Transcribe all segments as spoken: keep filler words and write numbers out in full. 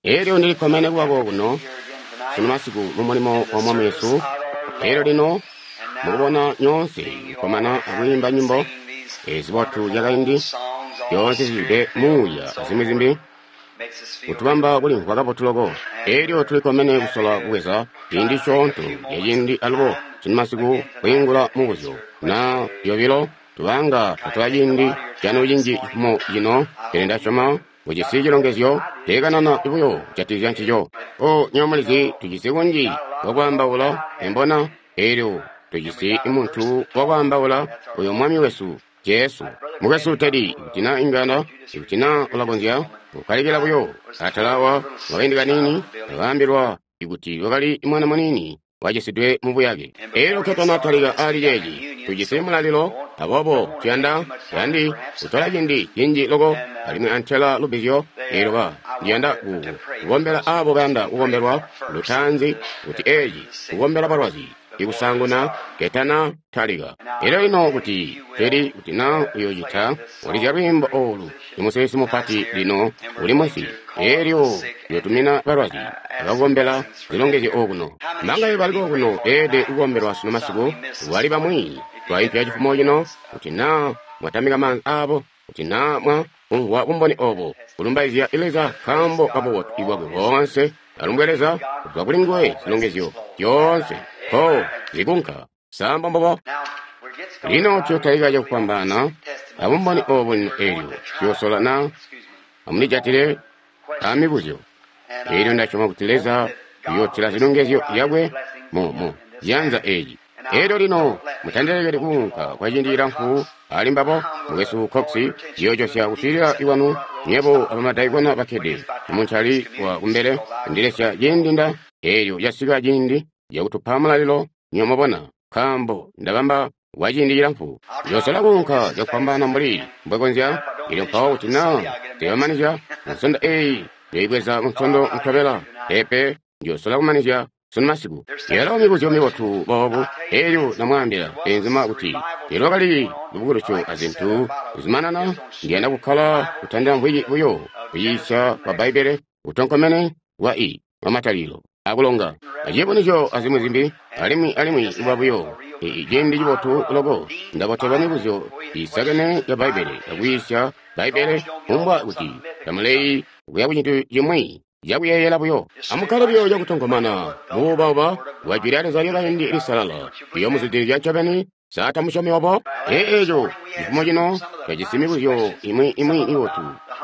Elyo ndili kkomene kuba kokuno sunu masiku mu mulimo wa Mwami wesu. Elyo lino mukubona nyoonse kukkomana akwiimba nyimbo ezibotu zyakaindi, zyoonse zizwide muuya azimwi zimbi, kutubamba kulimvwa kabotu loko. Elyo tuli kkomene kusola kubweza ciindi cisyoonto ca ciindi alubo sunu masiku kwiingula mubuzyo na yobilo. Tubanga twatola ciindi canu cinji cifumo cino, pele Nda syoma mujisi cilongezyo ceekanana buyo kujatikizya ncico. Oh, nywebo mulizi tujisi kunji kwa kwaambaula, embona? Elyo tujisi muntu wa kwaambaula, oyo Mwami wesu Jesu. Mukwesu Teddy, ikuti na inga, ikuti na ulakonzya kukkalikila buyo atala awa mwakaindi kaniini, ndakaambilwa ikuti wakali mwana muniini wacisidwe mu buyake. Elyo ketana talika ali ceeci, tujisi mulalilo, aboobo tuyanda tuyandi kutola ciindi cinji loko, alimwi antela lubbizyo. Elyo ba ndiyanda ku kukombela abo bayanda kukombelwa lutaanzi, kuti eci kukombela balwazi ikusaanguna ketana talika. Elyo lino kuti Teddy, kuti na uyocita ulizya lwiimbo olu, imusilisi mupati lino uli munsi. Elyo uyotumina balwazi abakukombela zilongezyo okuno. Mbangaye bali kokuno beelede kukombelwa sunu masiku? Wali bamwi twaipya cifumo cino, kuti na mwatamika maanza abo, kuti na mwa kumvwa bumboni obo, kulumbaizya Leza nkaambo ka bubotu bwakwe boonse. Alumbwe Leza, kuzwa kuli nguwe zilongezyo zyoonse ko zikunka. Sa mbombubo? Lino tuyotalika cakufwambaana abumboni obu lino. Elyo tuyosola na amulijatile a mibuzyo. Elyo ndasyoma kuti Leza uyootila zilongezyo zyakwe mu, mu ciyanza eci. Elyo lino mutandilekeli kuunka kwa ciindi cilamfu ali mbabo. Mukwesu Cox, ciyoocosya kuswiilila kwanu nywebo abamadaikona bakkede muncali wa kumbele kundilesya ciindi nda. Elyo casika ciindi cakutupa mulalilo, nywebo mwabona, nkaambo ndabamba kwa ciindi cilamfu. Ndiyoosola kuunka cakufwambaana mbuli Mbwe konzya. Elyo mpawo kuti na teebamanizya munsondo eyi, ndiyoibweza munsondo nkabela. Peepe, ndiyoosola kumanizya sunu masiku. Yalo mibuzyo mibotu boobu. Elyo ndamwaambila beenzuma kuti teelwakali lubukulusyo azintu kuzumanana. Ndiyanda kukkala kutandila mvwiki buyo kuyiisya kwa Bbaibbele kutonkomene kwa i kwa Matalikilo akulonga aciyubunuzyo azimwi zimbi, alimwi alimwi kuba buyo i ciindi cibotu loko. Ndabotelwa mibuzyo iisakene ya Bbaibbele akuyiisya Bbaibbele, kumbwa kuti tamuleyi kuya kucintu cimwi cakuyeeyela buyo. Amukkale buyo cakutonkomana mubuubauba bwa Jwi lya Leza lyakaindi lisalala, liyomuzwidilizya ncobeni. Sa tamusyomi obo? Ee, eco cifumo cino twajisi mibuzyo imwi imwi mibotu,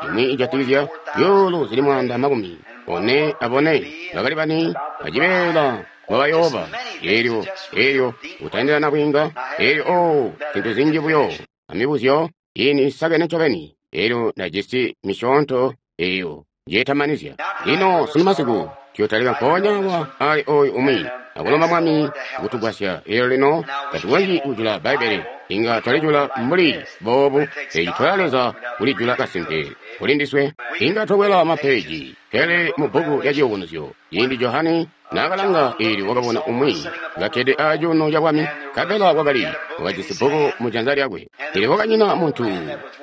imwi ijatikizya zyuulu zili mwaanda makumi one abone bakali bani acibeela mwabayooba. Elyo, elyo kutandila nabwiinga, elyo, oh, zintu zinji buyo amibuzyo ini isakene ncobeni. Elyo ndajisi misyoonto eyo njeetamanizya. Lino sunu masiku tuyotalika mpoonya awa ali oyu umwi, akulomba Mwami kutugwasya. Elyo lino tatukonzyi kujula Bbaibbele, inga twalijula mbuli boobu. Eci tola Leza kulijula kasimpe kuli ndiswe. Inga twakwela mapeeji, pele mu bbuku lya Ciyubunuzyo, ciindi Johane naakalanga, eelyo wakabona umwi kakkede acuuno cabwami, nkabela kwakali wakajisi bbuku mu janza lyakwe. Eelyo kwakanyina muntu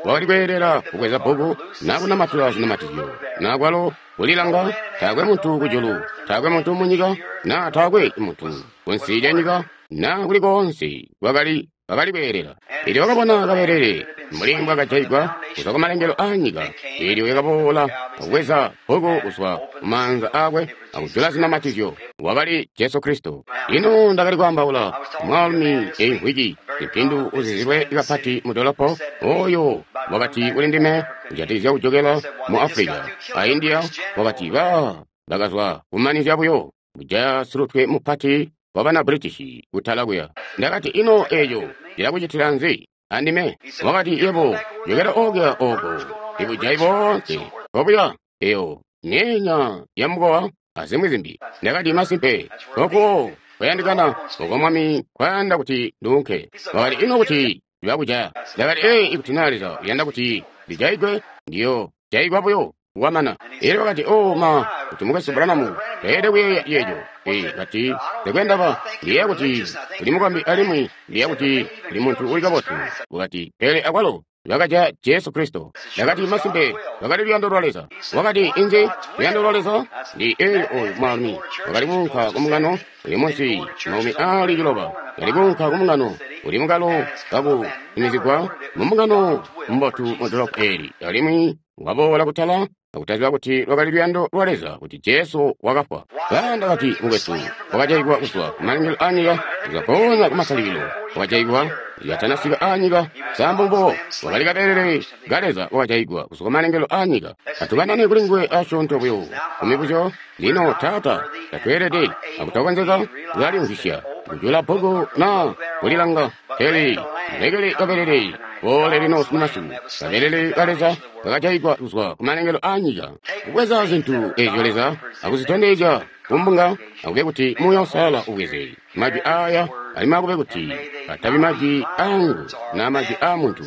wakali kweelela kubweza bbuku naa kunamatula zinamatizyo, naa kwalo kulilanga. Taakwe muntu kujulu, taakwe muntu munyika, naa taakwe muntu kunsi lya nyika, naa kuli koonse kwakali bakali kweelela. Eelyo wakabona kabelele mbuli mbwakajaigwa kuzwa kumalengelo aanyika. Eelyo yakaboola akubweza bbuku kuzwa mumaanza aakwe akujula zinamatizyo. Wakali Jesu Kristo. Lino ndakali kwaambaula mwaalumi eyi mvwiki, simpindu uzizilwe kapati mu dolopo, oyo wakati kuli ndime kujatikizya kujokela mu Africa a India. Wakati ba bakazwa kumanizya buyo kujaya silutwe mupati wabana British kutala kuya. Ndakati, ino eco cilakucitila nzi andime? Wakati, yebo jokela okuya oko ibujayi boonse kobuya eyo myeenya ya mukowa azimwi zimbi. Ndakati, masimpe oko kwayandikana, oko Mwami kwayanda kuti nduunke. Wakati, ino kuti bakujaya? Ndakati, ee, ikuti na Leza uyanda kuti ndijaigwe, ndiyo jaigwa buyo kwamana. Elyo wakati, oh ma, kuti Mukwesu Branham teelede kuyeeya ceeco. Ee, kati, ndekwe ndaba, ndiyeeya kuti uli mukombi alimwi ndiyeeya kuti uli muntu uli kabotu. Wakati, pele akwalo Bakajaya Jesu Kristo. Ndakati, masimpe, lwakali luyando lwa Leza. Wakati, inzi luyando lwa Leza? Ndi eelyo oyu mwaalumi wakali kuunka ku mbungano uli munsi makumi aali ciloba. Kali kuunka ku mbungano uli mukalo kakutumizigwa mu mbungano mbotu mu dolopo eeli, alimwi waboola kutala akutaziba kuti lwakali luyando lwa Leza kuti Jesu wakafwa. Ba ndakati, mukwesu, wakajaigwa kuzwa kumalengelo aanyika, kuzwa mpoonya kumatalikilo, wakajaigwa yatanasika aanyika. Sambu wakali kabelele ka Leza wakajaigwa kuzwa kumalengelo aanyika. Atukanane kuli nguwe asyoonto buyo kumibuzyo. Lino Taata, tatweelede akutakonzeka kulalimvwisya kujula bbuku na kulilanga, pele mulekele kabelele boole lino sunumasiku, kabelele ka Leza kakajaigwa kuzwa kumalengelo aanyika, kubweza zintu ezyo Leza akuzitondezya kumbunga, akube kuti Muuya Uusalala ubweze majwi aya, alimwi akube kuti atabi majwi angu na majwi a muntu,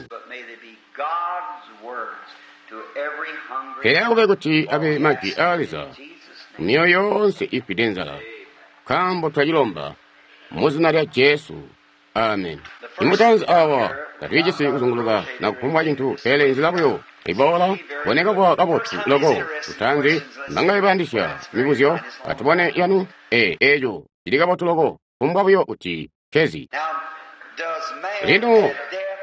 pele akube kuti abe majwi a Leza myoyo yoonse ifwide nzala, nkaambo twacilomba mu zina lya Jesu. Amen. Imutanzi awa tatwijisi kuzunguluka na kufumbwa cintu, pele nzila buyo iboola boneka kuba kabotu loko. Lutanzi mbangaye bayandisya mibuzyo? Atubone yanu. E eco cili kabotu loko, kufumbwa buyo kuti kezi. Lino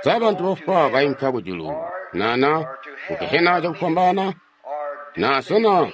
sa bantu bafwa bainka kujulu nana kugehena cakufwambaana, na sena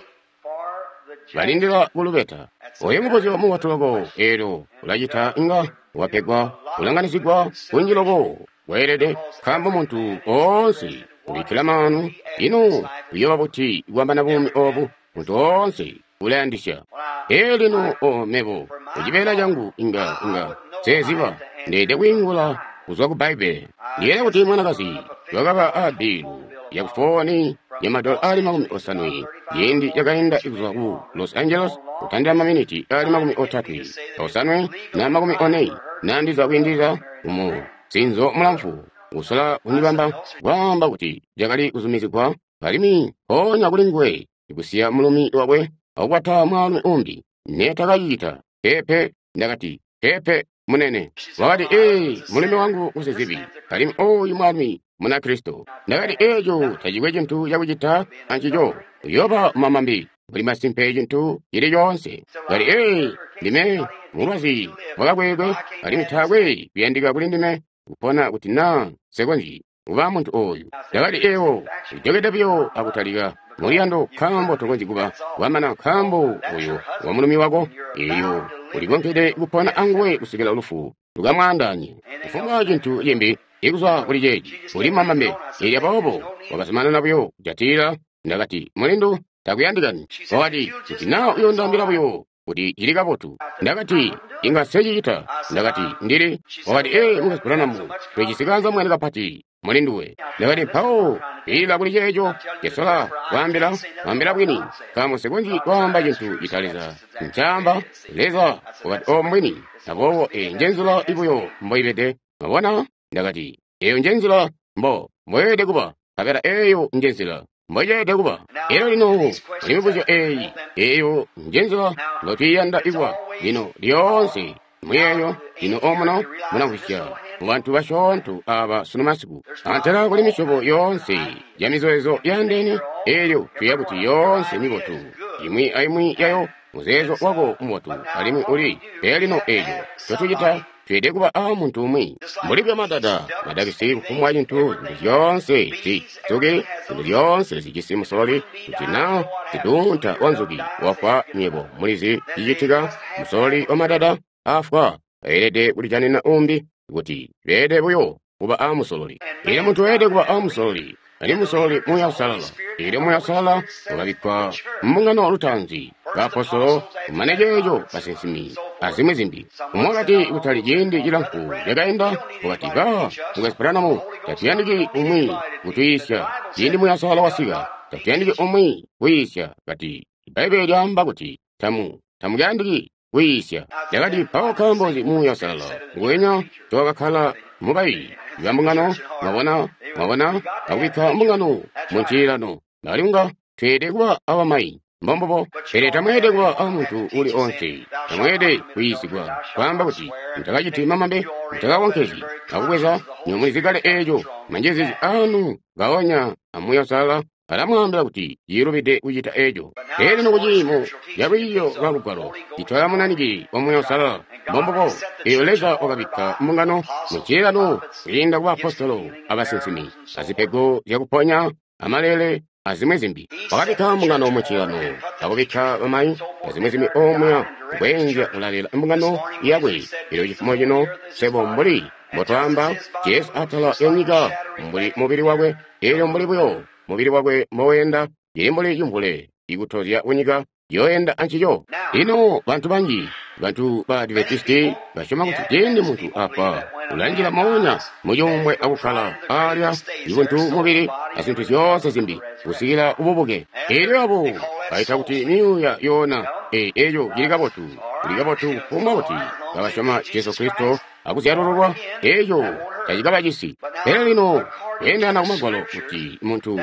balindila kulubeta? Oyo mubuzyo mubotu loko, eelyo ulacita inga wapegwa kulanganizigwa kunji loko weelede, nkaambo muntu oonse ubikkila maanu. Ino uyooba buti kwambana buumi obu? Muntu oonse ulayandisya. Ee lino o mebo kucibeela cangu inga inga seziba ndeede kwiingula kuzwa ku Bbaibbele. Ndiyeeya kuti mwanakazi wakaba a bilu yakufooni ya madola ali makumi osanwe ciindi cakainda kuzwa ku Los Angeles, kutandila maminiti ali makumi otatwe osanwe na makumi one nandiza kwiindilila mu sinzo mulamfu, kusola kundibamba kwaamba kuti cakali kuzumizigwa, alimwi mpoonya kuli nguwe kusiya mulumi wakwe akukwata mwaalumi umbi. Netakacicita. Peepe. Ndakati, peepe, munene. Wakati, ee, mulumi wangu musizibi, alimwi oyu mwaalumi Munakristo. Ndakati, eeco tacikwe cintu cakucita ancico, uyooba mamambi buli masimpe cintu cili coonse. Kati, ee, ndime mulwazi wakakwekwe, alimwi taakwe kuyandika kuli ndime kupona kuti naa nsekonzyi kuba muntu oyu. Ndakati, ewo ujokede buyo akutalika muliyando, nkaambo tokonzyi kuba wamana, nkaambo oyo wa mulumi wako, eyo ulikonkede kupona anguwe kusikila lufu lukamwaandanye. Kufumbwa cintu cimbi ikuzwa kuli ceeci uli mamambe. Eelyo aboobo wakazumanana buyo kujatilila. Ndakati, mulindu, takuyandikani. Wakati, kuti naa uyondaambila buyo kuti cili kabotu. Ndakati, inga secicita. Ndakati, ndili. Wakati, ee, Mukwesu Branham, twejisi mwene kapati mulinduwe. Ndakati, mpawo ilila kuli ceeco cesola kwaambila, kwaambila bwini, nkaambo nsikonzyi kwaamba cintu cita Leza ncaamba. Leza wakati, o mbwini. Aboobo eyi njenzila ibuyo mboibede. Mwabona? Ndakati, eyo njenzila mbo mboyeelede kuba, nkabela eyo njenzila mboyeelede kuba. Elyo lino kuli mibuzyo eyi, eyo njenzila mbotwiiyanda ikuba. Lino lyoonse muyeeyo, lino omuno mulamvwisya mubantu basyoonto aba sunu masiku, antela kuli misyobo yoonse ya mizeezo yandeene. Elyo tuya kuti yoonse mibotu, imwi aimwi yayo muzeezo wako mubotu alimwi uli. Pele lino eco ncotucita, tweelede kuba a muntu umwi mbuli bya madada madakisi, kufumbwa cintu, zintu zyoonse zinzuki, zintu zyoonse zijisi musololi. Kuti naa siduunta wa nzuki wafwa, nywebo mulizi cicitika. Musololi wa madada afwa, ayelede kulijanina umbi, kuti beelede buyo kuba a musololi. Elyo muntu weelede kuba a musololi, alimwi musololi Muuya Uusalala. Elyo Muuya Uusalala wakabikkwa mbungano lutaanzi, baapostolo, kumane ceeco basinsimi, azimwi zimbi. Umwi wakati kutali ciindi cilamfu cakainda, wakati, ba Mukwesu Branham, tatuyandiki umwi kutuyiisya. Ciindi Muuya Uusalala wasika, tatuyandiki umwi kuyiisya. Kati, Bbaibbele lyaamba kuti tamu tamuyandiki kuyiisya. Ndakati, mpawo nkaambo nzi Muuya Uusalala nguwenya towakakkala mubayi bambungano? Mwabona, mwabona, akubikka mbungano mu ncililano. Alimwi tweelede kuba abamayi. Mbombubo. Pele tamweelede kuba a muntu uli onse. Tamweelede kuyiisigwa kwaamba kuti mutakaciti mamambe, mutakakonkezyi, akubweza nyomulizi kale eeco. Manjezeezi anu ngaonya amuuya uusalala alamwaambila kuti ciilubide kucita eeco. Pele lino kuciimo ca lwiiyo lwa Lugwalo citola munanike wa Muuya Uusalala. Mbombubo. Eelyo Leza wakabikka mbungano mucililano kwiinda ku baapostolo abasinsimi, azipego zyakuponya, amalele, azimwi zimbi. Wakabikka mbungano mucililano, akubikka bamayi azimwi zimbi omuya kweenzya kulalela mbungano yakwe. Elyo cifumo cino swebo mbuli mbotwaamba Jesu atala ya nyika mbuli mubili wakwe, elyo mbuli buyo mubili wakwe mboweenda, cili mbuli cimvule ikutozya kunyika yoenda ancico. Lino bantu banji, bantu ba Adventisti basyoma kuti ciindi muntu afwa ulanjila moonya mucuumbwe akukkala alya ibuntu mubili azintu zyoonse zimbi kusikila ububuke. Elyo abo baita kuti myuuya yoona. E, eco cili kabotu, kuli kabotu kufumbwa kuti kabasyoma Jesu Kristo akuzyalululwa, eco tacikabacisi. Pele lino kweendelana ku Magwalo kuti muntu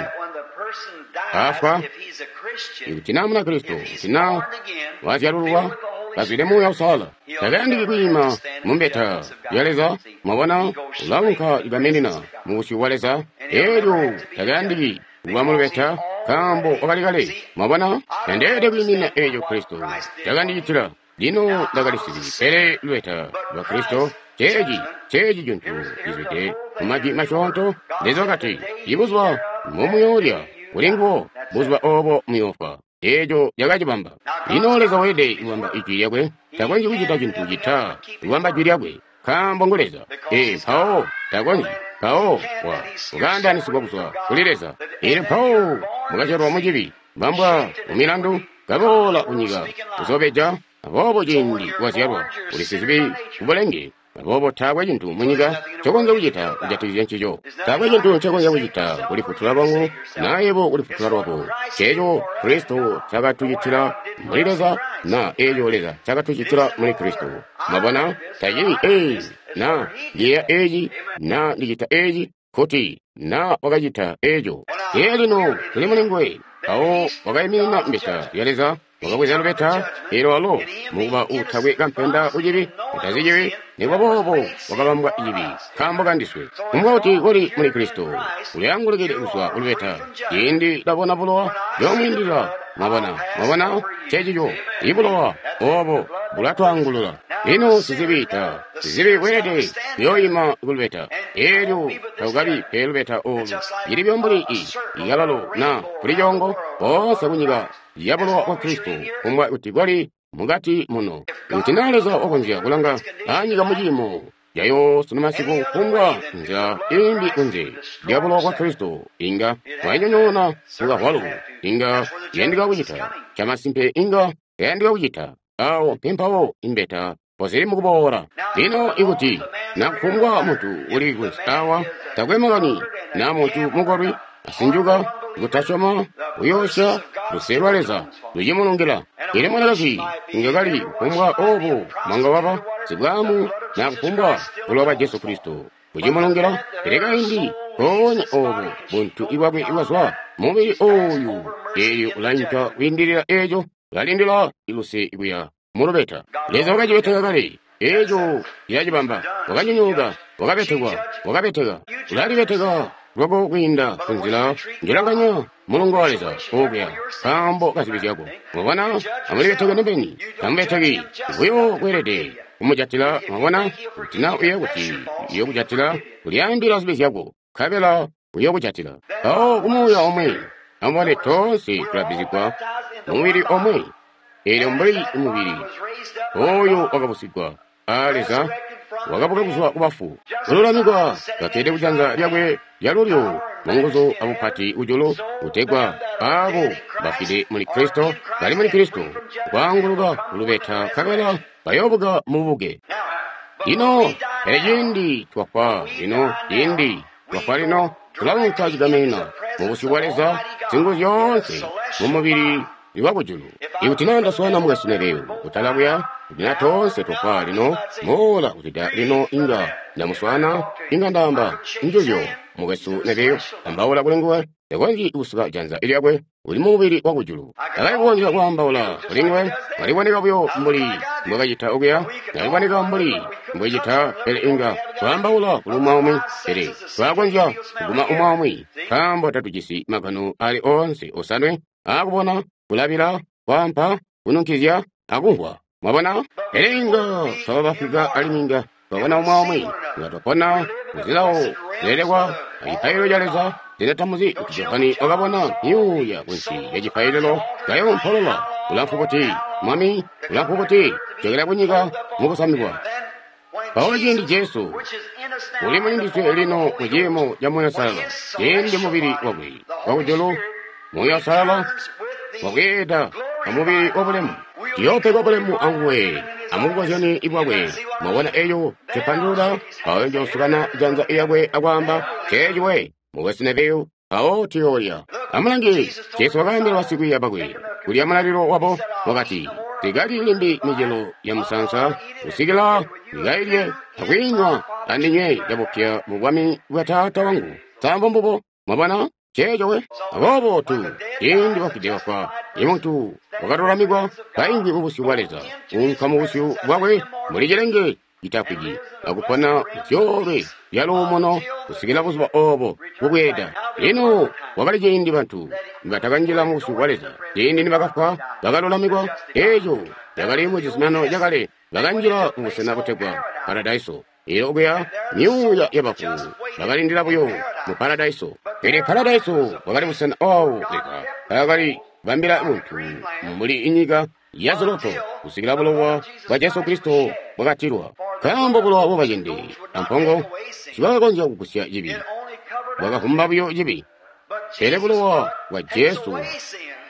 afwa, ikuti naa Munakristo, kuti naa wazyalululwa, kazwide Muuya Uusalala, takayandiki kwiima mu mbeta ya Leza. Mwabona, ulaunka cigaminina mu busyu bwa Leza. Elyo takayandiki kuba mu lubeta, nkaambo wakali kale. Mwabona, tandeelede kwiimina eco Kristo cakandicitila. Lino ndakali sizibi, pele lubeta lwa Kristo ceeci, ceeci cintu cizwide mu majwi masyoonto. Leza wakati, ibuzuba mbomuyoolya kuli nguwo, buzuba oobo muyoofwa. Eeco cakacibamba. Lino Leza weelede kubamba ijwi lyakwe. Takonzyi kucita cintu cita kubamba jwi lyakwe, nkaambo ngu Leza. Ee, mpawo takonzyi. Mpawo wa ukaandaanisigwa kuzwa kuli Leza. Elyo mpawo mukazyalwa mu cibi, mbambwa mu milandu, kaboola kunyika kuzobeja. Aboobo ciindi wazyalwa uli sizibi kubulenge. Aboobo taakwe cintu munyika ncokonzya kucita kujatikizya ncico. Taakwe cintu ncokonzya kucita kulifutula lwangu, na yebo kulifutula lwako. Ceeco Kristo cakatucitila muli Leza, na eeco Leza cakatucitila muli Kristo. Mwabona, tacili ee, na ndiyeeya eeci, na ndicita eeci, kuti na wakacita eeco. Ee lino tuli muli nguwe. Mpawo wakaiminina mbeta ya Leza, wakabweza lubeta, elyo walo mukuba uutakwe kampenda kucibi, utazi cibi, nikuba boobo wakabambwa cibi nkaambo kandiswe. Kumbwa kuti kuli muli Kristo, uliangulukile kuzwa kulubeta. Ciindi labona bulowa lyomwiindilila, mwabona, mwabona, cecico, ibulowa oobo bulatwaangulula. Lino sizibi ta sizibi weelede kuyooyima kulubeta. Elyo takukabi pe lubeta oolu, cili buyo mbuli i ikalalo na kuli coongo koonse kunyika ya bulowa bwa Kristo, kumbwa kuti kwali mukati muno. Kuti naa Leza wakonzya kulanga anyika muciimo yayo sunu masiku, kumbwa nzila imbi kunze lya bulowa bwa Kristo, inga wainyonyoona mukahwalu, inga yandika kucita camasimpe, inga yandika kucita awo mpempawo imbeta pozili mukuboola. Lino ikuti na kufumbwa muntu uli kunsi awa, takwe makani na muntu mukolwi, asinjuka, kutasyoma, kuyoosya, luse lwa Leza lucimulungila. Ili mwanakazi inga kali kufumbwa obo mwanga waba sibwamu na kufumbwa bulowa bwa Jesu Kristo bucimulungila. Pele kaindi mpoonya obo buntu ibwakwe ibwazwa mubili oyu, eelyo ulainka kwiindilila eeco, ulalindila iluse kuya mulubeta. Leza wakacibeteka kale eeco, cilacibamba. Wakanyonyooka, wakabetekwa, wakabeteka, ulalibeteka lwako kwiinda kunzila njolanganya mulongo wa Leza okuya nkaambo ka zibi zyako. Mwabona, amulibeteke nobeni, tamubeteki buyo kweelede kumujatila. Mwabona, kuti na uye kuti uyokujatila, kulyaambila zibi zyako, nkabela uyokujatila. Mpawo kumuuya omwe, amubone toonse tulabbizigwa mumubili omwe. Eelyo mbuli mubili oyo wakabusigwa a Leza, wakabuka kuzwa kubafu, kululamikwa kakkede kujanza lyakwe lyalulyo munguzu abupati kujulu, kutegwa aabo bafwide muli Kristo bali muli Kristo kwaanguluka kulubeta, nkabela bayoobuka mububuke. Lino pele ciindi twafwa lino, ciindi twafwa lino, tulaunka cigaminina mubusyu bwa Leza zingu zyoonse mumubili iwakujulu. Ikuti naa ndaswaana mukwesu Neville kutala kuya, kuti na toonse twafwa lino, moola kuzwida lino inga ndamuswaana, inga ndaamba njuzyo mukwesu Neville, ambaula kuli nguwe. Takonzyi kusuka janza lyakwe, uli mubili wakujulu. Takali kukonzya kwaambaula kuli nguwe, kali kuboneka buyo mbuli mbwakacita okuya, kali kuboneka mbuli mbwecita, pele inga twaambaula kuli umwi, pele twakonzya kuguma umwi, nkaambo tatujisi magano ali oonse osanwe aakubona, kulabila, kwaampa, kununkizya, akumvwa. Mwabona? Pele inga twaba bafwika alimwi inga twabona umwi, inga twapona muzilawo zilelekwa acipaililo ca Leza. Sena tamuzi kuti Johane wakabona myuuya kunsi lya cipaililo kayompolola ulamfu buti, Mwami, ulamfu buti, jokela kunyika mukusamikwa. Mpawo ciindi Jesu uli mulindiswe lino mu ciimo ca Muuya Uusalala, ciindi mubili wakwe wakujulu, Muuya Uusalala wabweeda amubili wabulemu, tuyoopegwa bulemu anguwe amubukozyani bwakwe. Mwabona eyo ncipandulula? Mpawo njoosukana janza lyakwe akwaamba, Ceeci we, mukwesu Neville, mpawo tuyoolya. Amulange, Jesu wakaambila basikwiiya bakwe kulya mulalilo wabo, wakati, Nsikalyi limbi micelo ya musaansa kusikila ndikailye akwiinywa andinywe yabupya mu bwami bwa Taata wangu. Nkaambo mbubo, mwabona? Ceeco we. Aboobo tu, ciindi bafwide bafwa, imuntu wakalulamikwa kaimvwi mubusyu bwa Leza, unka mubusyu bwakwe mbuli cilenge citafwiki, akupona zyoolwe zya luumuno kusikila buzuba oobo bubweeda. Lino wakali ciindi bantu nibatakanjila mubusyu bwa Leza, ciindi nibakafwa bakalulamikwa, eeco cakali mu cizuminano cakale, bakanjila mubusena butegwa paradaiso. Eelyo okuya myuuya yabafu bakalindila buyo mu paradaiso. Pele paradaiso bwakali busena oobo Leza mpaakali bambila muntu mbuli inyika ya ziloto kusikila bulowa bwa Jesu Kristo bwakatilwa. Nkaambo bulowa bwabacende ampongo tibwakakonzya kugusya cibi, bwakavumba buyo cibi. Pele bulowa bwa Jesu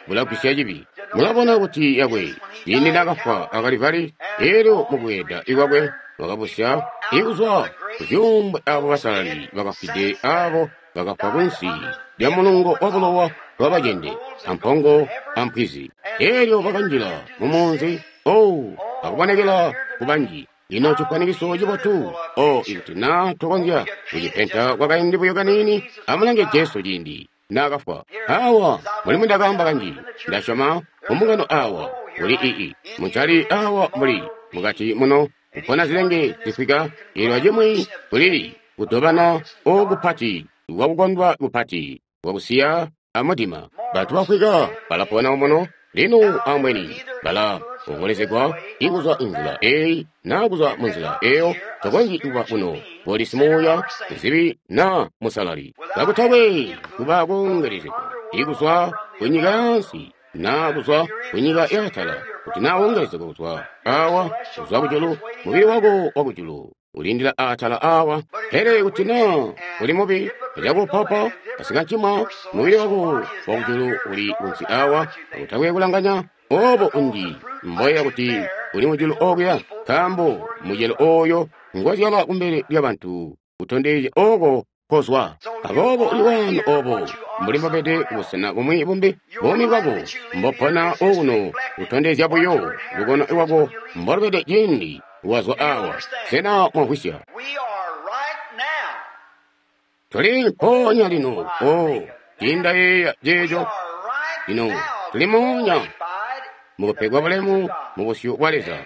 bulagwisya cibi. Mulabona kuti yakwe ciindi naakafwa a Kalivali, eelyo mukweeda kwakwe wakabusya ikuzwa kuzyuumbwe aabo basalali bakafwide aabo bakafwa kunsi lya mulungo wabulowa bwabacende ampongo ampwizi. Eelyo bakanjila mumunzi, oh, akubonekela kubanji. Ino cifwanikiso cibotu, oh, ikuti naa tukonzya kucipenta kwakaindi buyo kaniini. Amulange Jesu ciindi naakafwa. Awa mbuli mbwindakaamba kanji, ndasyoma mumbungano awa muli ii muncali awa muli mukati muno kupona zilenge zifwika, eelyo acimwi kuli kudobana ookupati kwakukondwa kupati kwakusiya amudima. Bantu bafwika balapona muno lino ambweni bala ongolezegwa ikuzwa inzila eyi naa kuzwa munzila eyo. Tokonzyi kuba kuno koli simuuya muzibi naa musalali kakutakwe kuba koongelezegwa ikuzwa kunyika yansi naa kuzwa kunyika yaatala. Kuti naa wongelezegwa kuzwa awa kuzwa kujulu, mubili wako wakujulu ulindila atala awa. Pele kuti naa uli mubi acakuupaupa asikancimwa, mubili wako wakujulu uli kunsi awa, kakutakwe kulanganya oobo unji mboya kuti uli mujulu okuya, nkaambo mucelo ooyo ngozyala kumbele lyabantu utondezya ooko kozwa. Aboobo uli waano oobo mbuli mbobede kubusena bumwi bumbi, buumi bwako mbopona okuno butondezya buyo lukono lwako mbolubede ciindi wazwa awa. Sena mwamvwisya? Tuli mpoonya lino, oh, ciindayeeya ceeco. Lino tuli moonya mukupegwa bulemu mubusyu bwa Leza,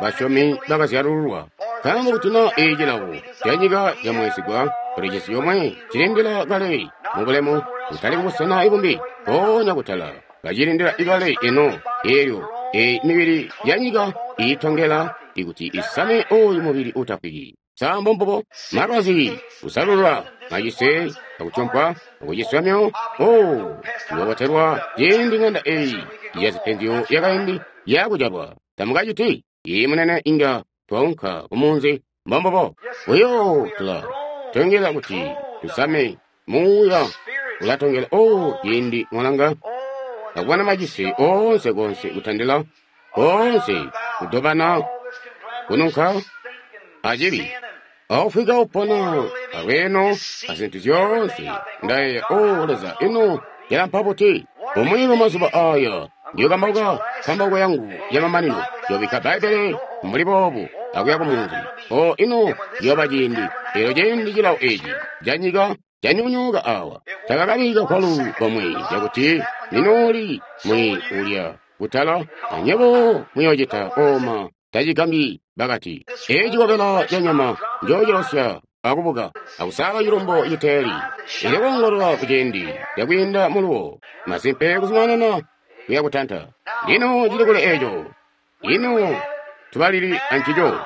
basyomi bakazyalululwa. Nkaambo kuti naa eeci cilawo canyika camweesigwa, tulijisi yomwe cilindila kale mubulemu, kutali kubusena ibumbi, mpoonya kutala kacilindila ikale eno. Eelyo eyi mibili yanyika iitongela ikuti isame ooyu mubili uutafwiki. Sambo mbubo malwazi, kusalulula, macise, akutyompwa, akuciswa oh, mukabotelwa ciindi ng'anda eyi yazipenzyo yakaindi yakujalwa. Tamukaciti iyi munene inga twaunka kumunzi mbombobo. Buyo tula tongela kuti tusame muuya ulatongela oh, ciindi mwalanga akubona macise oonse konse kutandila koonse kudobana kununka acibi aufika upona alweeno azintu zyoonse. Ndayeeya, o Leza, ino yalampa buti? Umwi mumazuba aya ndiyokambauka kambauko yangu yamamanino, ndiyobikka Bbaibbele mbuli boobu akuya kumunzi. O ino ciyooba ciindi, eelyo ciindi cilawo eeci canyika Canyonyooka awa. Takakabi kakwalu komwe cakuti ninooli muli ulya kutala, anyebo muyoocita oma tacigambyi bakati. Eeci cikobela ca nyama njoocilosya akubuka akusala cilumbo citeeli. Elyo koongolola kuciindi cakwiinda muluwo, masimpe kuzumanana kuya kutanta. Lino cili kule eco. Lino tubalili ancico.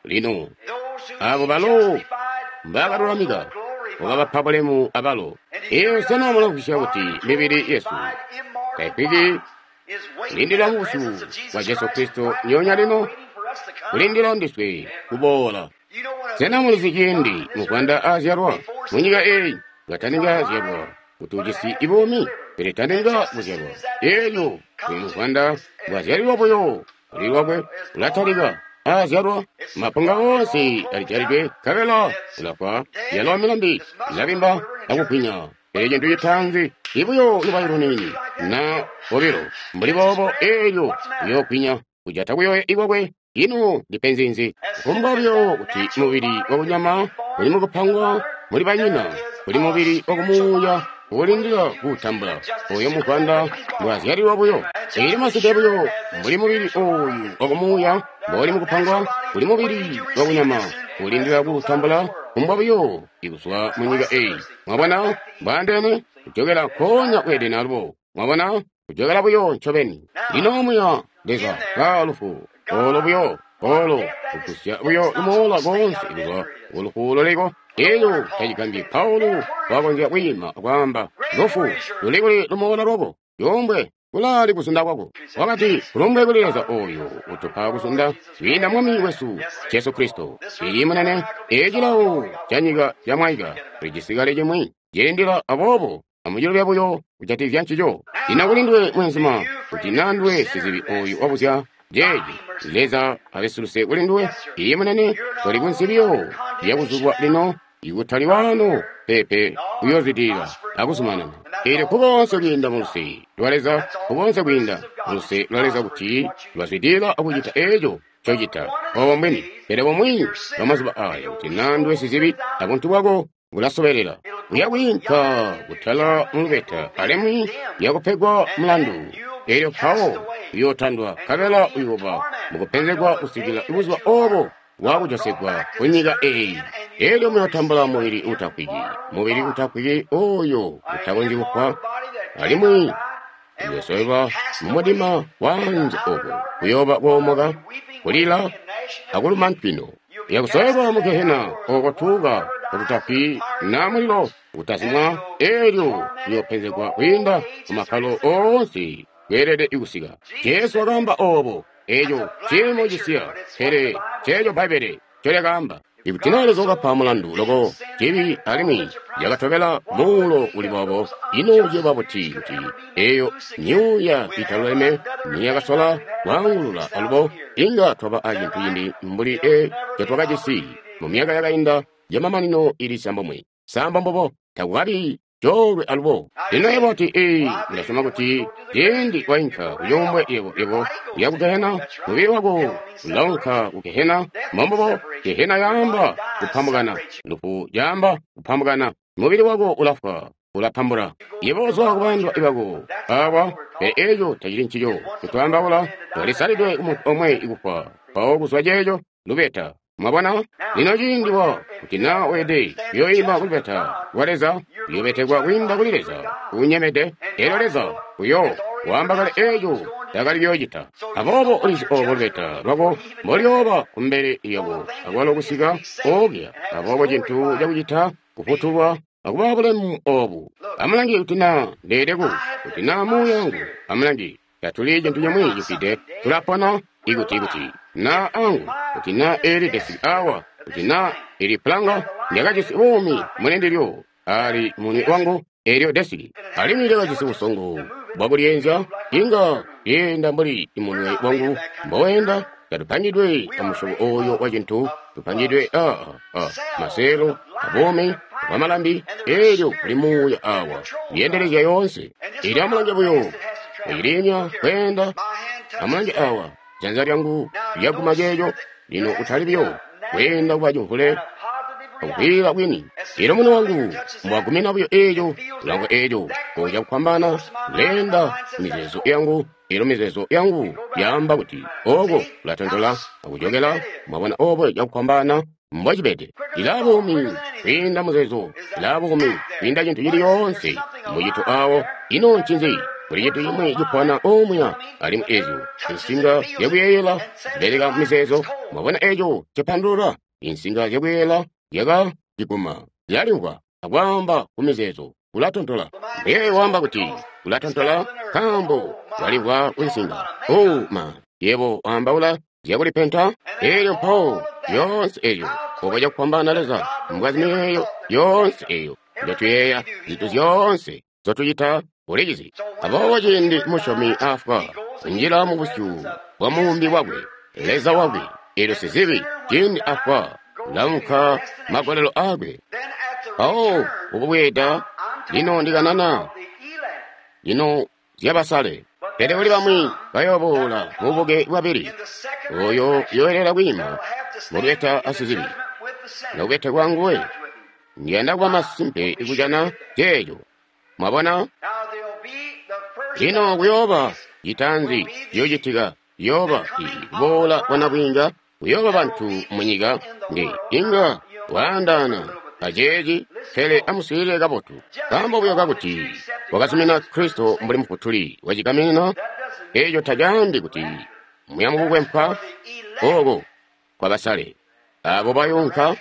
Lino abo balo mbakalulamika wakabapa bulemu abalo. Eyo sena mulamvwisya kuti mibili yesu taifwiki kulindila mubusyu bwa Jesu Kristo nyonya lino, kulindila ndiswe kuboola. Sena mulizi ciindi muvwanda azyalwa munyika eyi kataninga zyalwa kuti ujisi ibuumi, pele taninga kuzyalwa. Elyo uyu muvwanda bwazyalilwa buyo kuli lwakwe ulatalika azyalwa, mapunga oonse alijalidwe nkabela ulafwa, yalo milambi ilabimba akugwinya. Pele cintu citaanzi ibuyo lubayi luniini na bobilo mbuli boobo, elyo uyoogwinya kujata kuyoya ikwakwe. Ino ndipenzi nzi? Kufumbwa buyo kuti mubili wakunyama uli mukupangwa muli banyina, kuli mubili wakumuuya uulindila kuutambula. Oyo muvwanda mbwazyalilwa buyo. Elyo masimpe buyo mbuli mubili ooyu wakumuuya mbouli mukupangwa, kuli mubili wakunyama uulindila kuutambula kufumbwa buyo ikuzwa munyika eyi. Mwabona mbwaandeene? Kujokela nkoonya ku Edeni alubo. Mwabona? Kujokela buyo ncobeni. Lino muya Leza ka lufu olo buyo olo kugusya buyo lumoola koonse kuzwa kulufu luliko. Elyo tacigambyi Paulo wakonzya kwiima akwaamba, lufu luli kuli lumoola lwako, yombwe kulaali kuzunda kwako. Wakati, kulumbwe kuli Leza oyo utupa kuzunda kwiinda Mwami wesu Jesu Kristo. Iyi munene, ecilawo canyika camwaika tulijisi kale cimwi cilindila, aboobo amucilubya buyo kujatikizya ncico. Lino kuli nduwe mwenzuma, kuti naa nduwe sizibi oyu wabuzya jeeji, Leza abe siluse kuli nduwe. Iyi munene, toli kunsi biyo lyakuzulwa lino, ikutali wano pepe uyoozwidilila akuzumanana. Elyo kuboonse kwiinda muluse lwa Leza, kuboonse kwiinda muluse lwa Leza kuti lwazwidilila akucita eco ncocita. Obo mbwini. Pele bumwi bwa mazuba aya kuti naa nduwe sizibi abuntu bwako bulasobelela, uya kwiinka kutala mulubeta alimwi yakupegwa mulandu. Elyo mpawo uyootandwa nkabela uyooba mukupenzegwa kusikila buzuba obo bwakujosegwa kunyika eyi. Elyo muyootambula mubili uutafwiki, mubili uutafwiki oyo utakonzyi kufwa, alimwi uyoosowelwa mumudima waanze oko kuyooba koomoka, kulila akuluma ntwino. Uyakusowelwa mu gehena oko tuuka ututafwi na mulilo utazimwa. Elyo uyoopenzegwa kwiinda mumakkalo oonse kweelede kusika. Jesu wakaamba obo. Eco ciimo cisiya, pele ceeco Bbaibbele ncolyakaamba. Ikuti naa Leza wakapa mulandu loko cibi alimwi yakatobela muulo uli boobo, ino ciyooba buti kuti eyo myuuya italuleme niyakasola kwaangulula alubo inga twaba acintu cimbi mbuli e ncotwakajisi mu myaka yakainda yamamanino ili sambomwe. Samba mbobo, takukabi coolwe alubo. Lino yebo oti, ee, ndasyoma kuti ciindi wainka kucuumbwe yebo yebo uya ku gehena, mubili wako ulaunka ku gehena. Mbombubo, gehena yaamba kupambukana, lufu yaamba kupambukana, mubili wako ulafwa, ulapambula. Yebo uzwa kubandwa ibako awa, pele eco tacili ncico. Kutwaambaula, twalisalidwe kumuntu omwe ikufwa, mpawo kuzwa ceeco lubeta. Mwabona? Lino ciindi wa kuti naa weede uyoima kulubeta lwa Leza, uyobetekwa kwiinda kuli Leza uunyemede. Elyo Leza uyo waamba kale eco takali kuyoocita. Aboobo ulizi obo lubeta lwako mboluyooba kumbele lyako akwalo kusika okuya. Aboobo cintu cakucita kufutulwa akuba bulemu obu. Amulange kuti naa ndeede ku, kuti naa muuya wangu. Amulange, tatuli cintu cimwi cifwide, tulapona ikuti kuti naa angu, kuti naa eli desiki awa, kuti naa ili pulanga, ndakajisi buumi muli ndilyo, ali munwe wangu elyo desiki, alimwi lyakajisi busongo bwakulyenzya, inga lyeenda mbuli munwe wangu mboweenda. Tatupangidwe amusyobo oyo wa cintu, tupangidwe a a maseelo abuumi bwamalambi. Elyo kuli muuya awa lyeendelezya yoonse. Elyo amulange buyo iciliimya kweenda. Amulange awa, janza lyangu lyaguma ceeco. Lino utali buyo kweenda kuba cimvule akukwiila kwini. Elyo munwe wangu mbwagumina buyo eeco, ulamvwa eeco, oca kufwambaana leenda mizeezo yangu. Elyo mizeezo yangu yaamba kuti oko kulatontola akujokela. Mwabona obo cakufwambaana mbwacibede. Ilaa buumi kwiinda muzeezo, ilaa buumi kwiinda cintu cili yoonse mucito awo. Ino ncinzi? Kuli cintu cimwi cipona omuya, alimwi ezyo insinga zyakuyeeyela zibeleka mumizeezo. Mwabona eco cipandulula? Insinga zyakuyeeyela zyakaciguma, zyalimvwa akwaamba ku mizeezo kulatontola. Muyeeyo waamba kuti kulatontola nkaambo walimvwa ku nsinga. Oh ma, yebo waambaula zyakulipenta. Elyo mpawo yoonse eyo obo cakufwambaana Leza mbwazi miyeeyo yoonse eyo njotuyeeya, zintu zyoonse nzotucita ulizizi. Aboobo ciindi musyomi afwa, kunjila mu busyu bwa muumbi wakwe, Leza wakwe, elyo sizibi ciindi afwa, ulaunka magolelo aakwe. Mpawo ukubweeda, lino ndikanana lino zyabasale. Pele kuli bamwi bayooboola mububuke bwabili, oyo yoelela kwiima mulubeta asizibi nokubetekwa nguwe. Ndiyanda kuba masimpe kujana ceeco. Mwabona? Lino kuyooba citanzi ciyoocitika, ciyooba kuboola kwa nabwiinga, kuyooba bantu munyika nge inga waandaana aceeci, pele amuswiilile kabotu. Nkaambo buyo kakuti wakazumina Kristo mbuli Mufutuli wacigaminina, eeco tacaambi kuti muya mukukwempwa oko kwabasale abo bayunka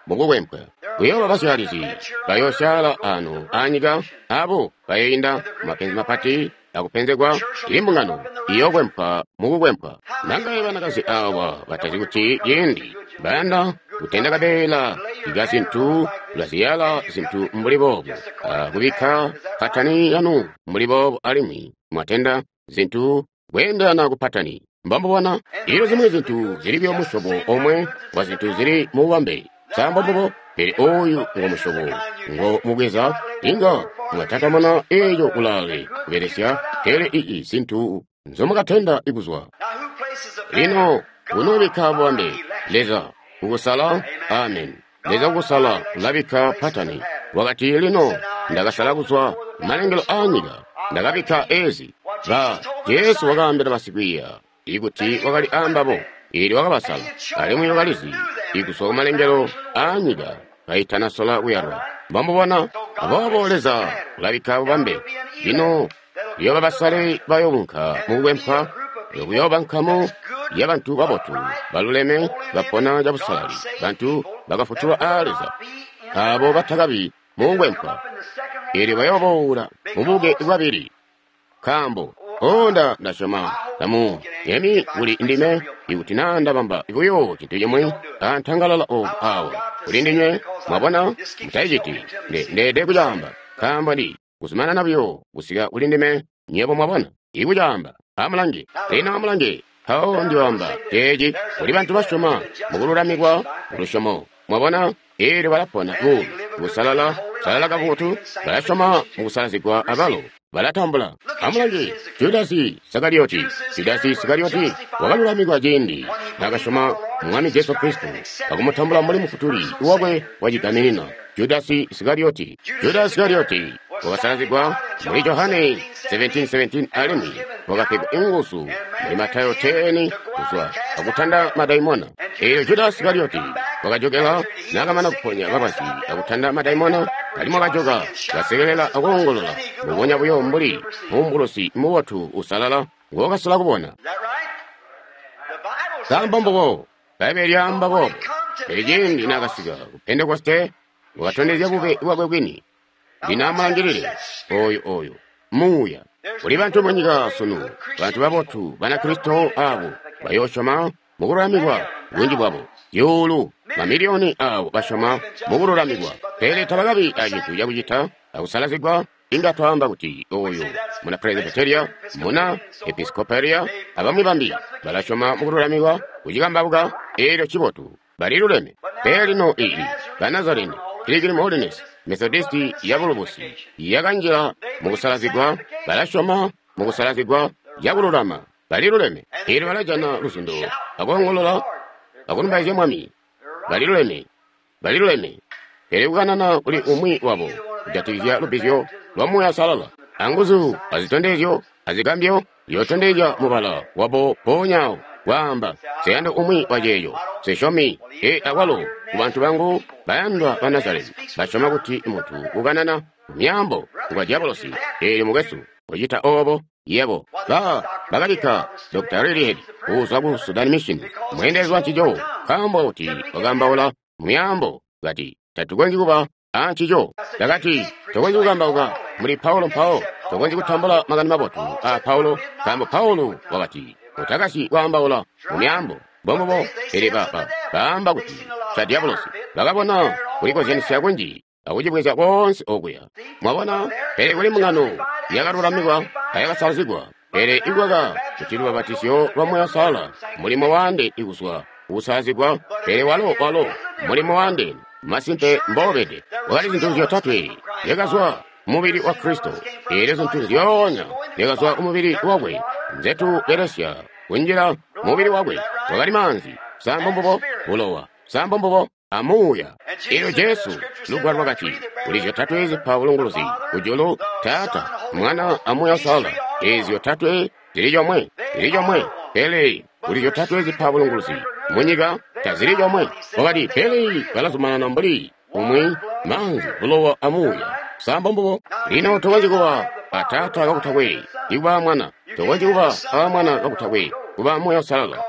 mukukwempwa. Kuyooba basyalizi bayoosyaala ano anyika, abo bayoinda mapenzi mapati akupenzegwa. Imbungano iyokwempwa mukukwempwa. Nangaye banakazi awa batazi kuti ciindi bayanda kutenda kabeela ika zintu kulaziyala zintu mbuli boobo, akubikka patani yanu mbuli boobo, alimwi mwatenda zintu kweendelana ku patani. Mbambubona ilyo zimwi zintu zili buyo musyobo omwe wa zintu zili mu bubambe. Sa mbombubo? Pele oyu ngo musyobo ngo mubweza, inga mwatatamana eeco kulaale kubelesya, pele ii zintu nzomukatenda ikuzwa. Lino kunoobikka bubambe, Leza kukusala. Amen. Leza kukusala ulabikka patani. Wakati, lino ndakasala kuzwa kumalengelo aanyika, ndakabikka ezi. Ba Jesu wakaambila basikwiiya ikuti wakali aambabo, eelyo wakabasala, alimwi wakalizi ikuzwa kumalengelo aanyika kaitanasola kuyalwa. Mbambubona? Aboobo Leza ulabikka bubambe. Lino kuyooba basale bayoobunka mukukwempwa, kuyooba nkamu yabantu babotu, baluleme, bapona cabusalali, bantu bakafutulwa aa Leza, abo batakabi mukukwempwa. Eelyo bayooboola mububuke bwabili. Nkaambo onda ndasyoma tamu yemi kuli ndime ikuti naa ndabamba buyo cintu cimwi antangalala oku awa kuli ndinywe. Mwabona, mutayiciti. Ndeede kucaamba nkaambo ndi kuzumanana buyo kusika kuli ndime. Nywebo mwabona ikucaamba. Amulange lino, amulange. Mpawo ndiyoamba ceeci kuli bantu basyoma mukululamikwa kulusyomo. Mwabona, eelyo balapona buumi busalala, salala kabotu, balasyoma mukusalazigwa abalo balatambula. Amulange Judasi Iskariyoti. Judasi Iskariyoti wakalulamikwa ciindi naakasyoma Mwami Jesu Kristo akumutambula mbuli Mufutuli wakwe wacigaminina. Judasi Iskariyoti, Judasi Iskariyoti wakasalazigwa muli Johane seventeen seventeen, alimwi wakapegwa inguzu muli Matayo ten kuzwa akutanda madaimona. Eelyo Judasi Iskariyoti wakajokela naakamana kuponya balwazi akutanda madaimona, alimwi wakajoka kasekelela akoongolola mbubonya buyo mbuli muumbulusi mubotu usalala ngookasola kubona. Nkaambo mbubo Bbaibbele lyaamba boobo. Pele ciindi naakasika ku Pentekoste, wakatondezya bube bwakwe bwini. Lino amulangilile oyu oyu muuya. Kuli bantu munyika sunu, bantu babotu Banakristo abo bayoosyoma mukululamikwa, bunji bwabo zyuulu mamiliyoni abo basyoma mukululamikwa, pele tabakabi acintu cakucita akusalazigwa. Inga twaamba kuti oyu muna Presbyteria, muna Episcopalia, abamwi bambi balasyoma mukululamikwa kucikambauka, eelyo cibotu baliluleme. Pele lino iyi Banazarene, Pilgrim Holiness, Methodisti ya bulubusi yakanjila mukusalazigwa, balasyoma mukusalazigwa cakululama, baliluleme. Eelyo balajana luzundo akoongolola akulumbaizya Mwami, baliluleme. Bali luleme. Pele kukanana kuli umwi wabo kujatikizya lubbizyo lwa Muuya Uusalala, anguzu, azitondezyo, azigambyo, yotondezya mubala wabo mpoonya awo, kwaamba, nseyandi umwi wa ceeco, nsesyomi. E akwalo ku bantu bangu bayandwa ba Nazareti, basyoma kuti muntu ukanana myaambo ngwa dyabolosi. Eelyo mukwesu, kucita obo, yebo. Ba bakabikka Doctor Reed kuzwa ku Sudan Mission, mweendelezi wa ncico, nkaambo kuti wakaambaula myaambo, kati, tatukonzyi kuba a ncico. Ndakati, tokonzyi kukambauka muli Paulo mpawo, tokonzyi kutambula makani mabotu a Paulo, nkaambo Paulo wakati, utakasyi kwaambaula mu myaambo. Mbombubo, pele ba, ba, baamba kuti ca dyabolosi. Bakabona kulikozyanisya kunji akucibweza koonse okuya. Mwabona, pele kuli mbungano yakalulamikwa ayakasalazigwa, pele ikukaka kuti lubabatizyo lwa Muuya Uusalala mulimo waande ikuzwa kukusalazigwa, pele walo walo mulimo waande masimpe mbobede. Wakali zintu zyotatwe zyakazwa mubili wa Kristo, eelyo zintu nzyoonya zyakazwa kumubili wakwe nzetubelesya kunjila mubili wakwe. Wakali maanzi, sambo mbubo, bulowa, sambo mbubo, amuuya. Eelyo Jesu, Lugwalo lwakati, kuli zyotatwe zipa bulunguluzi kujulu, Taata, Mwana, a Muuya Uusalala. Eezi zyotatwe zili comwe, zili comwe, pele kuli zyotatwe zipa bulunguluzi munyika tazili comwe. Wakati, pele balazumanana mbuli umwi, maanzi, bulowa, amuuya. Sambo mbubo. Lino tokonzyi kuba a Taata kakutakwe ikuba Mwana, tokonzyi kuba a Mwana kakutakwe kuba Muuya Uusalala,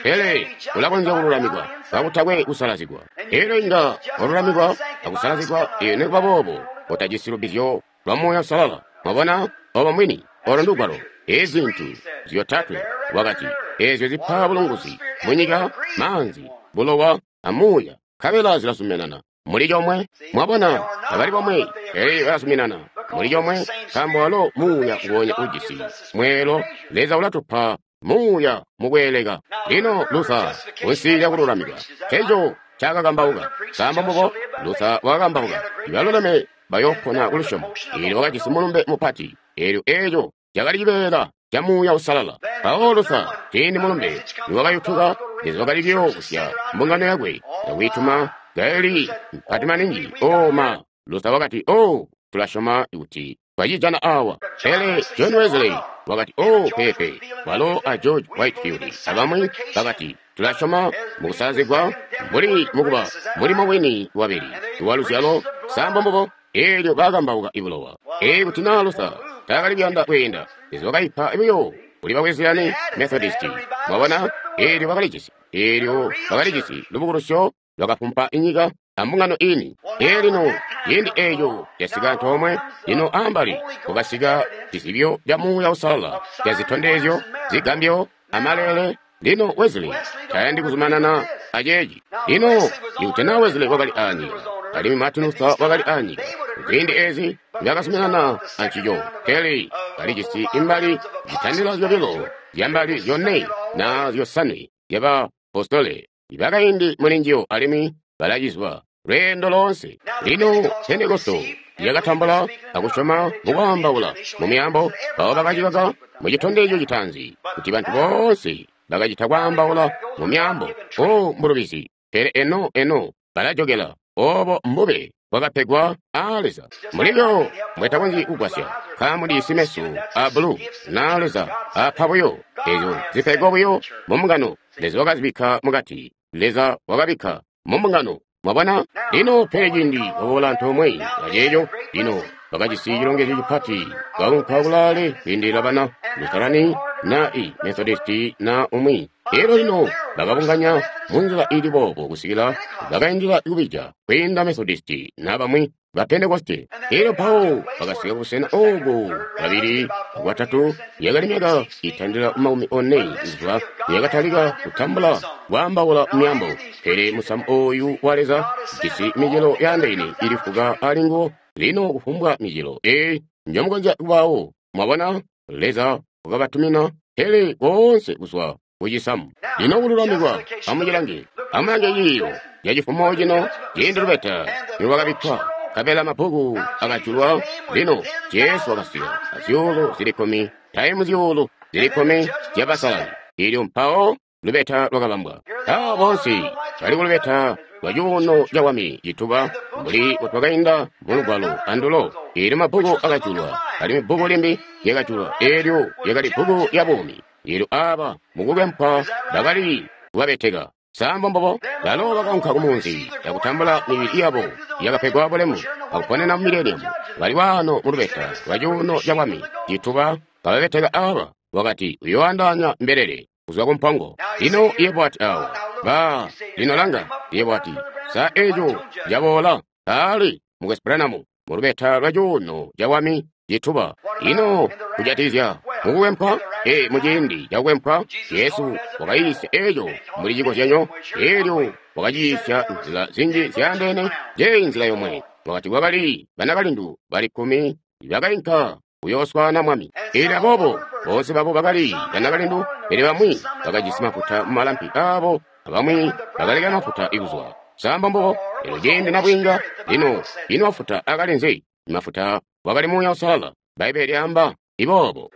pele ulakonzya kululamikwa kakutakwe kusalazigwa. Eelyo inga walulamikwa akusalazigwa, ee, nikuba boobo utajisi lubbizyo lwa Muuya Uusalala. Mwabona, obo mwini, olo ndugwalo. Ezi zintu zyotatwe, wakati, eezyo zipa bulunguzi munyika, maanzi, bulowa, amuuya, nkabela zilazuminana muli comwe. Mwabona, tabali bomwe, pele balazuminana muli comwe, nkaambo walo Muuya nguonya ujisi mweelo. Leza ulatupa Muuya mukweeleka. Lino Luther kunsi lya kululamika, eco cakakambauka. Sambo mbubo, Luther wakakambauka, ibaluleme bayopona kulusyomo. Eelyo wakajisi mulumbe mupati, eelyo eco cakali cibeela ca Muuya Uusalala. Mpawo Luther, ciindi mulumbe niwakayutuka, Leza wakali kuyoobusya mbungano yakwe akwiituma kaili mpati maningi. O ma, Luther wakati, o, tulasyoma kuti twacijana awa. Pele John Wesley wakati, o, pepe. Walo a George Whitefield abamwi bakati, tulasyoma mukusalazigwa mbuli mukuba mulimo wini wabili wa luzyalo. Sambo mbubo. Eelyo bakambauka ibulowa. Ee, kuti naa Luther taakali kuyanda kweenda, Leza wakaipa buyo kuli ba Wesleyani Methodisti. Mwabona, eelyo bakalijisi, eelyo bakalijisi lubukulusyo lwakafumpa inyika ambungano ini. Ee, lino ciindi eeco casika antoomwe. Lino ambali kwakasika cizibyo ca Muuya Uusalala ca zitondezyo, zigambyo, amalele. Lino Wesley tayandi kuzumanana aceeci. Lino ikuti naa Wesley wakali aanyika, alimwi Martin Luther wakali aanyika, ziindi ezi nzyakazuminana ancico, pele kalijisi imbali zitandila zyobilo zyambali zyone na zyosanwe zyaba apostole ibakaindi mulinjiyo, alimwi balacizwa lweendo loonse. Lino Pentekosto yakatambula akusyoma mukwaambaula mu myaambo, mpawo bakacikaka mu citondezyo citaanzi kuti bantu boonse bakacita kwaambaula mu myaambo. O, mbulubizi. Pele eno eno balajokela. Obo mbube bwakapegwa aa Leza. Mulibyo mbwetakonzyi kugwasya, nkaambo ndijisi meso a bulu na Leza apa buyo ezyo zipegwa buyo mu mbungano. Leza wakazibikka mukati, Leza wakabikka mu mbungano. Mwabona? Lino pele ciindi baboola antoomwe aceeco, lino bakajisi cilongezyo cipati, baunka kulaale kwiindilila bana Lutherani na i Methodisti na umwi. Elyo lino bakabunganya munzila ili boobo kusikila bakaindila kubija kwiinda Methodisti na bamwi ba Pentekoste. Elyo mpawo bakasika kubusena obo babili bwatatu, yakali myaka itandila makumi one kuzwa yakatalika kutambula kwaambaula myaambo. Pele musamu oyu wa Leza jisi micelo yaandeene ili fuka ali nguwo. Lino kufumbwa micelo eyi njomukonzya kubawo. Mwabona, Leza wakabatumina pele koonse kuzwa kucisamu. Lino kululamikwa, amucilange, amulange ciiyo cacifumo cino, ciindi lubeta nilwakabikkwa, nkabela mabbuku akajulwa. Lino Jesu wakasika azyuulu zili kkumi taimu zyuulu zili kkumi zyabasalali. Elyo mpawo lubeta lwakabambwa. Abo boonse bali kulubeta lwa cuuno cabwami cituba, mbuli mbutwakainda mu Lugwalo andulo. Eelyo mabbuku akajulwa, alimwi bbuku limbi lyakajulwa, eelyo lyakali bbuku lya buumi. Eelyo aaba mukukwempwa bakali kubabeteka. Sa mbombubo? Balo bakaunka ku munzi akutambula mibili yabo yakapegwa bulemu akuponena mu mileniamu. Bali waano mu lubeta lwa cuuno cabwami cituba, kababeteka aaba. Wakati uyoandaanya mbelele kuzwa ku mpongo. Lino yebo wati awa, ba, lino langa, yebo wati, sa eco caboola? Aali, Mukwesu Branham, mu lubeta lwa cuuno cabwami cituba. Ino kujatikizya mukukwempwa? Ee, muciindi cakukwempwa, Jesu wakayiisya eco mbuli cikozyanyo. Eelyo wakaciyiisya nzila zinji zyaandeene. Njeeyi nzila yomwe. Wakati kwakali banakalindu bali kkumi bakainka kuyooswaana Mwami. Eelyo aboobo boonse babo bakali banakalindu, pele bamwi bakajisi mafuta mumalampi aabo, abamwi bakaleka mafuta kuzwa. Sa mbombubo? Eelyo ciindi nabwiinga, lino ino mafuta akali nzi? Mafuta wakali Muuya Uusalala. Bbaibbele lyaamba iboobo.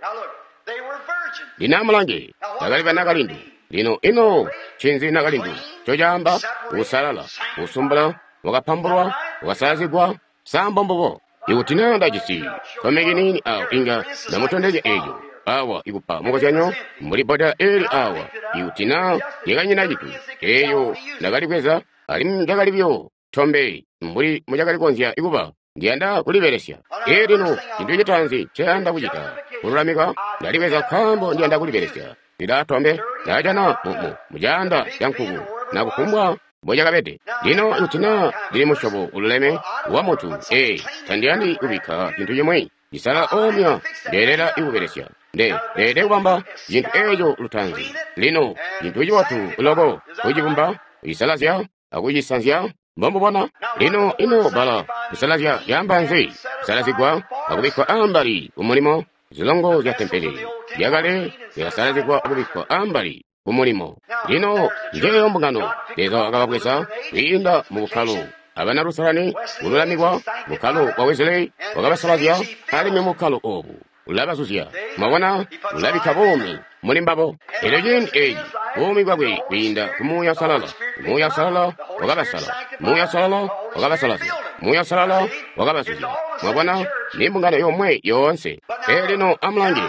Lino amulange, bakali banakalindu. Lino ino ncinzi nakalindu ncocaamba? Uusalala, uusumbula, wakapambulwa, wakasalazigwa. Sa mbombubo? Ikuti naa ndajisi komeki niini awa, inga ndamutondezya eco awa, ikupa mukozyanyo mbuli bbodela eli awa. Ikuti naa lyakanyina cintu, eyo ndakalikweza, alimwi ndakali buyo tombe mbuli mucakali konzya kuba. Ndiyanda kulibelesya. Ee, lino cintu citaanzi nceyanda kucita kululamika, ndalibweza nkaambo ndiyanda kulibelesya. Lila tombe ndajana mu mucaanda ca nkuku na kufumbwa mbocakabede. Lino ikuti naa ndili musyobo ululeme wa muntu, ee, tandiyandi kubikka cintu cimwi cisalala omya ndeelela ikubelesya. Nde ndeelede kubamba cintu eco lutaanzi. Lino cintu cibotu loko kucibumba, kucisalazya akucisanzya. Mbomubona lino, ino bbala kusalazya lyaamba nzi? Kusalazigwa akubikkwa ambali kumulimo. Zilongo zya tempele lyakale zyakasalazigwa akubikkwa ambali kumulimo. Lino njeeyo mbungano Leza wakababweza kwiinda mu bukkalo abana Lusalani, kululamikwa. Bukkalo bwa Wesley wakabasalazya, alimwi bukkalo obu ulabazuzya. Mwabona, ulabikka buumi muli mbabo. Elyo ciindi eci buumi bwakwe kwiinda ku Muuya Uusalala. Muuya Uusalala wakabasala. Muuya Uusalala wakabasalazya. Muuya Uusalala wakabazuzya. Mwabona, ni mbungano yomwe yoonse. Pele lino amulange,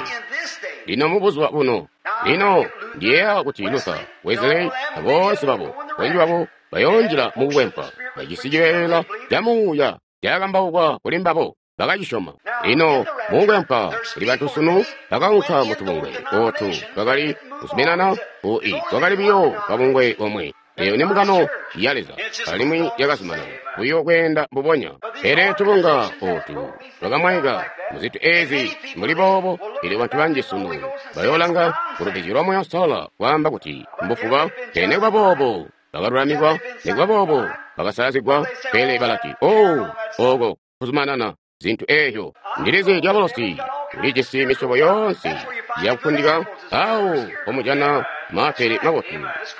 lino mu buzuba buno. Lino ndiyeeya kuti Luther, Wesley, aboonse babo, bunji babo bayoonjila mu kukwempwa. Bajisi cibeela ca Muuya caakambaukwa kuli mbabo, bakacisyoma. Lino mu kukwempwa kuli bantu sunu bakaunka mu tubungwe ootu twakali kuzuminana ku i kwakali buyo kabungwe komwe. Eyo ni mbungano ya Leza, alimwi yakazumanana buyo kweenda mbubonya. Pele tubunga ootu twakamwaika muzintu ezi mbuli boobo. Elyo bantu banji sunu bayoolanga kulubbizyo lwa Muuya Uusalala kwaamba kuti mbufuba. Pele nikuba boobo bakalulamikwa, nikuba boobo bakasalazigwa, pele balati, oh, oko kuzumanana zintu eezyo. Ndilizi dyabolosi ulijisi misyobo yoonse yakufundika awo pomujana maapele mabotu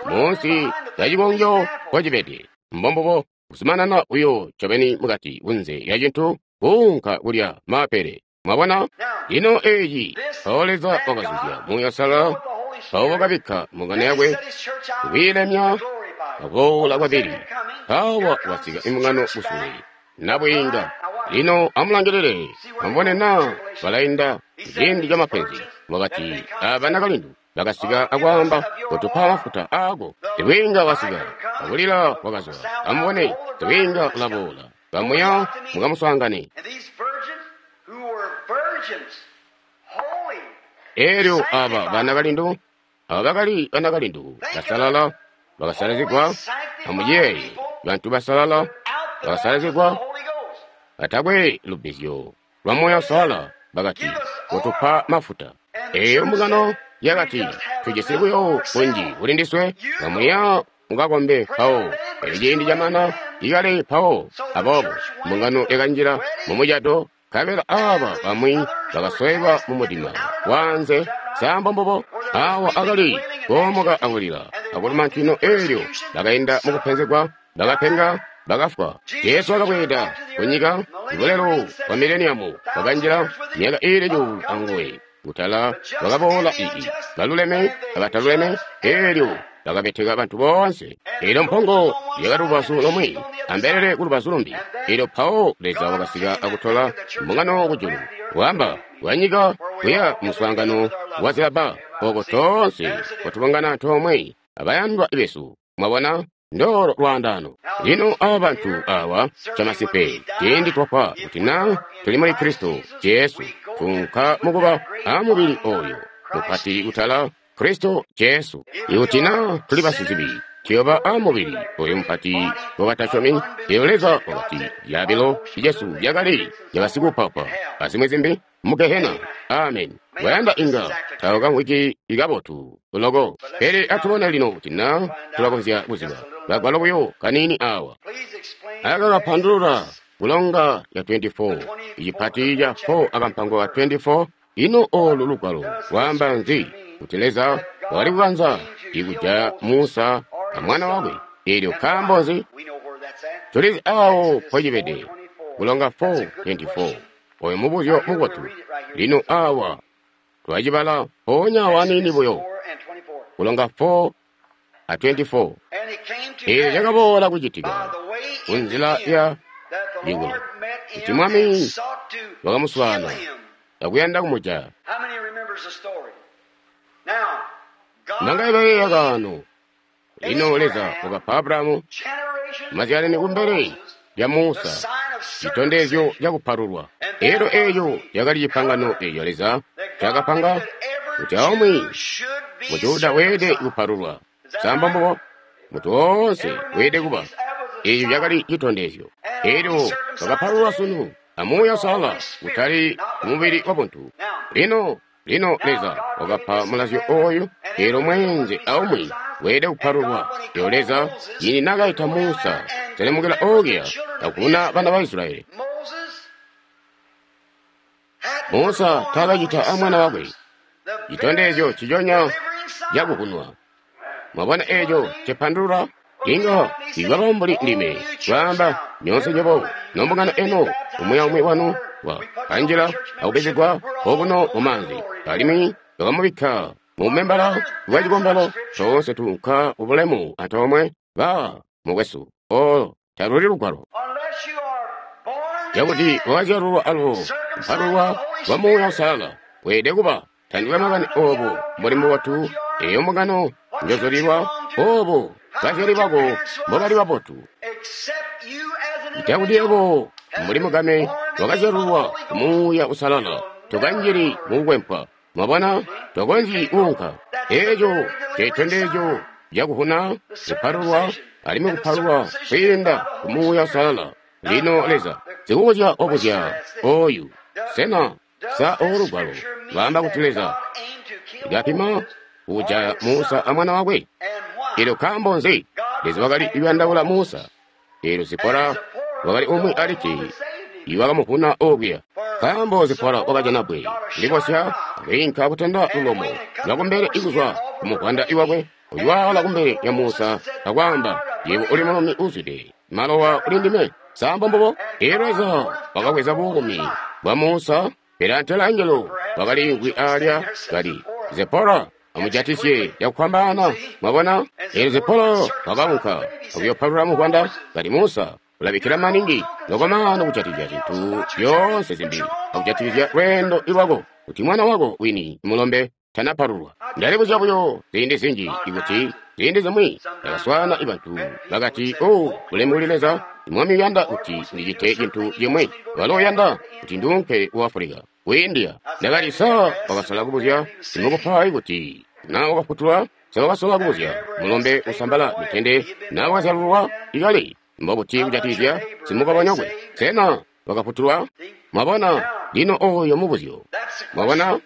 munsi lya cikongyo mpocibede. Mbombubo, kuzumanana buyo ncobeni mukati kunze lya cintu kuunka kulya maapele. Mwabona? Lino eci mpawo Leza wakazuzya Muuya Uusalala, mpawo wakabikka mbungano yakwe kwiilemya akuboola kwabili. Mpawa wasika imbungano kusule nabwiinga. Lino amulangilile, amubone naa balainda ciindi ca mapenzi. Wakati aba nakalindu bakasika akwaamba, kotupa mafuta aako. Sibwiinga wasika, akulila kwakazwa. Amubone, sibwiinga ulaboola. Kamuya mukamuswaangane. Elyo aba banakalindu, aba bakali banakalindu basalala, bakasalazigwa. Amuyeeye, bantu basalala bakasalazigwa, batakwe lubbizyo lwa Muuya Uusalala, bakati, kotupa mafuta. Eyo mbungano yakati, tujisi buyo bunji kuli ndiswe, kamuya mukakombe mpawo. Elyo ciindi camana ikale mpawo. Aboobo mbungano yakanjila mumucato, nkabela aba bamwi bakasweka mu mudima wanze. Sa mbombubo? Awa akali koomoka akulila akuluma ntwino. Elyo bakainda mukupenzegwa, bakapenga, bakafwa. Jesu wakabweeda kunyika, bulelo bwa mileniamu bwakanjila myaka iili cuulu anguwe. Kutala bakaboola ii baluleme abataluleme. Elyo Bakabeteka bantu boonse. Elyo mpongo yakali lubazu lomwe, ambelele ku lubazu lumbi. Elyo mpawo Leza wakasika akutola mbungano kujulu, wamba wanyika kuya muswaangano wa zilabba, oko toonse kwatubungana antoomwe abayandwa besu. Mwabona? Ndolo lwaandano. Lino aba bantu awa camasimpe ciindi twafwa kuti na tuli muli Kristo Jesu, tunka mukuba a mubili oyo mupati kutala Kristo Jesu. Ikuti na tuli basizibi, tuyoba a mubili oyo mupati wabatasyomi. Elyo Leza wakati lyabilo Jesu lyakali lyabasikuupaupa azimwi zimbi mu gehena. Amen. Wayanda inga tawakamvwiki ikabotu loko, pele atubone lino kuti na tulakonzya kuziba kagwalo buyo kaniini awa aka kapandulula kulonga ya twenty-four, icipati ca four akampango ka twenty-four. Ino olu lugwalo lwaamba nzi? Kuti Leza wakali kukanza ikujaya Musa a mwana wakwe. Elyo nkaambo nzi? Tulizi awo mpocibede. Kulonga four twenty-four. Oyo mubuzyo mubotu. Lino awa twacibala mpoonya waniini buyo. Kulonga four a twenty-four. Eelyo cakaboola kucitika kunzila ya likulo kuti Mwami wakamuswaana akuyanda kumujaya. Nangaye bayeeya kaano. Lino Leza wakapa Abrahamu mazyalani kumbele lya Musa citondezyo cakupalulwa. Elyo eeyo yakali cipangano eeco Leza cakapanga kuti aumwi Mujuda weelede kupalulwa. Samba mbubo mutu woonse weelede kuba. Eeco cakali citondezyo. Elyo bakapalulwa sunu amuuya Uusalala, kutali mubili wabuntu. Lino lino Leza wakapa mulazyo oyu, elyo mweenze aumwi weelede kupalulwa. Elyo Leza yini nakaita Musa selemukila okuya akuna bana ba Israyeli. Musa taakacita a mwana wakwe citondezyo ciconya cakukunwa. Mwabona eeco cipandulula? Inga ikaba mbuli ndime kwaamba nyoonse nywebo nombungano eno umwi aumwi wanu wa kanjila akubezegwa okuno mumaanzi, alimwi bakamubikka mumembala wa cikombelo. Toonse tuunka kubulemu antoomwe ba mukwesu. Olo taluli lugwalo cakuti wakazyalulwa alubo kupalulwa kwa Muuya Uusalala weelede kuba. Tandikwe makani obo mbuli mubotu eyo mbungano njozulilwa, obo bazyali bako mbobali babotu, cakuti yebo mbuli mugame wakazyalulwa Muuya Uusalala tokanjili mukukwempwa. Mwabona, tokonzyi kuunka. Eeco citondezyo cakuhuna kupalulwa, alimwi kupalulwa kwiinda ku Muuya Uusalala. Lino Leza sikubuzya obuzya oyu, sena sa olu lugwalo lwaamba kuti Leza kapima kujaya Musa a mwana wakwe? Elyo nkaambo nzi? Leza wakali kuyandaula Musa. Elyo Zipora wakali umwi alikke iwakamuvuna okuya. Nkaambo Zipora wakajana bbwe libosya akwiinka kutenda lulomo lwakumbele ikuzwa kumuvwanda iwakwe, uyiwaala kumbele ya Musa akwaamba, yebo uli mulumi uuzwide malowa uli ndime. Samba mbubo? Elyo Leza wakabweza buumi bwa Musa, pele antela angelo wakaliimvwi alya kali, Zipora amujatisye cakufwambaana. Mwabona? Elyo Zipora wakaunka akuyopalula muvwanda kali, Musa ulabikkila maningi lokomano kujatikizya zintu zyoonse zimbi akujatikizya lweendo lwako, kuti mwana wako wini mulombe tanapalulwa. Ndalibuzya buyo ziindi zinji ikuti ziindi zimwi ndakaswaana bantu bakati, o bulemu kuli Leza, Mwami uyanda kuti ndicite cintu cimwi, walo uyanda kuti nduunke ku Afulika, ku India. Ndakati, sa wakasola kubuzya simukupayi kuti na wakafutulwa? Sa wakasola kubuzya mulombe usambala mitende na wakazyalulwa ikale? Mbobuti kujatikizya simukabanyokwe? Sena wakafutulwa? Mwabona, lino oyo mubuzyo. Mwabona,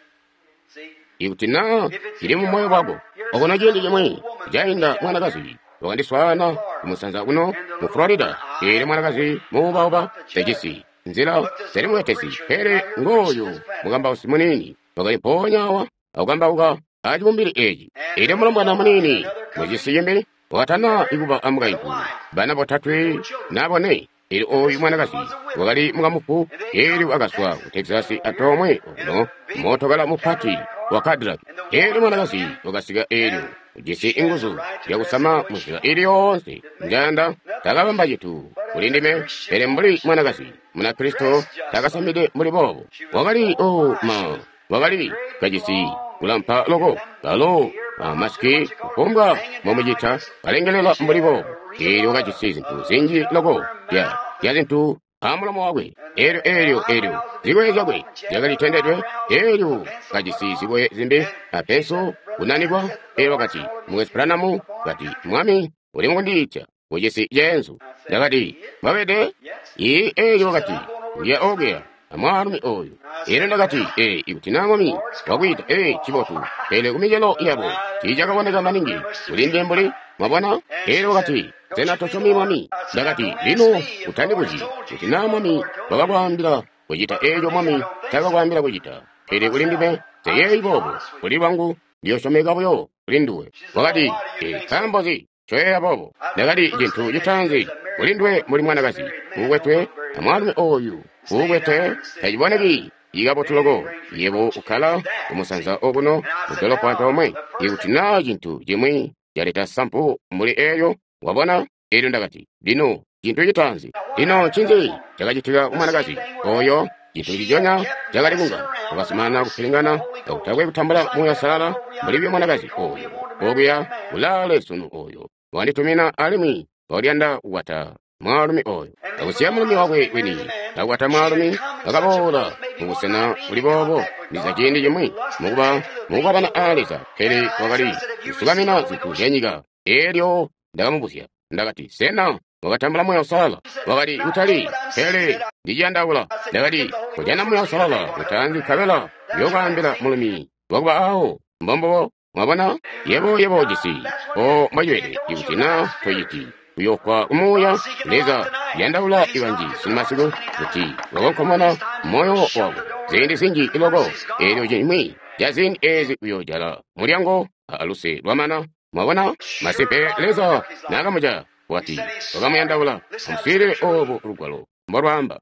ikuti na cili mu moyo wako. Okona ciindi cimwi cainda mwanakazi wakandiswaana kumusanza kuno mu Florida. Eelyo mwanakazi muubauba tejisi nzila zali mubetesi, pele ngooyu mukambausi muniini wakali mpoonya awa akukambauka acibumbili eeci. Eelyo mulombwana muniini mucisi cimbi wakatana ikuba amukaintu, bana botatwe na bone. Elyo oyu mwanakazi wakali mukamufu, elyo wakazwa ku Texas antoomwe okuno, mootokala mupati wa Cadillac. Elyo mwanakazi wakasika elyo ujisi inguzu zyakusama munzila ili yoonse njayanda. Takabamba cintu kuli ndime, pele mbuli mwanakazi Munakristo takasamide mbuli boobo. Wakali o ma wakali kajisi kulampa loko kalo masiki kufumbwa mbomucita kalengelela mbuli boobo. Elyo wakajisi zintu zinji loko zya zya zintu amulomo wakwe. Elyo elyo elyo zikoye zyakwe zyakali tendedwe. Elyo kajisi zikoye zimbi apenso kunanikwa. Elyo wakati, Mukwesu Branham, kati, Mwami uli mukundiita kucisi ceenzu. Ndakati, mwabede? Ii. Elyo wakati, Ndiya okuya amwaalumi oyu. Elyo ndakati, ee, ikuti na Mwami wakwiita, ee, cibotu. Pele kumicelo yabo tiicakaboneka maningi kuli ndime mbuli, mwabona? Elyo wakati, Sena tosyomi Mwami? Ndakati, lino utandibuzyi kuti na Mwami wakakwaambila kucita eeco Mwami taakakwaambila kucita. Pele kuli ndime, nseyeeyi boobo. Kuli lwangu, ndiyosyomeka buyo kuli nduwe. Wakati, ee, nkaambo nzi ncoyeeya boobo? Ndakati, cintu citaanzi kuli nduwe mbuli mwanakazi uukwetwe amwaalumi oyu uukwete taciboneki ikabotu loko. Yebo ukkala kumusanza okuno mudolopo antoomwe. Ikuti naa cintu cimwi caleta sampu mbuli eeyo, wabona? Elyo ndakati, lino cintu citaanzi. Lino ncinzi cakacitika ku mwanakazi oyo? Cintu nciconya cakali kunga wakazumanana kupilingana kakutakwe kutambula Muuya Uusalala mbuli buyo mwanakazi oyo okuya kulaale sunu oyo wanditumina alimwi wakaliyanda kukwata mwaalumi oyo. Akusiya mulumi wakwe wini akukwata mwaalumi wakaboola mubusena buli boobo ndiza ciindi cimwi mukuba mukukwabana a Leza, pele wakali kusukamina zintu zyanyika. Elyo ndakamubuzya, ndakati, sena wakatambula Muuya Uusalala? Wakati, kutali, pele ndiciyandaula. Ndakati, kujana Muuya Uusalala utaanzi nkabela uyokwaambila mulumi wakuba awo. Mbombubo. Mwabona? Yebo, yebo ujisi o mbocibede. Ikuti na tociti, uyofwa kumuuya. Leza yandaula ibanji sunumasiku kuti wakonkomona moyo wako ziindi zinji loko. Elyo cimwi ca ziindi ezi uyojala mulyango aluse lwamana. Mwabona? Masimpe Leza naakamuca wati wakamuyandaula. Amuswiilile obu lugwalo mbolwaamba.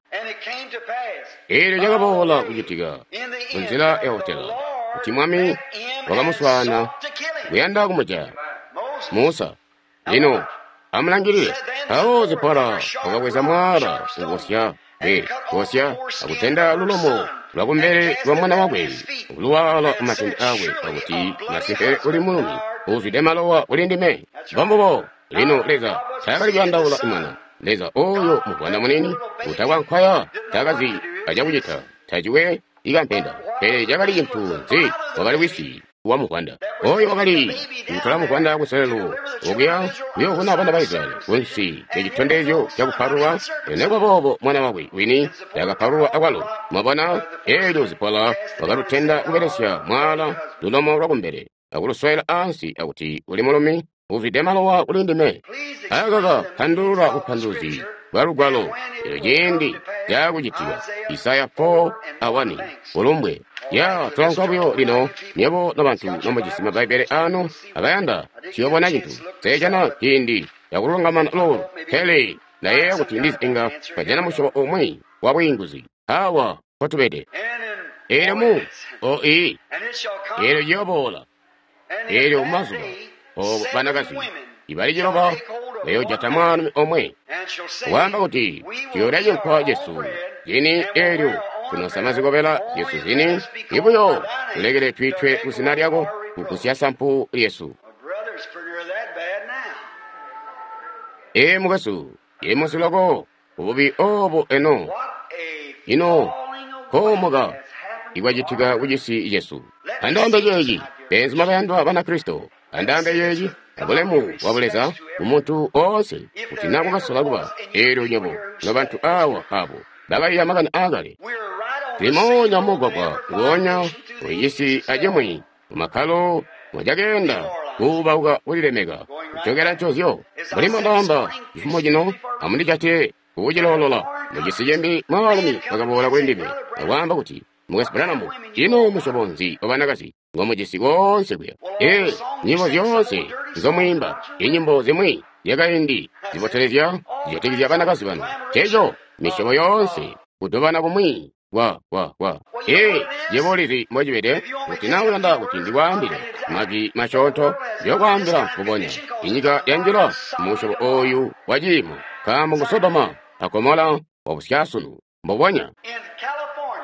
Elyo cakaboola kucitika munzila ya hotela kuti Mwami wakamuswaana kuyanda kumujaya Musa. Lino amulangilile. Mpawo Zipora wakabweza mwaala ukosya e kosya akutenda lulomo lwakumbele lwa mwana wakwe akuluwaala kumatende akwe, akuti masimpe uli mulumi uuzwide malowa kuli ndime. Mbombubo. Lino Leza taakali kuyandaula mwana. Leza oyo muvwanda munini utakwankwaya taakazi acakucita, taciwe ikampenda. Pele cakali cintu nzi? Wakali wisi wa muvwanda oyo wakali kutola muvwanda kuselelo okuya kuyovuna bana ba Israyeli kunsi lya citondezyo cakupalulwa. Nekuba boobo mwana wakwe wini takapalulwa akwalo. Mwabona? Elyo Zipora wakalutenda kubelesya mwaala lulomo lwakumbele akuluswela ansi akuti uli mulumi uzwide malowa kuli ndime. Akaka pandulula bupanduluzi bwa lugwalo. Elyo ciindi caakucitika Isaya four a one ulumbwe. Ya tulanka buyo lino, nyebo nobantu nomujisi Mabbaibbele anu abayanda tuyobona cintu. Sejana ciindi cakulungamana loolu, pele ndayeeya kuti ndizi inga twajana musyobo umwi wa bwiinguzi. Awa mpotubede. Elyo mu o ii elyo ciyoboola. Elyo mumazuba obo banakazi ibali ciloba bayojata mwaalumi omwe waamba kuti tuyoolya cinkwa cesu zini, elyo tunosama zikobela zyesu zini, ibuyo tulekele twiitwe kuzina lyako kugusya sampu lyesu. Ee mukwesu, yemusi loko ububi obo eno ino koomoka ikwacitika kucisi cesu. Andaambe ceeci, beenzuma bayandwa Banakristo, andaambe ceeci abulemu bwa Buleza kumuntu oonse, kuti na kukasola kuba eelyo nywebo nobantu awa abo bakaiya makani aakale. Tuli mugwagwa nguonya kucisi acimwi mumakkalo mwacakeenda kuubauka kulilemeka kucokela ncozyo. Mbuli mbondaamba cifumo cino, amundijate kukuciloolola. Mucisi cimbi mwaalumi wakaboola kuli ndime akwaamba kuti, Mukwesu Branham, ino musyobo nzi wa banakazi ngomujisi koonse kuya? Ee, nyimbo zyoonse nzomwiimba, inyimbo zimwi zyakaindi zibotelezya zijatikizya banakazi banu. Nceeco misyobo yoonse kudobana kumwi kwa kwa kwa. Ee, yebo ulizi mbocibede, kuti na uyanda kuti ndikwaambile majwi masyoonto, ndiyokwaambila mbubonya. Inyika yanjila musyobo oyu wa ciimo, nkaambo ngu Sodoma a Gomora wabusyaasunu mbubonya.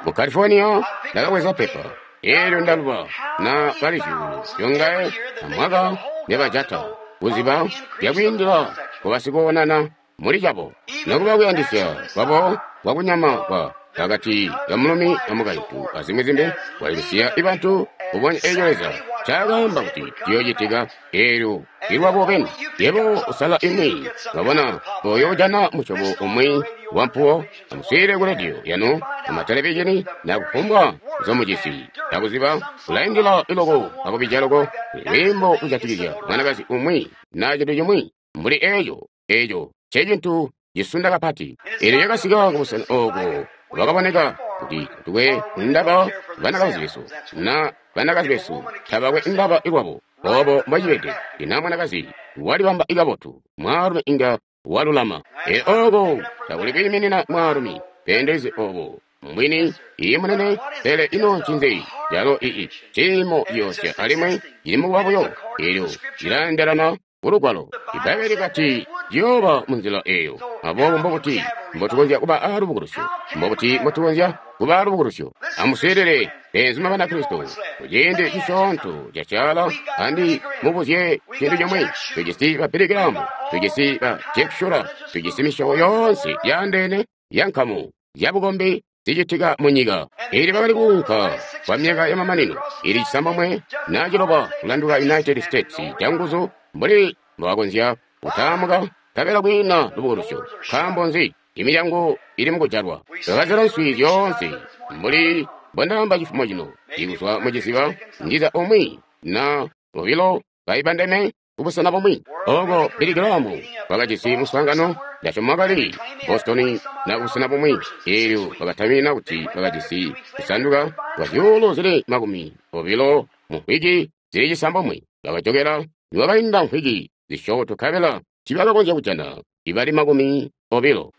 Mu California ndakabweza pepa eelyo ndaluba na bali zyuulu zyongaye amwaka nebajata kuziba zyakwiindila kubasikoonana muli cabo nokuba kuyandisya kwabo kwakunyama kwa pakati ka mulumi amukaintu azimwi zimbi kwalibisiya ibantu kubonya eeco Leza ncaakaamba kuti ciyoocitika eelyo ilwabo beni. Yebo usala imwi wabona oyo ujana musyobo umwi wampuwo amuswiilile ku rediyo yanu amatelevizhini na kufumbwa nzomujisi akuziba kulaindila iloko akubija loko lwiimbo kujatikizya mwanakazi umwi na cintu cimwi mbuli eeco. Eeco ncecintu cisunda kapati. Eelyo cakasika kubusena ooko lwakaboneka kuti tatukwe ndaba banakazi besu na banakazi besu tabakwe ndaba ilwabo. Obo mbocibede ina mwanakazi walibamba ikabotu, mwaalumi inga walulama. Eelyo ooko takuli kwiiminina mwaalumi beendelezi obo mbwini iyi munene. Pele ino ncinzi calo ii ciimo ciyoosya alimwi cili mukuba buyo. Eelyo cilaendelana kulugwalo. Ibbaibbele likati ciyooba munzila eeyo. Aboobo mbobuti mbotukonzya kuba aalubukulusyo? Mbobuti mbotukonzya kuba aalubukulusyo? Amuswiilile beenzuma Banakristo, kuciindi cisyoonto cacaala andi mubuzye cintu cimwi. Tujisi ba Billy Graham, tujisi ba Jack Shuler, tujisi misyobo yoonse yaandeene yankamu zyabukombi zicitika munyika. Ili bakali kuunka kwa myaka yamamanino ili cisambomwe na ciloba kulanduka United States canguzu mbuli mbobakonzya kutaamuka nkabela kwiina lubukulusyo. Nkaambo nzi? Imilyango ili mukujalwa. Twakazela nswi zyoonse mbuli mbondaamba cifumo cino ikuzwa muciziba ndiza umwi na bobilo baibandeme kubusena bumwi. Ooko Billy Graham wakajisi muswaangano ndasyoma kali Boston na kubusena bumwi. Eelyo bakatamina kuti bakajisi kusanduka kwa zyuulu zili makumi obilo mu mvwiki zili cisambomwe. Bakajokela niwakainda mvwiki zisyoonto nkabela tiibakakonzya kujana ibali makumi obilo.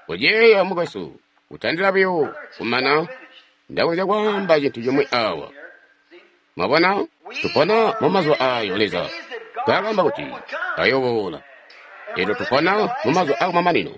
Kuyeeya mukwesu, kutandila buyo kumana ndakonzya kwaamba cintu cimwi awa. Mwabona, tupona mumazuba aayo Leza ngaakaamba kuti ayooboola. Eelyo tupona mumazuba akumamanino.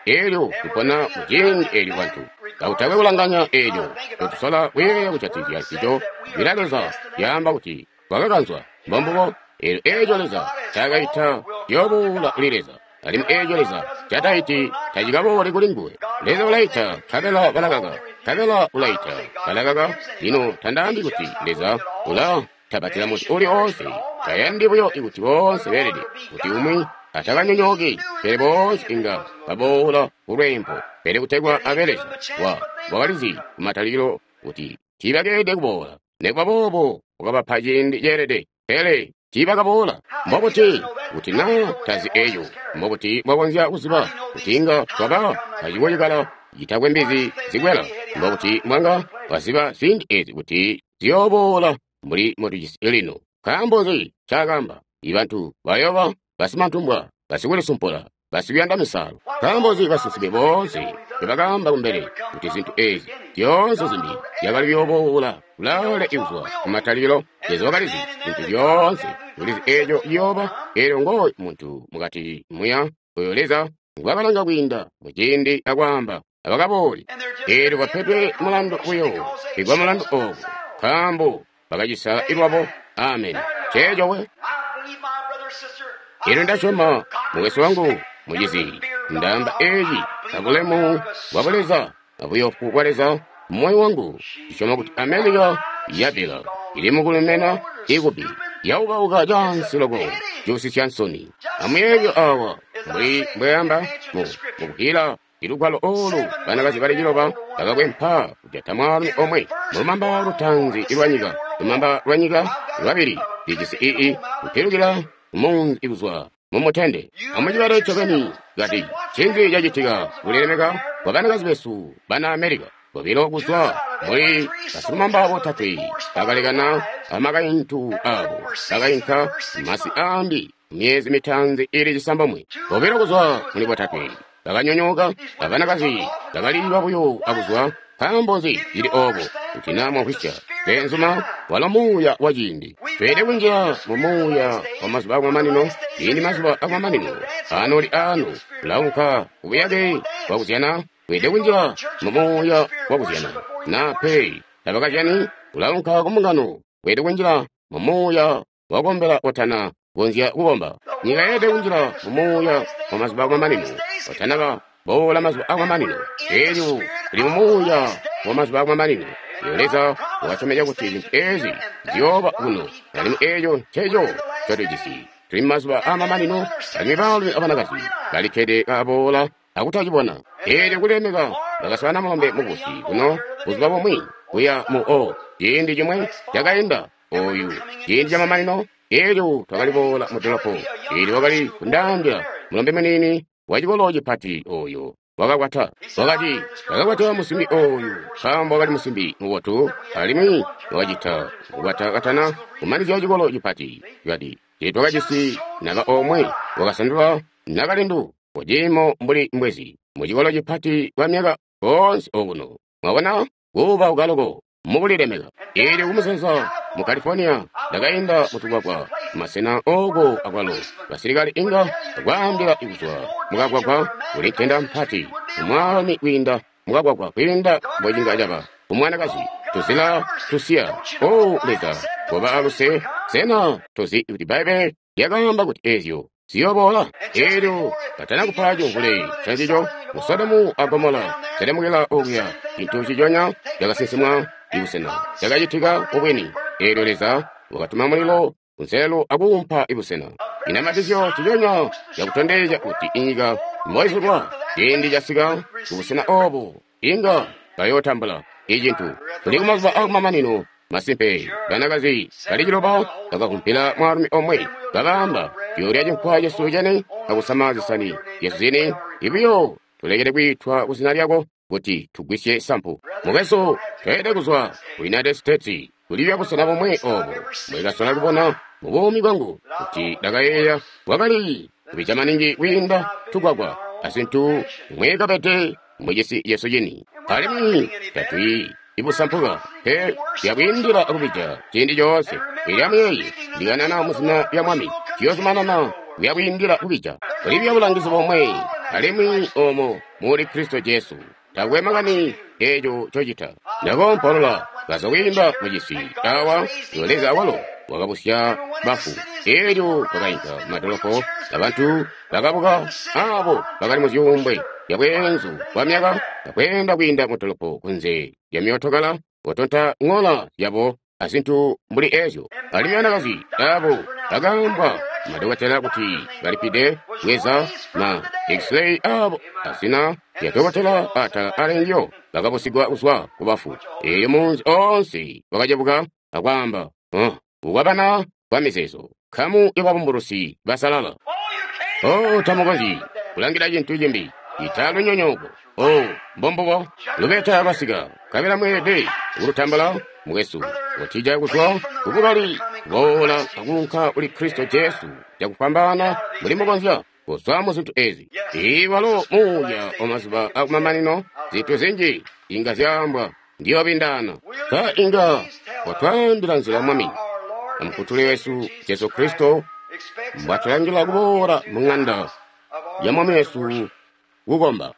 Eelyo tupona muciindi eelyo bantu kakutakwe kulanganya eelyo totusola kuyeeya kujatikizya ncico. Jwi Leza lyaamba kuti kwakakanzwa mbombubo. Eelyo eeco Leza ncaakaita ciyooboola kuli Leza, alimwi eeco Leza ncataiti tacikabooli kuli nguwe. Leza ulaita nkabela balakaka, nkabela ulaita balakaka. Lino tandaambi kuti Leza ula tabatila muntu uli oonse, tayandi buyo kuti boonse beelede kuti umwi atakanyonyooki, pele boonse inga baboola kulweempo. Pele kutegwa abe Leza wa wakalizi kumatalikilo kuti tiibakeelede kuboola, nikuba boobo wakabapa ciindi ceelede, pele tiibakaboola. Mbobuti kuti naa tazi eeco? Mbobuti mbwakonzya kuziba kuti inga twaba acikocikala citakwe mbizi zikwela? Mbobuti mbwanga waziba ziindi eezi kuti ziyooboola mbuli mbotujisi lino? Nkaambo nzi ncaakaamba? Ibantu bayooba basimantumbwa, basikulisumpula, basikuyanda misalo. Nkaambo nzi basinsimi boonse nibakaamba kumbele kuti zintu eezi zyoonse zimbi zyakali kuyooboola kulaale ikuzwa kumatalikilo? Leza wakalizi zintu zyoonse, ulizi eeco ciyooba. Eelyo ngooyu muntu mukati muya oyo Leza ngwakalanga kwiinda muciindi akwaamba abakabooli. Eelyo bapedwe mulandu buyo igwa mulandu oobo, nkaambo bakacisala ilwabo. Ameni. Nceeco we. Eelyo ndasyoma mukwesu wangu mucizi, ndaamba eeci abulemu bwa Buleza abuyofu bwa Leza mumoyo wangu. Ndisyoma kuti Amerika yapila ili mukulemena ikubi yaukauka cansi loko cuusisya nsoni. Amuyeeye awa mbuli mbweamba mu mukuhila ilugwalo oolu banakazi bali ciloba bakakwempa kujata mwaalumi omwe mulumamba lutaanzi lwanyika, lumamba lwanyika lwabili lijisi ii kupilukila kumunzi kuzwa mumutende. Amucibale ncobeni kati ncinzi cacitika kulilemeka kwa banakazi besu bana Amerika. Bobilo kuzwa muli basilumamba botatwe bakalekana amakaintu aabo bakainka masi aambi Myezi mitaanzi ili cisambomwe, bobilo kuzwa muli botatwe bakanyonyooka, abanakazi bakaliiba buyo akuzwa. Nkaambo nzi cili oobo? Kuti naa mwamvwisya, beenzuma, walo muuya wa ciindi. Tweelede kunjila mu muuya wa mazuba akumamanino. Ciindi mazuba akumamanino anooli aano, ulaunka kubuyake bwakuzyana. Weelede kunjila mu muuya wa kuzyana. Naa pe tabakazyani, ulaunka kumbungano. Weelede kunjila mu muuya wakukombela otana konzya kukomba. Nyika yeelede kunjila mu muuya wa mazuba akumamanino otanaba boola mazuba akumamanino. Eelyo tuli mu muuya wa mazuba akumamanino. Eelyo Leza wakasyomezya kuti zintu eezi ziyooba kuno, alimwi eeco nceco ncotujisi. Tuli mumazuba aamamanino, alimwi baalumi abanakazi balikkede kaboola akutacibona. Eelyo kulilemeka bakaswaana mulombe mukubusi kuno buzuba bumwi kuya mu o ciindi cimwe cakainda oyu ciindi camamanino. Eelyo twakali boola mu dolopo, eelyo wakali kundaambila mulombe muniini wa cikolo cipati oyo wakakwata. Wakati wakakwata musimbi oyu nkaambo wakali musimbi mubotu, alimwi wakacita kukwata katana kumanizya cikolo cipati. Kati teetwakajisi naba omwe wakasandula nakalindu kuciimo mbuli mbwezi mu cikolo cipati kwa myaka koonse okuno. Mwabona kuba ukaloko mukulilemeka. Eelyo kumusanza mu California ndakainda mutugwagwa masena ooko akwalo basilikali inga bakwaambila kuzwa mukagwagwa kuli ntenda mpati umwaalumi kwiinda mukagwagwa kwiinda mbwecinga caba umwanakazi tuzila tusiya. O Leza, koba aluse. Sena tozi kuti Bbaibbele lyakaamba kuti eezyo ziyoboola? Eelyo katana kupa cimvule cancico mu Sodomu a Gomola calemukila okuya, cintu ciconya cakasinsimwa ibusena cakacitika mubwini. Eelyo Leza wakatuma mulilo kunselelo akuumpa ibusena. Inamatizyo ciconya cakutondezya kuti inyika mboizulwa ciindi casika kubusena oobu inga bayootambula icintu. Tuli kumazuba akumamanino. Masimpe, banakazi bali ciloba bakakumpila mwaalumi omwe, bakaamba, tuyoolya cinkwa cesu cene akusama zisani zyesu zini, ibuyo tulekele kwiitwa kuzina lyako kuti tugwisye sampu. Mukwesu, tweelede kuzwa ku United States kulibya busena bomwe oobo mbwekasola kubona mu buumi bwangu kuti ndakayeeya bwakali kubija maningi kwiinda tugwagwa azintu mwekabede mucisi cesu cini. Alimwi tatwi ibusampuka pe lyakwiindila akubija ciindi coonse. Eelyo amuyeeye, ndikanana muzina lya Mwami, ciyozumanana kuyakwiindila kubija. Kulibya bulangizi bomwe, alimwi oomo muli Kristo Jesu. Takwe makani eeco cocita. Ndakoompolola kaza kwiinda mucisi awa, yo Leza awalo wakabusya bafu. Eelyo twakainka mumadolopo, abantu bakabuka aabo bakali muzyuumbwe zyabweenzu bwa myaka, bakweenda kwiinda mudolopo kunze lya myootokala, kotonta ŋola zyabo azintu mbuli eezyo. Alimwi banakazi aabo bakaambwa madokotela kuti balipide bweza ma x-ray aabo azina lya dokotela atala alengyo bakabusigwa kuzwa kubafu. Eelyo munzi oonse wakacebuka akwaamba, "Oh, kukwabana kwa mizeezo, nkamu yababumbulusi basalala." Oh, tamukonzyi kulangila cintu cimbi ita lunyonyooko. Oh, mbombubo lubeta lwasika, nkabela mweelede kulutambula mukwesu, kutija kuzwa kubukali boola akuunka kuli Kristo Jesu cakufwambaana mbuli mukonzya kuzwa mu zintu ezi. Ii walo muuya wa mazuba akumamanino, zintu zinji inga zyaambwa, ndiyobindaana. Sa inga watwaambila nzila Mwami amufutuli wesu Jesu Kristo mbwatulangila kuboola mu ng'anda ya Mwami wesu kukomba.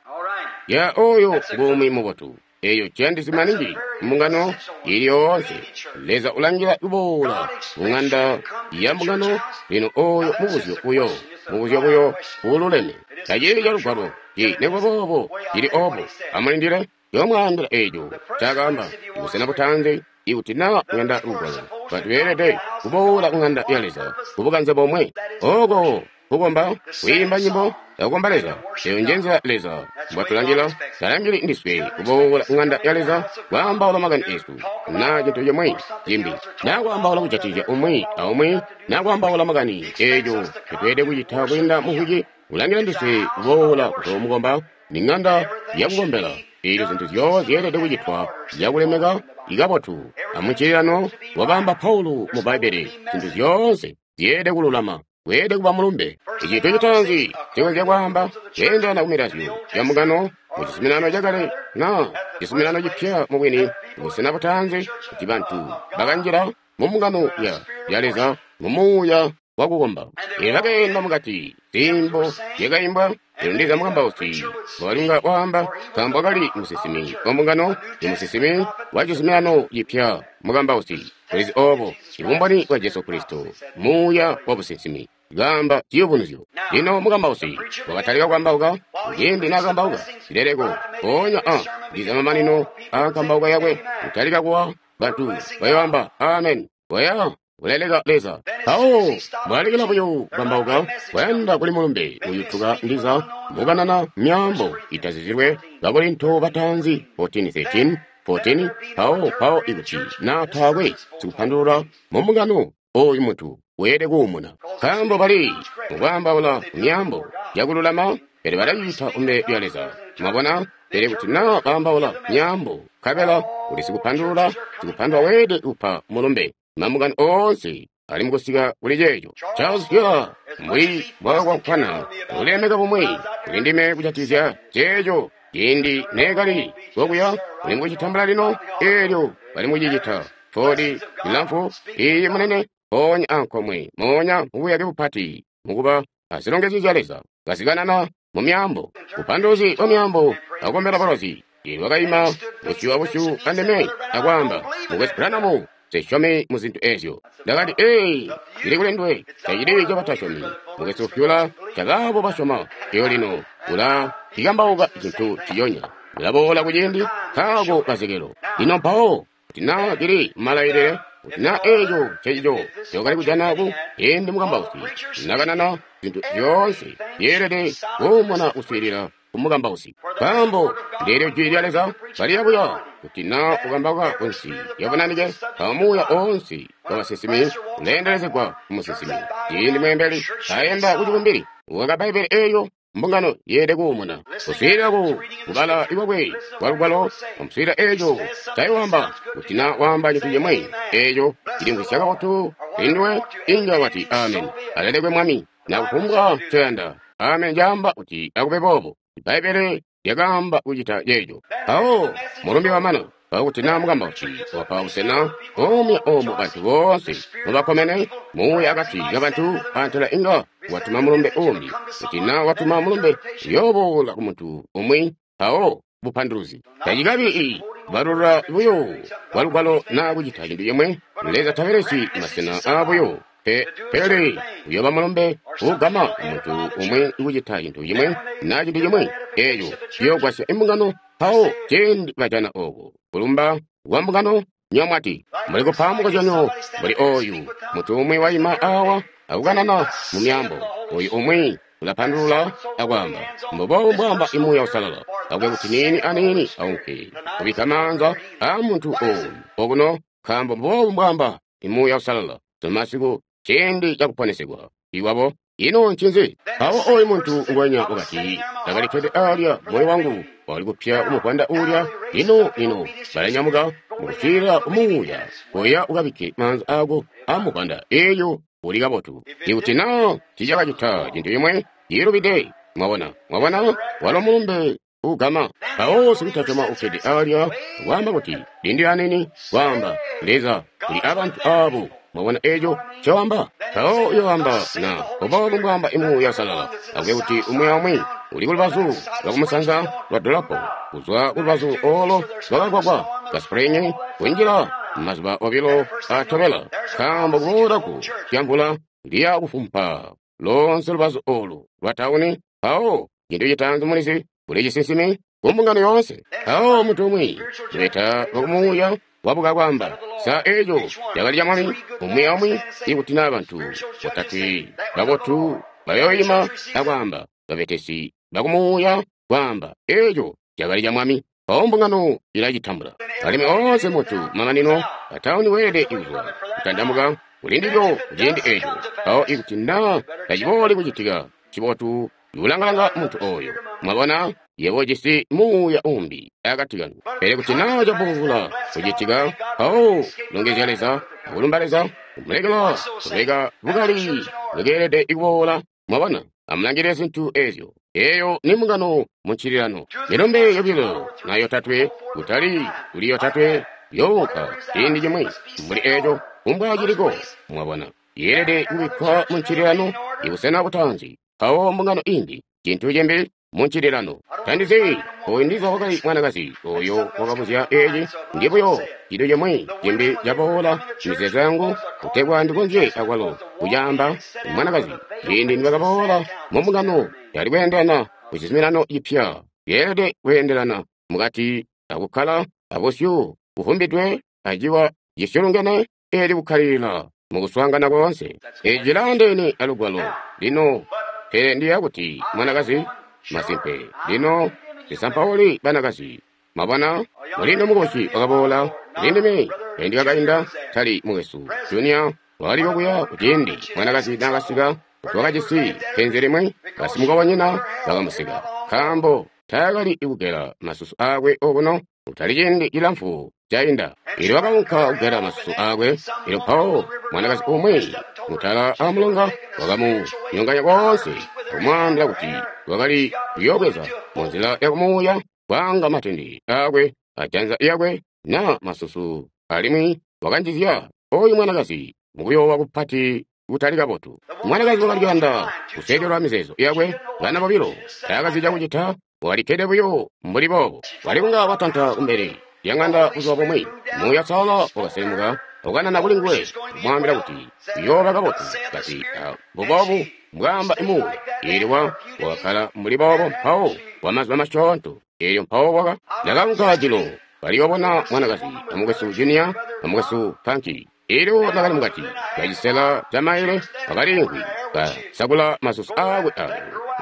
Ya oyo ngumwi mubotu. Eyo ciyandisi maningi mbungano ili yoonse. Leza ulangila kuboola mu ng'anda ya mbungano. Lino oyo mubuzyo buyo, mubuzyo buyo ululeme. Tacili calugwalo ci nikuba boobo cili oobo. Amulindile yomwaambila eeco cakaamba busena butanzi. Ikuti naa kuyanda lugwalo, bantu beelede kuboola ku ng'anda ya Leza kubukanze bomwe. Ooko kukomba, kwiimba nyimbo akukomba Leza. Eyo nje nzila Leza mbwatulangila. Talangili ndiswe kuboola ku ng'anda ya Leza kwaambaula makani esu naa cintu cimwi cimbi, naa kwaambaula kujatikizya umwi aumwi, naa kwaambaula makani eeco ncotweelede kucita kwiinda mukuci. Ulangila ndiswe kuboola kuzoomukomba. Ni ng'anda yakukombela. Eelyo zintu zyoonse zyeelede kucitwa zyakulemeka ikabotu. Amuncililano wakaamba Paulo mu Bbaibbele, zintu zyoonse zyeelede kululama. Weelede kuba mulumbe. Icintu citaanzi cikonzya kwaamba kweendelana ku milazyo ya mbungano mu cizuminano cakale na cizuminano cipya mubwini, busena butaanzi kuti bantu bakanjila mu mbungano ya, ya Leza mu muuya wa kukomba. Elyo bakeenda mukati, ziimbo zyakaimbwa, elyo ndiza mukambausi walinga waamba, nkaambo wakali musinsimi wa mbungano, i musinsimi wa cizuminano cipya mukambausi. Ulizi obo, ibumboni bwa Jesu Kristo, muuya wa businsimi, kaamba ciyubunuzyo. Lino mukambausi wakatalika kukambauka, ciindi naakambauka zileleko, mpoonya a ndiza mamanino aakambauka yakwe kutalika kuwa, bantu bayoamba amen, waya kuleleka Leza. Mpawo mwalekela buyo kukambauka, kwayanda kuli mulumbe uyutuka ndiza mukanana myaambo itazizilwe Bakorinto bataanzi fourteen thirteen, fourteen, mpawo mpawo ikuti na taakwe sikupandulula mu mbungano, oyu muntu weelede kuumuna. Nkaambo bali mukwaambaula myaambo yakululama, pele balacita kumbele lya Leza. Mwabona? Pele kuti na baambaula myaambo, nkabela uli sikupandulula, sikupandulula weelede kupa mulumbe. Mambungano oonse ali mukusika kuli ceeco. Charles Fuller, mbuli bwakakwankwana, ulemeka bumwi kuli ndime kujatikizya ceeco. Ciindi neekali kokuya, uli mukucitambula lino, eelyo bali mukucicita. Fodi ilamfu, iyi munene, mpoonya ankomwe, moonya mubuyake bupati, mukuba azilongezyo zya Leza, kazikanana mu myaambo, bupanduluzi bwa myaambo, akukombela balozi. Elyo wakaima busyu abusyu andime akwaamba, Mukwesu Branham, nsesyomi mu zintu ezyo. Ndakati, ee, cili kuli nduwe, tacili cabatasyomi. Mukwesu Fuller, cabaabo basyoma. Elyo lino ula cikambauka cintu ciyonya. Ulaboola kuciindi nkaako kazekelo. Lino mpawo, kuti naa cili malailile, kuti naa eeco ncecico ncokali kujana ku ciindi mukambausi nakanana zintu zyoonse zyeelede kuumuna kuswiilila ku mukambausi. Nkaambo ndeelyo jwi lya Leza kaliya buya, kuti naa ukambauka kunsi yabunanike, mpawo muuya oonse wa basinsimi uleendelezegwa ku musinsimi. Ciindi mweembeli ayenda ku cibumbili, ukaka Bbaibbele eelyo, mbungano yeelede kuumuna. Kuswiilila ku kubala ikwakwe kwa lugwalo, amuswiilila eeco ncayoamba, kuti naa waamba cintu cimwi eeco cilimvwisya kabotu kuli nduwe, inga wati amen, alelekwe Mwami, na kufumbwa ncoyanda. Amen caamba kuti akube boobo. Bbaibbele lyakaamba kucita ceeco. Mpawo mulumbe wamana, mpawo kuti naa mukambausi wapa busena omwe omo bantu boonse mubakomene, muuya akati kabantu antela inga watuma mulumbe uumbi. Kuti naa watuma mulumbe uyooboola ku muntu umwi, mpawo bupanduluzi. Tacikabi ii balula buyo kwa lugwalo naa kucita cintu cimwe. Leza tabelesi masena aabuyo. Pe, pele uyooba mulumbe uugama muntu umwi kucita cintu cimwe naa cintu cimwe eeco ciyoogwasya imbungano. Mpawo ciindi bajana ooko kulumba kwa mbungano, nyomwati muli kupa mukozyanyo mbuli ooyu muntu umwi waima awa akukanana mu myaambo, oyu umwi ulapandulula akwaamba mbuboobu mbwaamba Muuya Uusalala, akube kuti niini aniini aunke kubikka maanza aa muntu ooyu okuno, nkaambo mbuboobu mbwaamba Muuya Uusalala. Masiku ciindi cakuponesegwa iwabo. Ino ncinzi? Mpawo oyu muntu ngwenya wakati, ndakali kkede alya, moyo wangu wakali kupya kumuvwanda uulya. Lino lino balanyamuka mukuswiilila kumuuya, koya ukabikke maanza aako amuvwanda, eelyo uli kabotu. Ikuti naa tiicakacita cintu cimwe ciilubide, mwabona, mwabona, walo mulumbe ugama. Mpawo sikutasyoma ukkede alya waamba kuti, lindila aniini, kwaamba Leza uli abantu aabo. Mwabona eeco ncoamba? Mpawo uyoamba na mbuboobu mbwaamba Muuya Uusalala, akube kuti umwi aumwi uli kulubazu lwakumusanza lwa dolopo, kuzwa kulubazu oolo lwakagwagwa ka Spring kunjila mazuba obilo atobela, nkaambo kuboola ku lyamvula liya kufumpa lonse lubazu oolu lwa tauni. Mpawo cintu citaanzi mulizi, kuli cisinsimi ku mbungano yoonse. Mpawo muntu umwi lubeta lwakumuuya wabuka kwaamba, sa eeco cakali ca Mwami? Umwi aumwi, ikuti naa bantu botatwe babotu bayoima akwaamba, babetesi bakumuuya kwaamba, eeco cakali ca Mwami. Mpawo mbungano ilacitambula. Alimwi oonse muntu mamanino atauni weelede kuzwa kutandamuka kuli ndilyo kuciindi eeco. Mpawo ikuti naa tacibooli kucitika, cibotu kulangalanga muntu ooyo. Mwabona, yebo ujisi muuya umbi akati kanu. Pele kuti naa caboola kucitika, mpawo longezya Leza, akulumba Leza, Kumulekela kubeka bukali bwakeelede kuboola. Mwabona, amulangilile zintu ezyo. Eyo ni mbungano mu ncililano. Milumbe yobilo na yotatwe, kutali kuli yotatwe, younka ciindi cimwi mbuli eco, kumbwa ciliko. Mwabona, yeelede kubikkwa mu ncililano, ibusena butaanzi, mpawo mbungano imbi, cintu cimbi mu ncililano. Tandizi oyu ndiza wakali mwanakazi oyo wakabuzya eci, ndi buyo cintu cimwi cimbi caboola mizeezo yangu kutegwa ndikonzye akwalo kucaamba. Mwanakazi ciindi nibakaboola mu mbungano yali kweendelana ku cizuminano cipya, yeelede kweendelana mukati akukkala abusyu buvumbidwe aciwa cisyulungene eli kukkalilila mukuswaangana koonse. Eci cilaandeene alugwalo lino, pele ndiya kuti mwanakazi masimpe. Lino ndisampauli banakazi. Mwabona, mulindo mukosi wakaboola kulindime kaindi kakainda, tali mukwesu Junior wakaliko kuya kuciindi mwanakazi naakasika kuti wakajisi penzi limwi, basimukobonyina bakamuseka nkaambo taakali kugela masusu aakwe okuno kutali ciindi cilamfu cainda. Elyo wakaunka kugela masusu aakwe, elyo mpawo mwanakazi umwi mutala amulonga wakamunyonganya koonse, akumwaambila kuti wakali kuyoobweza munzila yakumuuya kwaanga matende aakwe ajanza lyakwe na masusu, alimwi wakanjizya oyu mwanakazi mukuyoowa kupati kutali kabotu. Mwanakazi wakali kuyanda kusekelwa mizeezo yakwe, bana bobilo taakazi cakucita, walikkede buyo mbuli boobo. Wali kunga watanta kumbele lya ŋanda buzuba bumwi, Muuya Uusalala wakaselemuka ukanana kuli nguwe, kumwaambila kuti uyooba kabotu. Kati, mbuboobu mbwaamba Muuya. Eelyo wa wakakkala mbuli boobo mpawo kwa mazuba masyoonto. Eelyo mpawo waka ndakaunka jilo kaliyoobona mwanakazi amukwesu Junior amukwesu Franki. Eelyo nakali mukati kacisela ca maile wakaliimvwi kasakula masusu aakwe ayo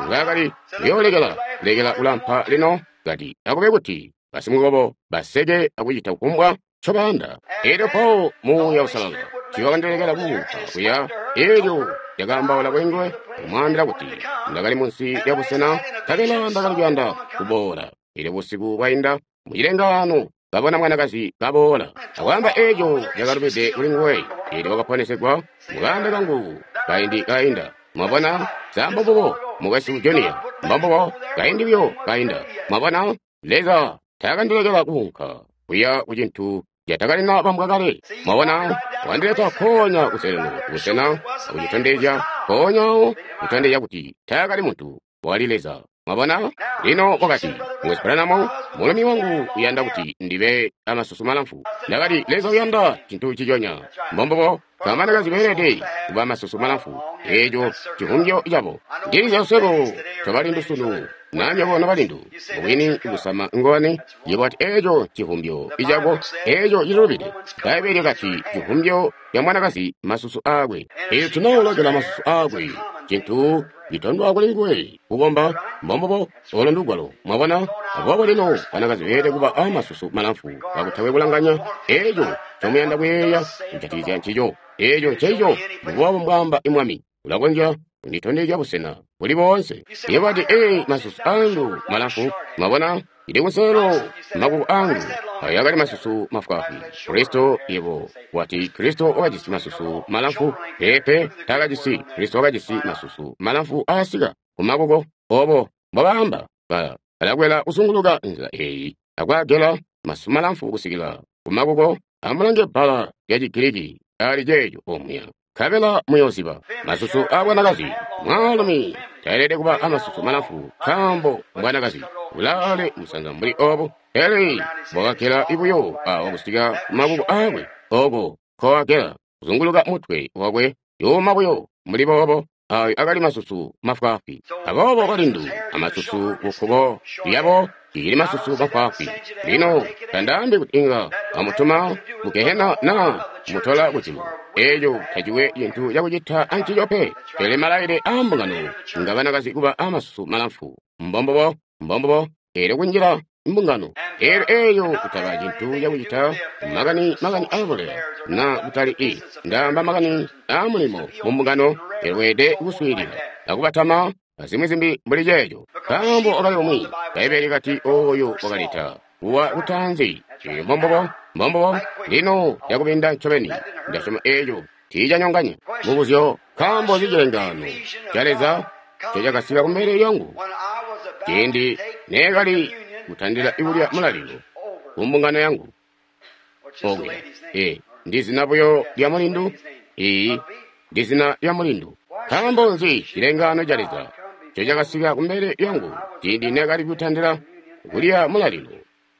ngaakali kuyoolekela lekela kulampa lino, kati akube kuti basimukobo baseke akucita kufumbwa ncobayanda. Eelyo mpawo Muuya Uusalala tiiwakandilekela kuunka kuya. Eelyo ndakaambaula kuli nguwe kumwaambila kuti ndakali munsi lya busena, nkabela ndakali kuyanda kuboola. Eelyo busiku bwainda mucilengaano kabona mwanakazi kaboola akwaamba eeco cakalubide kuli nguwe. Eelyo wakaponesegwa mukaanda kangu kaindi kainda. Mwabona, sa mbombubo mukwesu Junior, mbombubo kaindi buyo kainda. Mwabona, Leza taakandilekela kuunka kuya ku cintu catakalina bambwa kale. Mwabona, wandileta mpoonya kuselelo kubusena akucitondezya mpoonyawo, kutondezya kuti taakali muntu, wakali Leza. Mwabona, lino wakati, mukwesu Branham, mulumi wangu uyanda kuti ndibe amasusu malamfu. Ndakati, Leza uyanda cintu ciconya. Mbombubo, banakazi beelede kuba amasusu malamfu. Eeco civumbyo cabo. Ndilizya swebo tobalindu sunu, na nywebo nobalindu, mubwini kusama ngowani, yebo ati eeco civumbyo icako, eeco cilubide. Bbaibbele lyakati civumbyo ca mwanakazi masusu aakwe. Eelyo tunoolokela masusu aakwe, cintu citondwa kuli nguwe kukomba. Mbombubo, olo ndugwalo. Mwabona, aboobo lino banakazi beelede kuba amasusu malamfu kakutakwe kulanganya eeco ncomuyanda kuyeeya kujatikizya ncico. Eeco nceco mbuboobo mbwaamba Mwami. Ulakonzya kunditondezya busena buli boonse. Yebo ati, ee, masusu angu malamfu. Mwabona, ili kunselelo makuko angu ayo akali masusu mafwaafwi. Kristo, yebo wati Kristo wakajisi masusu malamfu. Peepe, taakajisi. Kristo wakajisi masusu malamfu aasika kumakuko. Obo mbobaamba, ba balakwela kuzunguluka nzila eyi akwaagela masusu malamfu kusikila kumakuko. Amulange bbala lya Chigiriki ali ceeco omuya, nkabela muyooziba. Masusu aabwanakazi, mwaalumi taelede kuba amasusu malamfu nkaambo mbwanakazi. Ulaale musanza mbuli obo, pele bwakagela buyo awo kusika kumakuko aakwe, oko nkowagela kuzunguluka mutwe wakwe, yuuma buyo mbuli boobo. Ayo akali masusu mafwaafwi. Aboobo balindu amasusu kukkuko lyabo cicili masusu mafwaafwi. Lino tandaambi kuti inga amutuma mu gehena naa mutola kujulu. Eeco taciwe cintu cakucita ancico pe. Pele malailile aambungano nga banakazi kuba amasusu malamfu. Mbombubo, mbombubo, eelyo kunjila mbungano. Eelyo eeyo kutaba cintu cakucita makani makani aabuleya na kutali i ndaamba makani aamulimo mu mbungano. Eelyo weelede kuswiilila akubatama azimwi zimbi mbuli ceeco. Nkaambo wakali umwi, Bbaibbele likati oyo wakaleta kuwa kutaanzi. Eelyo mbombubo, mbombubo. Lino yakubinda ncobeni, ndasyoma eeco Tiicanyonganya mubuzyo, nkaambo nzi cilengaano ca Leza ncecakasika kumbele lyangu ciindi neekali kutandila kulya mulalilo ku mbungano yangu okuya? Ee, ndi zina buyo lya mulindu. Iyi, ndi zina lya mulindu. Nkaambo nzi cilengaano ca Leza ncecakasika kumbele lyangu ciindi neekali kutandila kulya mulalilo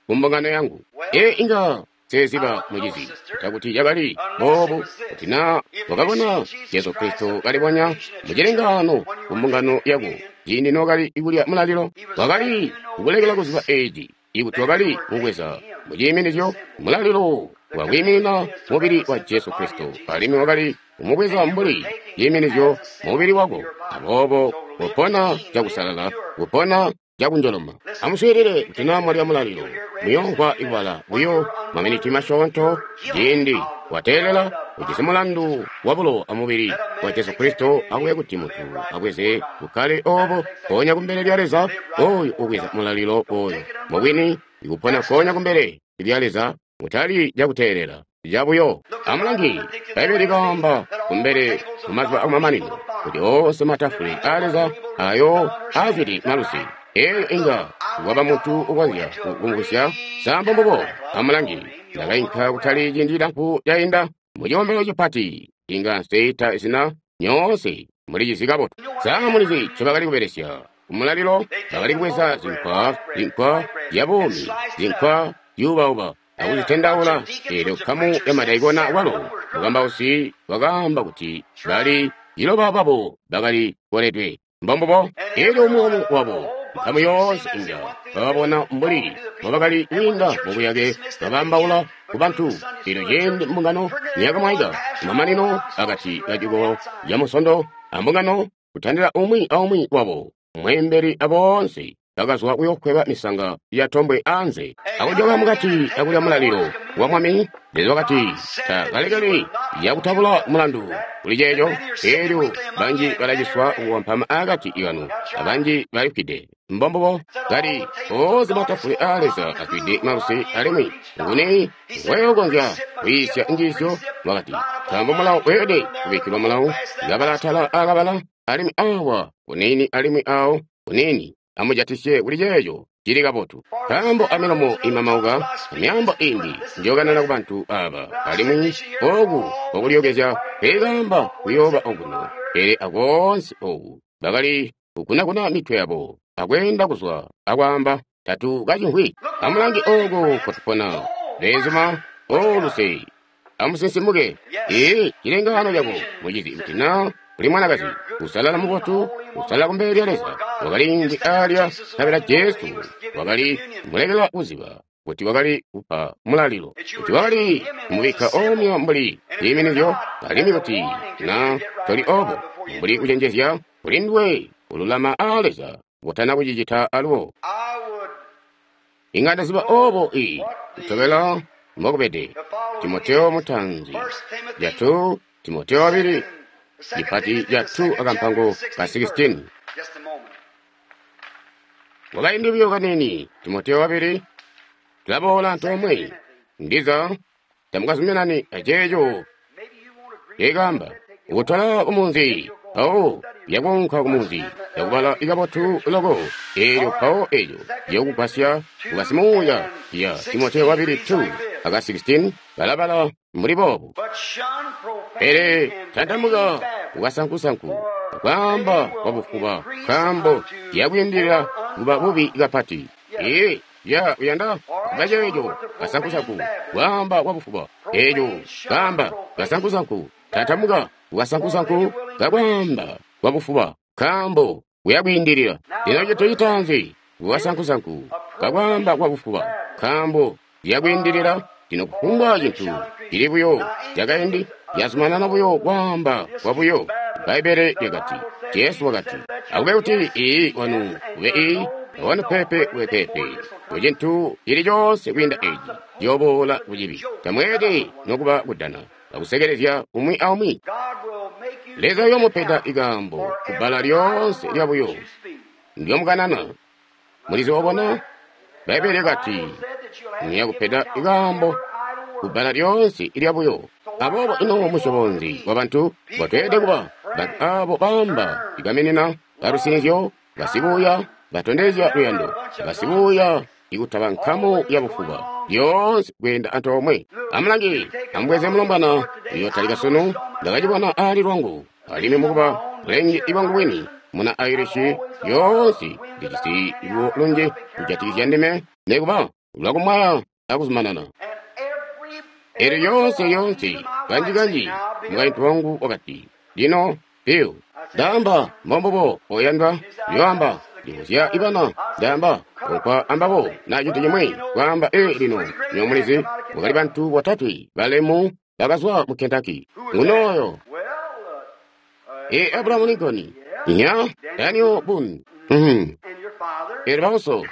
ku mbungano yangu? Ee, inga seziba mucizi takuti cakali boobu kuti na wakabona Jesu Kristo kalibonya mucilengaano ku mbungano yako ciindi nookali kulya mulalilo, wakali kukulekela kuziba eeci ikuti wakali kubweza muciiminizyo mulalilo wakwiiminina mubili wa Jesu Kristo, alimwi wakali kumubweza mbuli ciiminizyo mubili wako. Aboobo kupona cakusalala, kupona cakunjoloma. Amuswiilile kuti naa mwalya mulalilo, muyoomvwa ikubala buyo maminiti masyoonto ciindi wateelela ujisi mulandu wabulowa amubili wa Jesu Kristo. Akube kuti muntu abweze bukkale oobo mpoonya kumbele lya Leza. Oyu ubweza mulalilo oyu mubwini ikupona mpoonya kumbele lya Leza, mutali cakuteelela cabuyo. Amulangi, Bbaibbele likaamba kumbele mumazuba akumamanino kuti oonse matafule aa Leza ayo azwide malusi. Eeyo inga waba muntu ukonzya kumvwisya sambo mbubo. Amulangi, ndakainka kutali ciindi cilamfu cainda mucikombelo cipati, inga nseita zina, nyoonse mulicizi kabotu. Sa mulizi ncobakali kubelesya kumulalilo? Bakali kubweza zinkwa, zinkwa zyabuumi, zinkwa zyuubauba akuzitendaula. Eelyo nkamu ya madaikona walo mukambausi wakaamba kuti bali ciloba babo bakali koledwe. Mbombubo. Eelyo umwi wabo, nkamu yoonse inga bababona mbuli mbobakali kwiinda mubuyake babaambaula ku bantu. Eelyo ciindi mbungano niyakamwaika kumamanino akati kacikolo ca Musondo ambungano, kutandila umwi aumwi wabo, mweembeli aboonse bakazwa kuyokweba misanga ya tombwe anze akujoka mukati akulya mulalilo wa Mwami. Leza wakati takalekeli yakutabula mulandu kuli ceeco. Eelyo banji balaciswa kuwampama akati kanu, abanji balifwide. Mbombubo. Kali oonse matafule aa Leza azwide malusi, alimwi nguni weyokonzya kwiisya njiisyo? Wakati, nkaambo mulawo weelede kubikkilwa mulawo, kabala atala akabala, alimwi awa kuniini alimwi awo kuniini. Amujatisye kuli ceeco cili kabotu. Nkaambo amilomo imamauka amyaambo imbi njokanana kubantu aba, alimwi oku kwakulyokezya peekaamba kuyooba okuno, pele akoonse oku bakali kukunakuna mitwe yabo akweenda kuzwa akwaamba tatu kacimvwi. Amulange ooko nkotupona, beenzuma, oluse, amusinsimuke. Ee, cilengaano cako mucizi, kuti naa uli mwanakazi usalala mubotu, usalala kumbele lya Leza, wakaliimvwi alya nkabela Jesu wakali mulekela kuziba kuti wakali kupa mulalilo, kuti wakali kumubikka omya mbuli ciiminizyo, alimwi kuti na toli obo mbuli kucenjezya kuli nduwe ululama aa Leza kutana kucicita alubo. Inga ndaziba obo i kutobela mbokubede. Timoteo mutanzi jatu, Timoteo wabili lipati jatu akampango ka sixteen. Wakaindi buyo kanini, Timoteo wabili, tulaboola antoomwe. Ndiza tamukazuminani aceeco ceekaamba ukutola kumunzi mpawo yakuunka kumunzi yakubala ikabotu loko. Eelyo mpawo eeco ciyokugwasya kukasimuuya ya Timoteo wabili two aka sixteen balabala mbuli boobu. Pele tantamuka kukasankusanku kwaamba kwabufuba, nkaambo yakwiindilila kuba bubi kapati. Ee, ya uyanda kuba ceeco kasankusanku kwaamba kwabufuba eeco kaamba kasankusanku. Tantamuka kukasankusanku kakwaamba kwabufuba, nkaambo kuyakwiindilila. Lino cintu citaanzi kukasankusanku kakwaamba kwabufuba, nkaambo yakwiindilila. Lino kufumbwa cintu cili buyo cakaindi yazumanana buyo kwaamba kwabuyo. Bbaibbele lyakati, Jesu wakati, akube kuti ii wanu ube ii, awanu pepe ube pepe. Kucintu cili coonse kwiinda eeci ciyoboola kucibi. Tamweelede nokuba kudana akusekelezya umwi aumwi. Leza uyoomupeda ikaambo kubbala lyoonse lyabuyo ndyomukanana. Mulizi obona? Bbaibbele lyakati, niyakupeda ikaambo kubbala lyoonse ilyabuyo. Aboobo ino musyobo nzi wabantu ngotweelede kuba? Bantu aabo baamba igaminina balusinizyo, basibuuya, batondezya luyando, basibuuya ikutaba nkamu yabufuba lyoonse kweenda antoomwe. Amulange, amubweze mulombwana uyotalika sunu. Ndakacibona aali lwangu, alimwi mukuba bulenge bwangu bwini muna Irish, lyoonse ndijisi luwo lunji kujatikizya ndime, nekuba lwakumwaya akuzumanana. Elyo lyoonse lyoonse kanji-kanji mukaintu wangu wakati, lino Bill, ndaamba mbombubo oyandwa, yoamba ndibuzya ibana, ndaamba okwa ambabo na cintu cimwi, kwaamba ee lino nyo mulizi mwakali bantu botatwe balemu bakazwa mu Kentucky. Ngunoyo ee Abraham Lincoln, nya Daniel Boone, mhm, elyo bauso,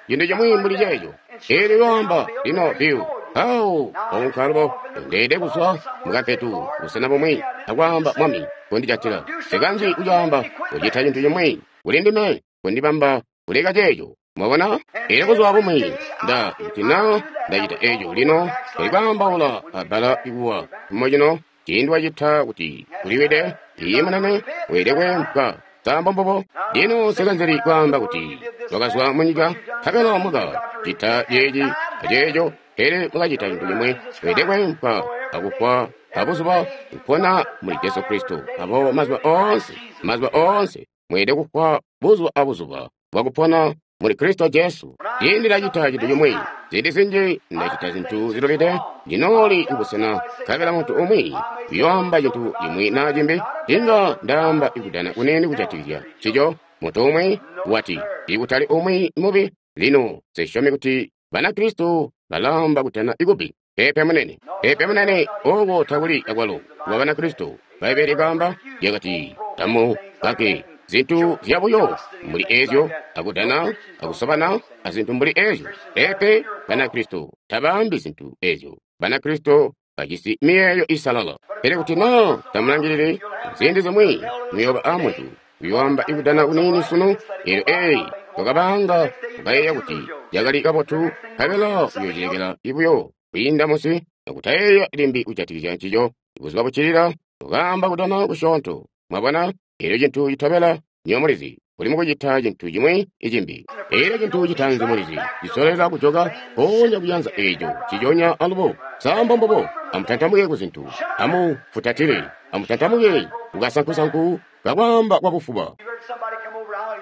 cintu cimwi mbuli ceeco. Elyo yoamba lino Bill, awo waunka alubo ndeede kuzwa mukampetu busena bumwi akwaamba Mwami kundijatila nsikanzi kucaamba kucita cintu cimwi kuli ndime kundibamba kuleka ceeco. Mwabona? Elyo buzuba bumwi nda kuti na ndacita eco lino tuli kwaambaula abbala ikuwa mo cino ciindi wacita kuti kuliwide iye munene weelede kweempwa. Sa mbombubo? Lino nsikanzili kwaamba kuti twakazwa munyika nkabela muka cita ceeci aceeco, pele mukacita cintu cimwi weelede kweempwa akufwa abuzuba kupona muli Jesu Kristo. Aboobo mazuba oonse, mazuba oonse mweelede kufwa buzuba abuzuba bwakupona muli Kristo Jesu. Ciindi ndacita cintu cimwi, ziindi zinji ndacita zintu zilubide, ndinooli kubusena nkabela muntu umwi uyoamba cintu cimwi naa cimbi, inga ndaamba ikudana kunene kujatikizya ncico. Muntu umwi wati, ikutali umwi mubi. Lino nsisyomi kuti Banakristo balaamba kudana ikubi. Peepe munene, peepe munene, ooko takuli akwalo kuba Banakristo. Bbaibbele likaamba lyakati, tamu kake zintu zyabuyo mbuli ezyo, akudana, akusobana, azintu mbuli ezyo. Peepe, Banakristo tabaambi zintu ezyo. Banakristo bajisi miyeeyo isalala. Pele kuti naa tamulangilili, ziindi zimwi muyooba aamuntu uyoamba ikudana kuniini sunu, eelyo eyi twakabaanga tukayeeya kuti yakali kabotu, nkabela uyoocilekela buyo kwiinda munsi akutayeeya limbi kujatikizya ncico. Buzuba buccilila tukaamba kudana kusyoonto. Mwabona? Eelyo cintu citobela nywebo mulizi, uli mukucita cintu cimwi icimbi. Eelyo cintu citaanzi mulizi, cisoleka kujoka mpoonya kuyanza eeco ciconya alubo. Sa mbombubo? Amutantamuke kuzintu, amufutatile, amutantamuke kukasankusanku kakwaamba kwabufuba.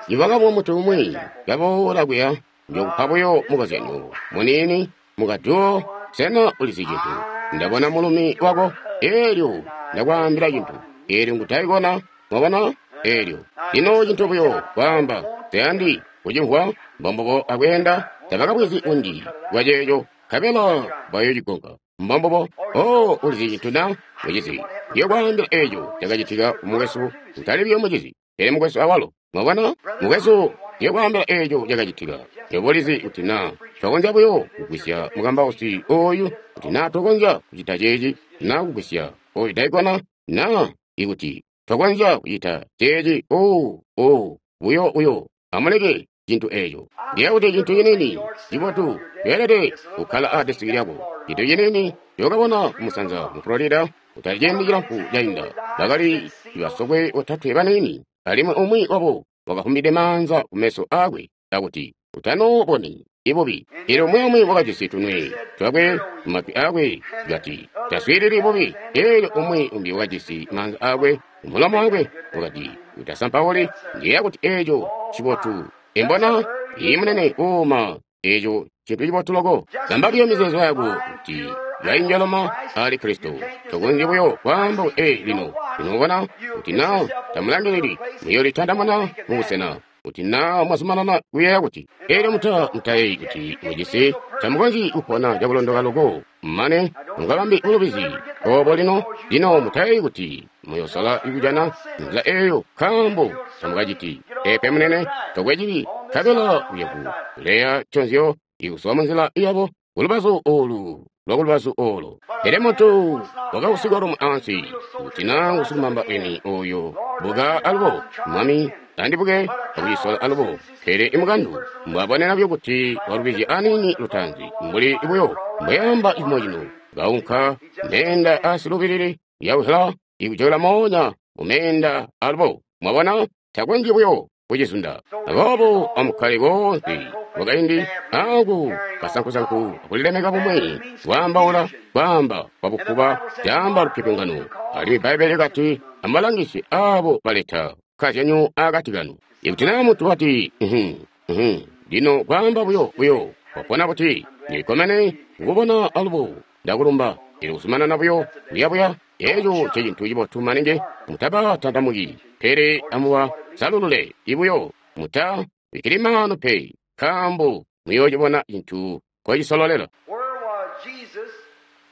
Nikwakabwa muntu umwi kaboola kuya, njokupa buyo mukozyanyo muniini mukaduwo. Sena ulizi cintu? Ndabona mulumi wako, eelyo ndakwaambila cintu, eelyo ngutaikona. Mwabona? Eelyo lino cintu buyo kwaamba tayandi kucimvwa, mbombubo akweenda tabakabwezi kunji bwaceeco, nkabela bayoocigonka. Mbombubo. Oh, ulizi cintu na mucizi? Ndiyokwaambila eeco cakacitika kumukwesu, kutali buyo mucizi, pele mukwesu awalo. Mwabona? Mukwesu, ndiyokwaambila eeco cakacitika. Nywebo ulizi kuti naa twakonzya buyo kugwisya mukambausi ooyu, kuti naa twakonzya kucita ceeci, naa kugwisya ooyu daikona, naa ikuti twakonzya kucita ceeci, oh, oh, buyo buyo amuleke cintu eeco. Ndiye kuti cintu ciniini cibotu ceelede kukkala a desiki lyako. Cintu ciniini ncookabona kumusanza mu Florida kutali ciindi cilamfu cainda, bakali basokwe botatwe baniini, alimwi umwi wabo wakafumbide maanza kumeso aakwe akuti utanooboni ibubi. Eelyo umwi umwi wakajisi tunwe twakwe mumatwi aakwe kati taswiilili bubi. Eelyo umwi umbi wakajisi maanza aakwe mumulomo wakwe wakati utasampauli. Ndiyeeya kuti eeco cibotu. Imbona iyi munene uuma, eeco cintu cibotu loko. Bamba buyo mizeezo yako kuti yainjaloma ali Kristo. Tokonzyi buyo kwaamba ee lino. Lino ubona kuti naa tamulangilili, muyoolitandamana mubusena kuti naa mwazumanana kuyeeya kuti eelyo muta mutayeeyi kuti mujisi, tamukonzyi kupona cakulondoka loko mane mukabambe bulubizi obo lino. Lino mutayeeyi kuti muyoosala kujana nzila eeyo, nkaambo tamukaciti. Peepe munene, tokwe cibi, nkabela uyaku kuleya nconzyo ikuzwa munzila yabo kulubazu oolu lwakulubazu oolo. Pele muntu wakausigwa lumwe ansi, kuti naa ngusikumamba eni oyo buka alubo, Mwami andibuke akucisola alubo. Pele imukandu mbwabonena buyo kuti walubizya aniini lutaanzi, mbuli buyo mbweamba cimo cino Kaunka meenda asilubilili yauhela ikujokela moonya mu meenda alubo. Mwabona, takonzyi buyo kucizunda. Aboobo amukkale koonse kwakaindi aku kasankusanku akulilemeka bumwi, kwaambaula kwaamba kwabufuba caamba lupyopyongano. Alimwi Bbaibbele kati amubalangisi aabo baleta kazyanyo akati kanu. Ikuti naa muntu wati, "Uhum, uhum," lino kwaamba buyo buyo, wapona buti, ndilikkomene kukubona alubo, ndakulumba. Elyo kuzumanana buyo kuyabuya, eeco ncecintu cibotu maningi. Mutabatantamuki, pele amubasalulule ibuyo. Muta bikkili maanu pe, nkaambo muyoocibona cintu nkocisololela. Where was Jesus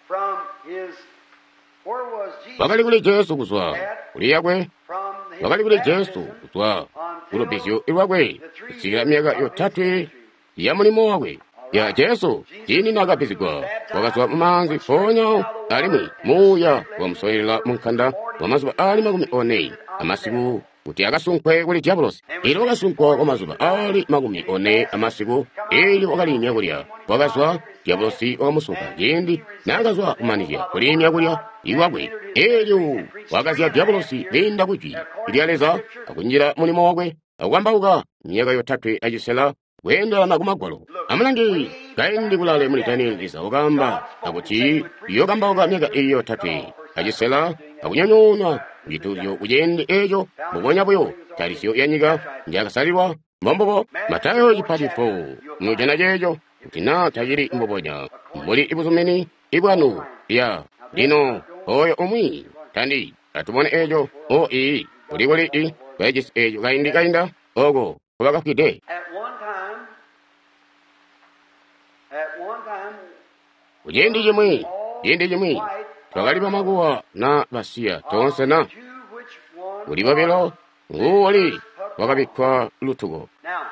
from his where was Jesus Wakali kuli Jesu kuzwa kuli yakwe, from his wakali kuli Jesu baptism kuzwa kulubbizyo lwakwe kusikila myaka yotatwe ya mulimo wakwe. Ya Jesu ciindi naakabbizigwa wakazwa mumaanzi mpoonya alimwi muuya wamusolela munkanda kwa mazuba aali makumi one amasiku kuti akasunkwe kuli diabolosi. Elyo wakasunkwa kwa mazuba aali makumi one amasiku, elyo wakaliimya kulya. Wakazwa, diabolosi wakamusunka ciindi naakazwa kumanizya kuliimya kulya iwakwe. Elyo wakazya diabolosi kwiinda kujwi lya Leza akunjila mulimo wakwe akukambauka myaka yotatwe acisela kweendelana ku Magwalo. Amulange kaindi kulale muli Danieli, Leza wakaamba akuti uyokambauka myaka iyi yotatwe acisela akunyonyoonwa kucituuzyo kuciindi eeco mbubonya buyo talisyo ya nyika njakasalilwa. Mbombubo Matayo chapita four mujana ceeco kuti naa tacili mbubonya mbuli ibuzumini ibwanu ya lino oyo umwi tandi atubone eeco o ii kuli kuli i kajisi eeco kaindi kainda oko kubakafwide. At one time, at one time, Kuciindi cimwi, ciindi cimwi, twakali bamakuwa na basiya toonse na two which one kuli bobilo nguwali wakabikkwa lutuko. now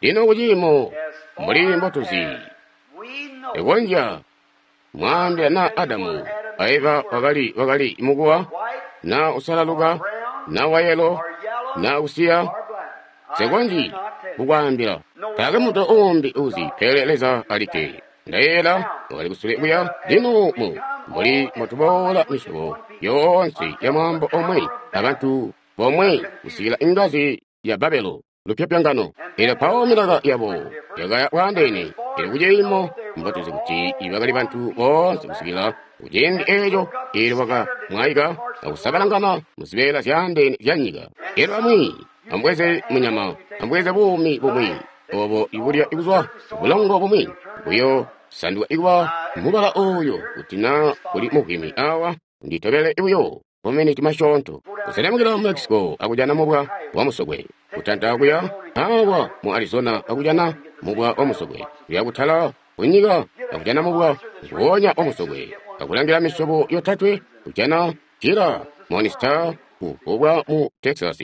Lino kuciimo as mbuli far mbotuzi as we know, ikonzya mwaambila na Adamu a Eva wakali wakali mukuwa white na usalaluka na wayelo or yellow na usiya or black. I sekonji cannot tell. kukwaambila taakwe muntu uumbi uzi pele Leza alikke. Ndayeeyela wakali kusule kuya lino mu mbuli mbotuboola misyobo yoonse ya mwaambo omwe abantu bomwe kusikila ingazi ya Babelo lupyopyongano. Elyo mpawo milaka yabo yakaya bwaandeene. Elyo kuciimo mbotuzi kuti bakali bantu boonse kusikila kuciindi eeco elyo bakamwaika akusabalangana muzibeela zyaandeene zya nyika. Elyo amwi ambweze munyama, ambweze buumi bumwi obo ibulya ikuzwa bulongo bumwi buyo sanduka ikuba mubala oyo kuti na kuli muvwimi awa nditobele buyo maminiti masyoonto. Kuselemukila mu Mexico akujana mubwa wa musokwe, kutanta kuya awa mu Arizona akujana mubwa wa musokwe, kuya kutala kunyika akujana mubwa nguwonya wa musokwe, akulangila misyobo yotatwe kujana Gila Morningstar uvubwa mu Texas,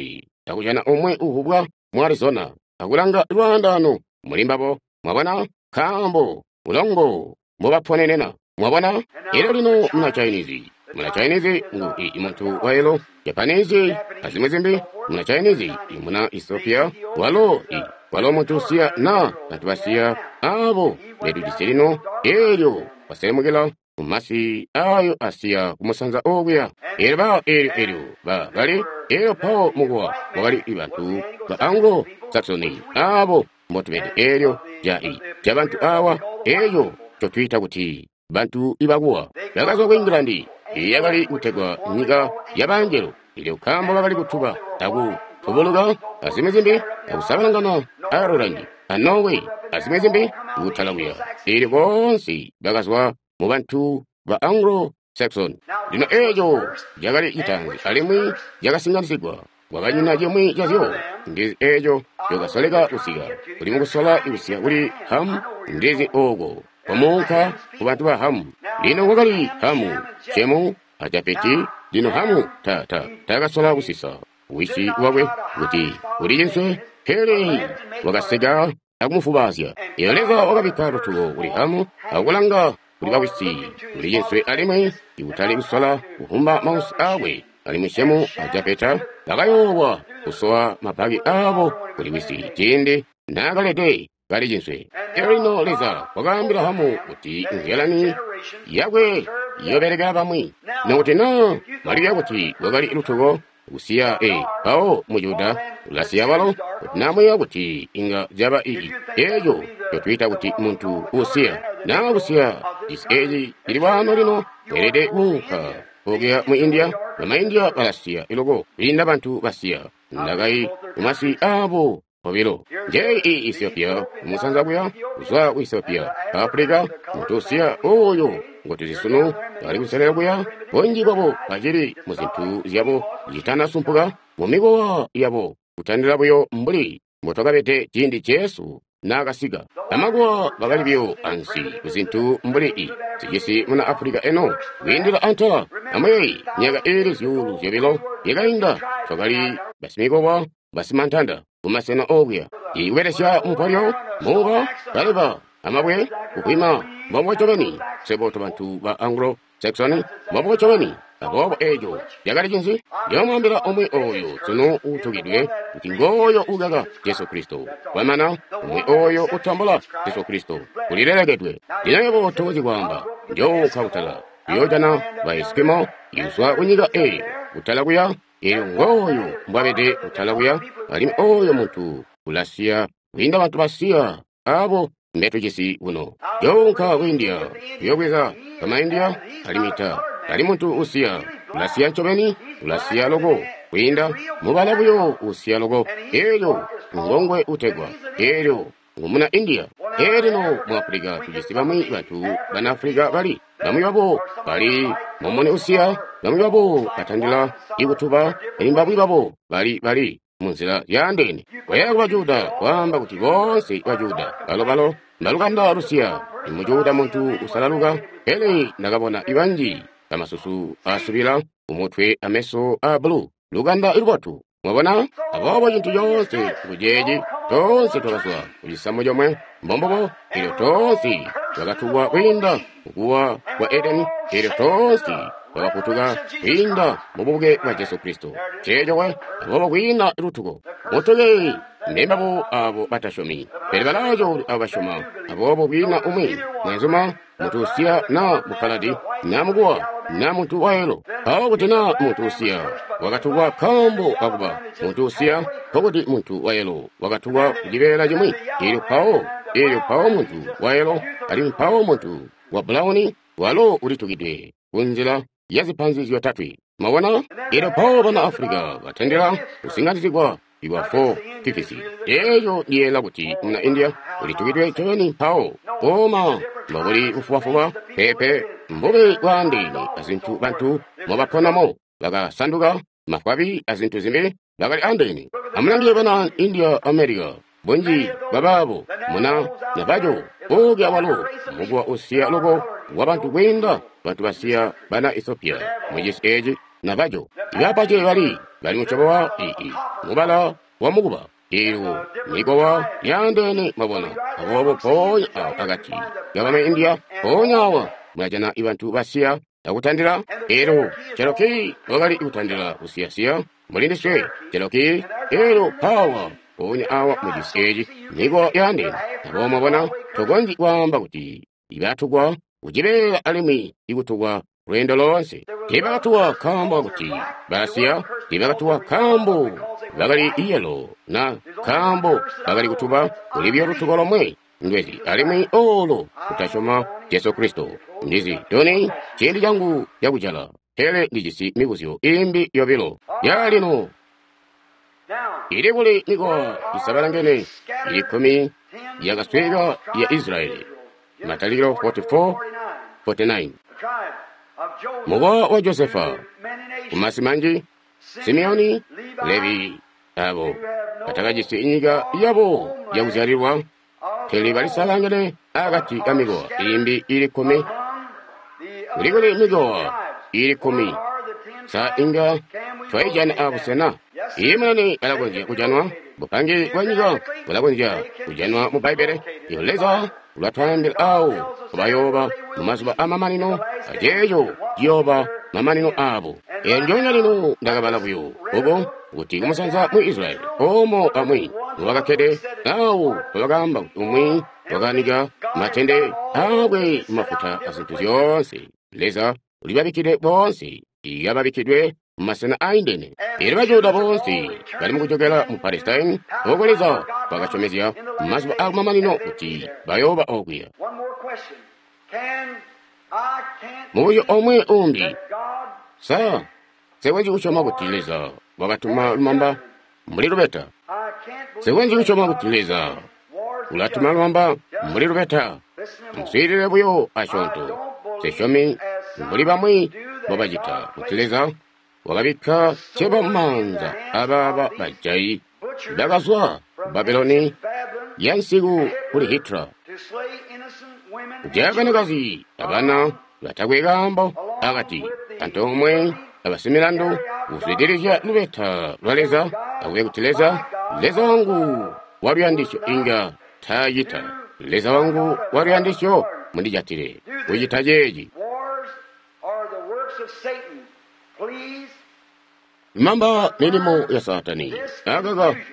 akujana umwe uvubwa mu Arizona, akulanga lwaandano muli mbabo. Mwabona nkaambo bulongo mbubaponenena. Mwabona elyo lino muna Chinese, muna Chinese ngu i muntu wayelo Japanese azimwi zimbi, muna Chinese i muna Ethiopia walo i walo muntu usiya na bantu basiya abo betujisi lino. Elyo baselemukila mumasi ayo asiya kumusanza okuya. Elyo ba elyo elyo ba bali elyo pawo mukuwa wakali bantu ba Anglo Saxony abo mbotubede elyo ja i ja bantu awa eyo cotwiita kuti bantu ibakuwa bakazwa ku England yakali kutegwa nyika ya bangelo. Elyo nkaambo bakali kutuba aku tubuluka azimwi zimbi akusabalangana Ireland a Norway azimwi zimbi kutala kuya. Elyo boonse bakazwa mu bantu ba Anglo Saxon. Lino eeco cakali citaanzi alimwi cakasinganisigwa. Kwakanyina cimwi cazyo ndizi eeco cokasoleka kusika kuli mukusola kusika kuli Hamu ndizi ooko kwamuunka ku bantu ba Hamu. Lino kwakali Hamu, Shemu a Jafeti. Lino Hamu ta ta takasola kusisa wisi wakwe kuti uli cinswe, pele wakaseka akumufubazya. Elyo Leza wakabikka lutuko kuli Hamu akulanga kuli bawisi kuli cinswe alimwi ikutali kusola kuhumba mausi akwe. Alimwi Shemu a Jafeta bakayoowa kusowa mabaki abo kuli wisi ciindi naakalede kali cinswe. Elyo lino Leza wakaambila Hamu kuti nzyalani yakwe Iyobelekela bamwi. Nokuti na mwaliya kuti lwakali lutuko kusiya e mpawo mu Juda ulasiya balo, kuti namwiya kuti inga zyaba ii eeco cotwiita kuti muntu usiya naa kusiya cisi eci cili waano lino weelede kuunka okuya mu India. Bama India balasiya iloko kwiinda bantu basiya ndakai mumasi abo obilo. Njeyi i Ethiopia kumusanza kuya kuzwa ku Ethiopia Africa muntu usiya oyo ngotuzi sunu bali kuselera kuya bunji bwabo bacili mu zintu zyabo zitanasumpuka mu mikowa yabo kutandila buyo mbuli mbotwakabede ciindi Jesu naakasika. Bamakuwa bakali buyo ansi ku zintu mbuli i zijisi muna Africa eno kwiindila antala. Amuyeyi myaka iili zyuulu zyobilo yakainda twakali basimikowa basimantanda kumasena okuya ikubelesya mupolyo muuba kaleba amabwe kukwima mbombo ncobeni swebo tobantu ba Anglo Saxon mbombo ncobeni. Aboobo eeco cakali cinzi? Ndiyomwaambila omwe oyo sunu uutukidwe kuti ngooyo ukaka Jesu Kristo. Kwamana omwe oyo utambula Jesu Kristo ulilelekedwe. Lino yebo tokonzyi kwaamba njounka kutala kuyoojana ba Eskimo ikuzwa kunyika eeyo kutala kuya. Eelyo ngooyo mbwabede kutala kuya, alimwi oyo muntu ulasiya kwiinda bantu basiya abo mbetujisi kuno. Njounka ku India kuyoobweza bama India alimwi ta ali muntu usiya ulasiya ncobeni, ulasiya loko kwiinda mubala buyo usiya loko. Eelyo ngongwe utegwa eelyo ngumuna India. Eelino mu Africa tujisi bamwi bantu bana Africa bali bamwi babo bali mumuni usiya, bamwi babo batandila ikutuba, alimwi bamwi babo bali bali munzila yaandeene. Koya kuba Juda kwaamba kuti boonse ba Juda balo balo mbalukanda lusiya. Mu Juda muntu usalaluka, pele ndakabona ibanji bamasusu asubila umutwe ameso a bulu lukanda lubotu. Mwabona? Aboobo cintu coonse kuceeci toonse twakazwa kucisamu comwe mbombobo, eelyo toonse twakatukwa kwiinda kukuwa kwa Edeni, eelyo toonse twakafutuka kwiinda mububuke bwa Jesu Kristo. Ceeco we. Aboobo kwiina lutuko mutuke mbembabo abo batasyomi, pele balaaco abo basyoma. Aboobo kwiina umwi mwenzuma muntu usiya na mukkaladi na mukuwa na muntu wayelo. Mpawo kuti na muntu usiya wakatukwa nkaambo kakuba muntu usiya, nkokuti muntu wayelo wakatukwa kucibeela cimwi. Eelyo mpawo eelyo mpawo muntu wayelo alimwi mpawo muntu wa bulawuni walo ulitukidwe kunzila ya zipanzi zyotatwe. Mwabona? Eelyo mpawo bana Africa batendela kusinganizigwa iwa four fifty. Eeco ndiyeela kuti muna India ulitukidwe ncobeni mpawo koma mbobuli bufubafuba pepe mbube bwaandeene azintu bantu mobaponamo bakasanduka mafwabi azintu zimbi bakali andeene. Amulangiye bana India America bunji bwabaabo muna Navajo okuya walo mukuwa usiya loko wa bantu kwiinda bantu basiya bana Ethiopia mucisi eci Navajo. Ibapache bali bali mucobo wa ii mubala wa mukuba eelyo mikowa yaandeene mwabona. Aboobo mpoonya awo akati kabana India mpoonya awa mulajana ibantu basiya akutandila. Eelyo Cherokee wakali kutandila kusiyasiya mulindiswe Cherokee. Eelyo pawa mpoonya awa mucisi eci mikowa yaandeene. Aboobo mwabona tokonzyi kwaamba kuti ibatukwa kucibeela alimwi ikutukwa lweendo loonse. Tiibakatuwa nkaambo kakuti balasiya, tiibakatuwa nkaambo bakali iyelo na nkaambo bakali kutuba kuli buyo lutuko lomwe ndwezi alimwi olo kutasyoma Jesu Kristo. Ndizi toni ciindi cangu cakujala, pele ndijisi mibuzyo imbi yobilo. Yalino ili kuli mikowa isabalangene ili kkumi yakasweka ya Israeli. Matalikilo forty-four forty-nine. Mukowa wa Josefa kumasi manji Simeoni, Levi abo batakajisi inyika yabo yakuzyalilwa, pele balisalangene akati ka mikowa imbi ili kkumi. Kulikuli mikowa ili kkumi sa inga twaijana abusena. Iye munene alakonzya kujanwa bupange bwa nyika bulakonzya kujanwa mu Bbaibbele. Iyo Leza ulatwaambila awo kubayooba mu mazuba amamanino, aceeco ciyooba mamanino abo. Eyo njoonya lino ndakabala buyo uko kuti kumusanza mu Israeli omo amwi mubakakkede awo bakaamba kuti umwi wakanika matende aakwe mafuta azintu zyoonse. Leza ulibabikkidwe boonse, iyababikidwe mu masena aindene. Elyo Bajuda boonse bali mukujokela mu Palestine, oko Leza wakasyomezya mazuba akumamanino kuti bayooba okuya. One more question. Can I can't Mubuzyo omwe umbi, that God sa nsekonzyi kusyoma kuti Leza wakatuma lumamba mbuli lubeta? I can't believe Nsekonzyi kusyoma kuti Leza wars ulatuma lumamba mbuli lubeta? Listen a moment. Muswiilile buyo asyoonto. Nsesyomi mbuli bamwi mbobacita kuti Leza wakabikka ceba mumaanza abaaba bajayi bakazwa ku Babuloni Babylon yansiku kuli Hitler. to slay innocent women and Kujaya banakazi abana batakwe kaambo akati antoomwe abasimilandu kuzwidilizya lubeta lwa Leza akube kuti Leza Leza wangu waluyandisyo inga taacita. Leza wangu waluyandisyo mundijatile kucita ceeci. wars are the works of Satan. Please, Mamba milimo ya Satani this akaka confusion.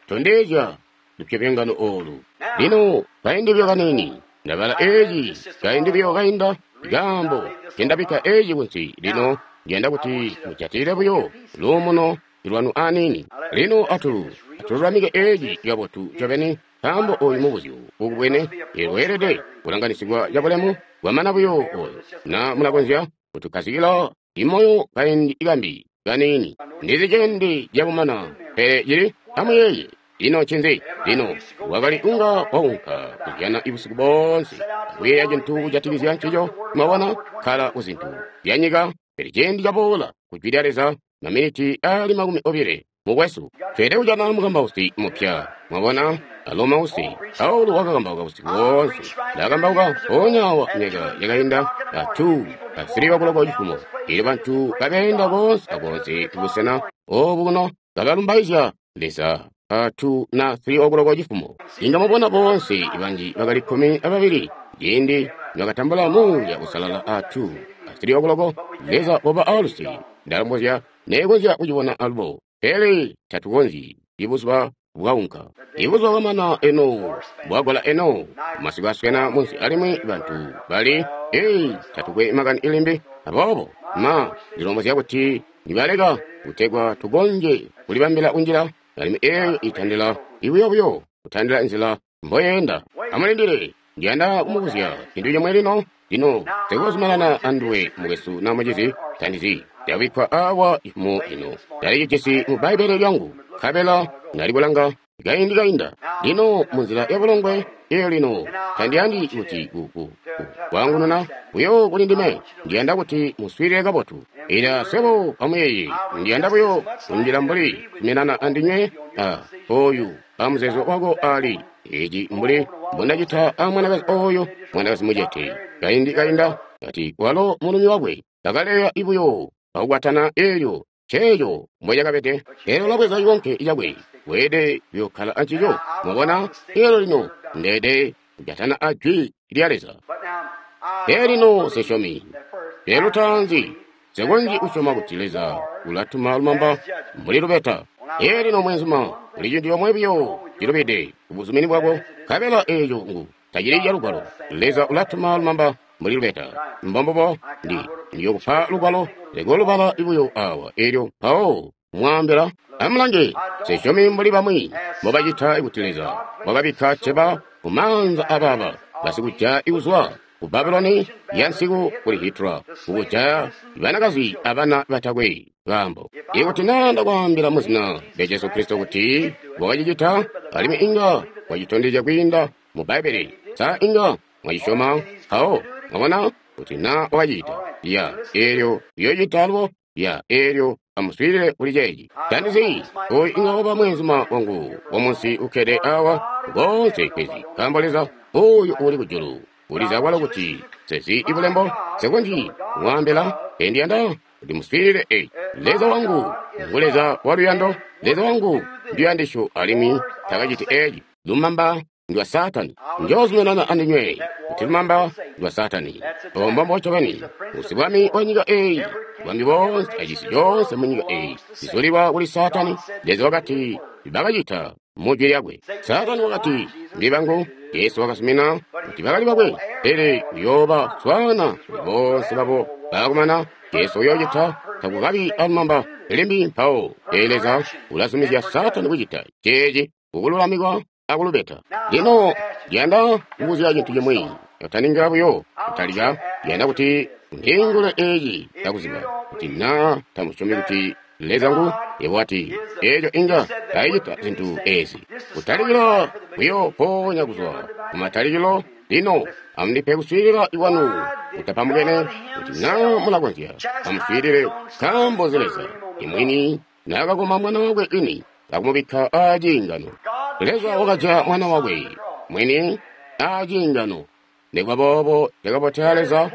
tondezya lupyopyongano olu. Lino kaindi buyo kanini ndabala eeci kaindi buyo kainda kaambo kendabikka eeci kunsi. Lino ndiyanda kuti mujatile buyo luumuno lwanu aniini. Lino atu atululamike eeci kabotu ncobeni, nkaambo oyu mubuzyo ukubwene weelede kulanganisigwa cabulemu bwamana buyo oyo. Na mulakonzya kutukkazikila imoyo kaindi kambi kaniini. Ndizi cendi cabumana, pele cili amuyeeye. Ino ncinzi? Lino wakali unga waunka kuzyana ibusiku boonse kuyeeya cintu kujatikizya ncico. Mwabona, kkala ku zintu zyanyika, pele ciindi caboola ku jwi lya Leza maminiti ali makumi obile. Mukwesu, tweelede kujana mukambausi mupya. Mwabona, alo mausi Paulo wakakambauka busiku boonse. Ndakambauka mpoonya awa myaka yakainda a two a three o'clock cifumo. Elyo bantu kabeenda koonse akoonse kubusena obu kuno kabalumbaizya Leza a two na three o'clock cifumo. Inga mubona boonse banji bakali kkumi ababili ciindi nibakatambula Muuya Uusalala a two a three o'clock. Leza oba aluse. Ndalombozya neekonzya kucibona alubo, pele tatukonzyi. Ibuzuba bwaunka, ibuzuba bwamana eno, bwagola eno, masiku aswena munsi alimwi bantu bali ei tatukwe makani ilimbi. Aboobo ma ndilombozya kuti nibaleka kutegwa tukonzye kulibambila kunjila, alimwi eeyo itandila ibuyobuyo kutandila nzila mboyenda. Amulindile, ndiyanda kumubuzya cintu comwe lino. Lino sikuzumanana anduwe mukwesu na mucizi, tandizi ndabikkwa awa ifumo ino ndalicijisi mu Bbaibbele lyangu, nkabela ndalikulanga kaindi kainda. Lino munzila ya bulongwe eyo lino tandiyandi kuti ku- ku- ku- kwaangununa buyo kuli ndime. Ndiyanda kuti muswiilile kabotu. Ila swebo amuyeeye, ndiyanda buyo kunjila mbuli kuminana andinywe a oyu amuzeezo wako ali eci mbuli mbundacita a mwanakazi oyo, mwanakazi mucete kaindi kainda, kati walo mulumi wakwe kakaleya ibuyo akukwatana elyo ceeco mbwecakabede. Elyo labweza cikonke cakwe, weede kuyokkala ancico. Mwabona, elyo lino ndeede kujatana a jwi lya Leza. But now, I Pele lino sesyomi that first, lero tanzi nsekonzyi kusyoma kuti Leza ulatuma lumamba mbuli lubeta. Elyo lino mwenzuma, kuli cintu comwe buyo cilubide kubuzumini bwako, nkabela eeco ngu tacili calugwalo. Leza ulatuma lumamba mbuli lubeta. Mbombubo ndi ndiyokupa lugwalo lekolubala ibuyo awa elyo mpawo mwaambila. Amulange, sesyomi mbuli bamwi mbobacita kuti Leza wakabikka ceba kumaanza abaaba basikujaya ikuzwa ku Babuloni yansiku kuli Hitler kukujaya banakazi abana batakwe kaambo. Ikuti naa ndakwaambila muzina lya Jesu Kristo kuti wakacicita, alimwi inga wacitondezya kwiinda mu Bbaibbele, sa inga mwacisyoma? Mpawo mwabona kuti naa wakacita ya eelyo uyoocita alubo ya eelyo amuswiilile kuli ceeci. Tandizi oyu inga waba mweenzuma wangu wamunsi ukkede awa koonse kwezi, nkaambo Leza oyo uli kujulu ulizi akwalo kuti sezi ibulembo nsekonzyi kumwaambila. Endiyanda kuti muswiilile eeci. Leza wangu ngu Leza waluyando, Leza wangu nduyandisyo, alimwi takaciti eeci. Lumamba ndwa Saatani. Njoozumanana andinywe kuti lumamba ndwa Saatani. Obo ncobeni usibwami wa nyika eeyi, bwami boonse acisi coonse mu nyika eeyi zizulilwa kuli Saatani. Leza wakati bakacita mu jwi lyakwe. Saatani wakati ndi bangu. Yesu wakasumina kuti bakali bakwe, pele uyooba swaana kuli boonse babo Baakumana Jesu uyoocita takukabi alumamba limbi mpawo. Ee, Leza ulazumizya Saatani kucita ceeci kukululamikwa akulubeta. Lino ndiyanda kubuzya cintu cimwi. Taninga buyo kutalika, ndiyanda kuti ndiingule eeci cakuziba kuti naa tamusyomi kuti Leza ngu yebo wati eeco inga taicita zintu eezi. Kutalikila buyo mpoonya kuzwa kumatalikilo. Lino amundipe kuswiilila ikwanu kutapambukene kuti naa mulakonzya amuswiilile nkaambo Leza imwini naakakoma mwana wakwe ini akumubikka aaciingano. Leza wakaja mwana wakwe mwini aaciingano. Nikuba boobo cakabotela Leza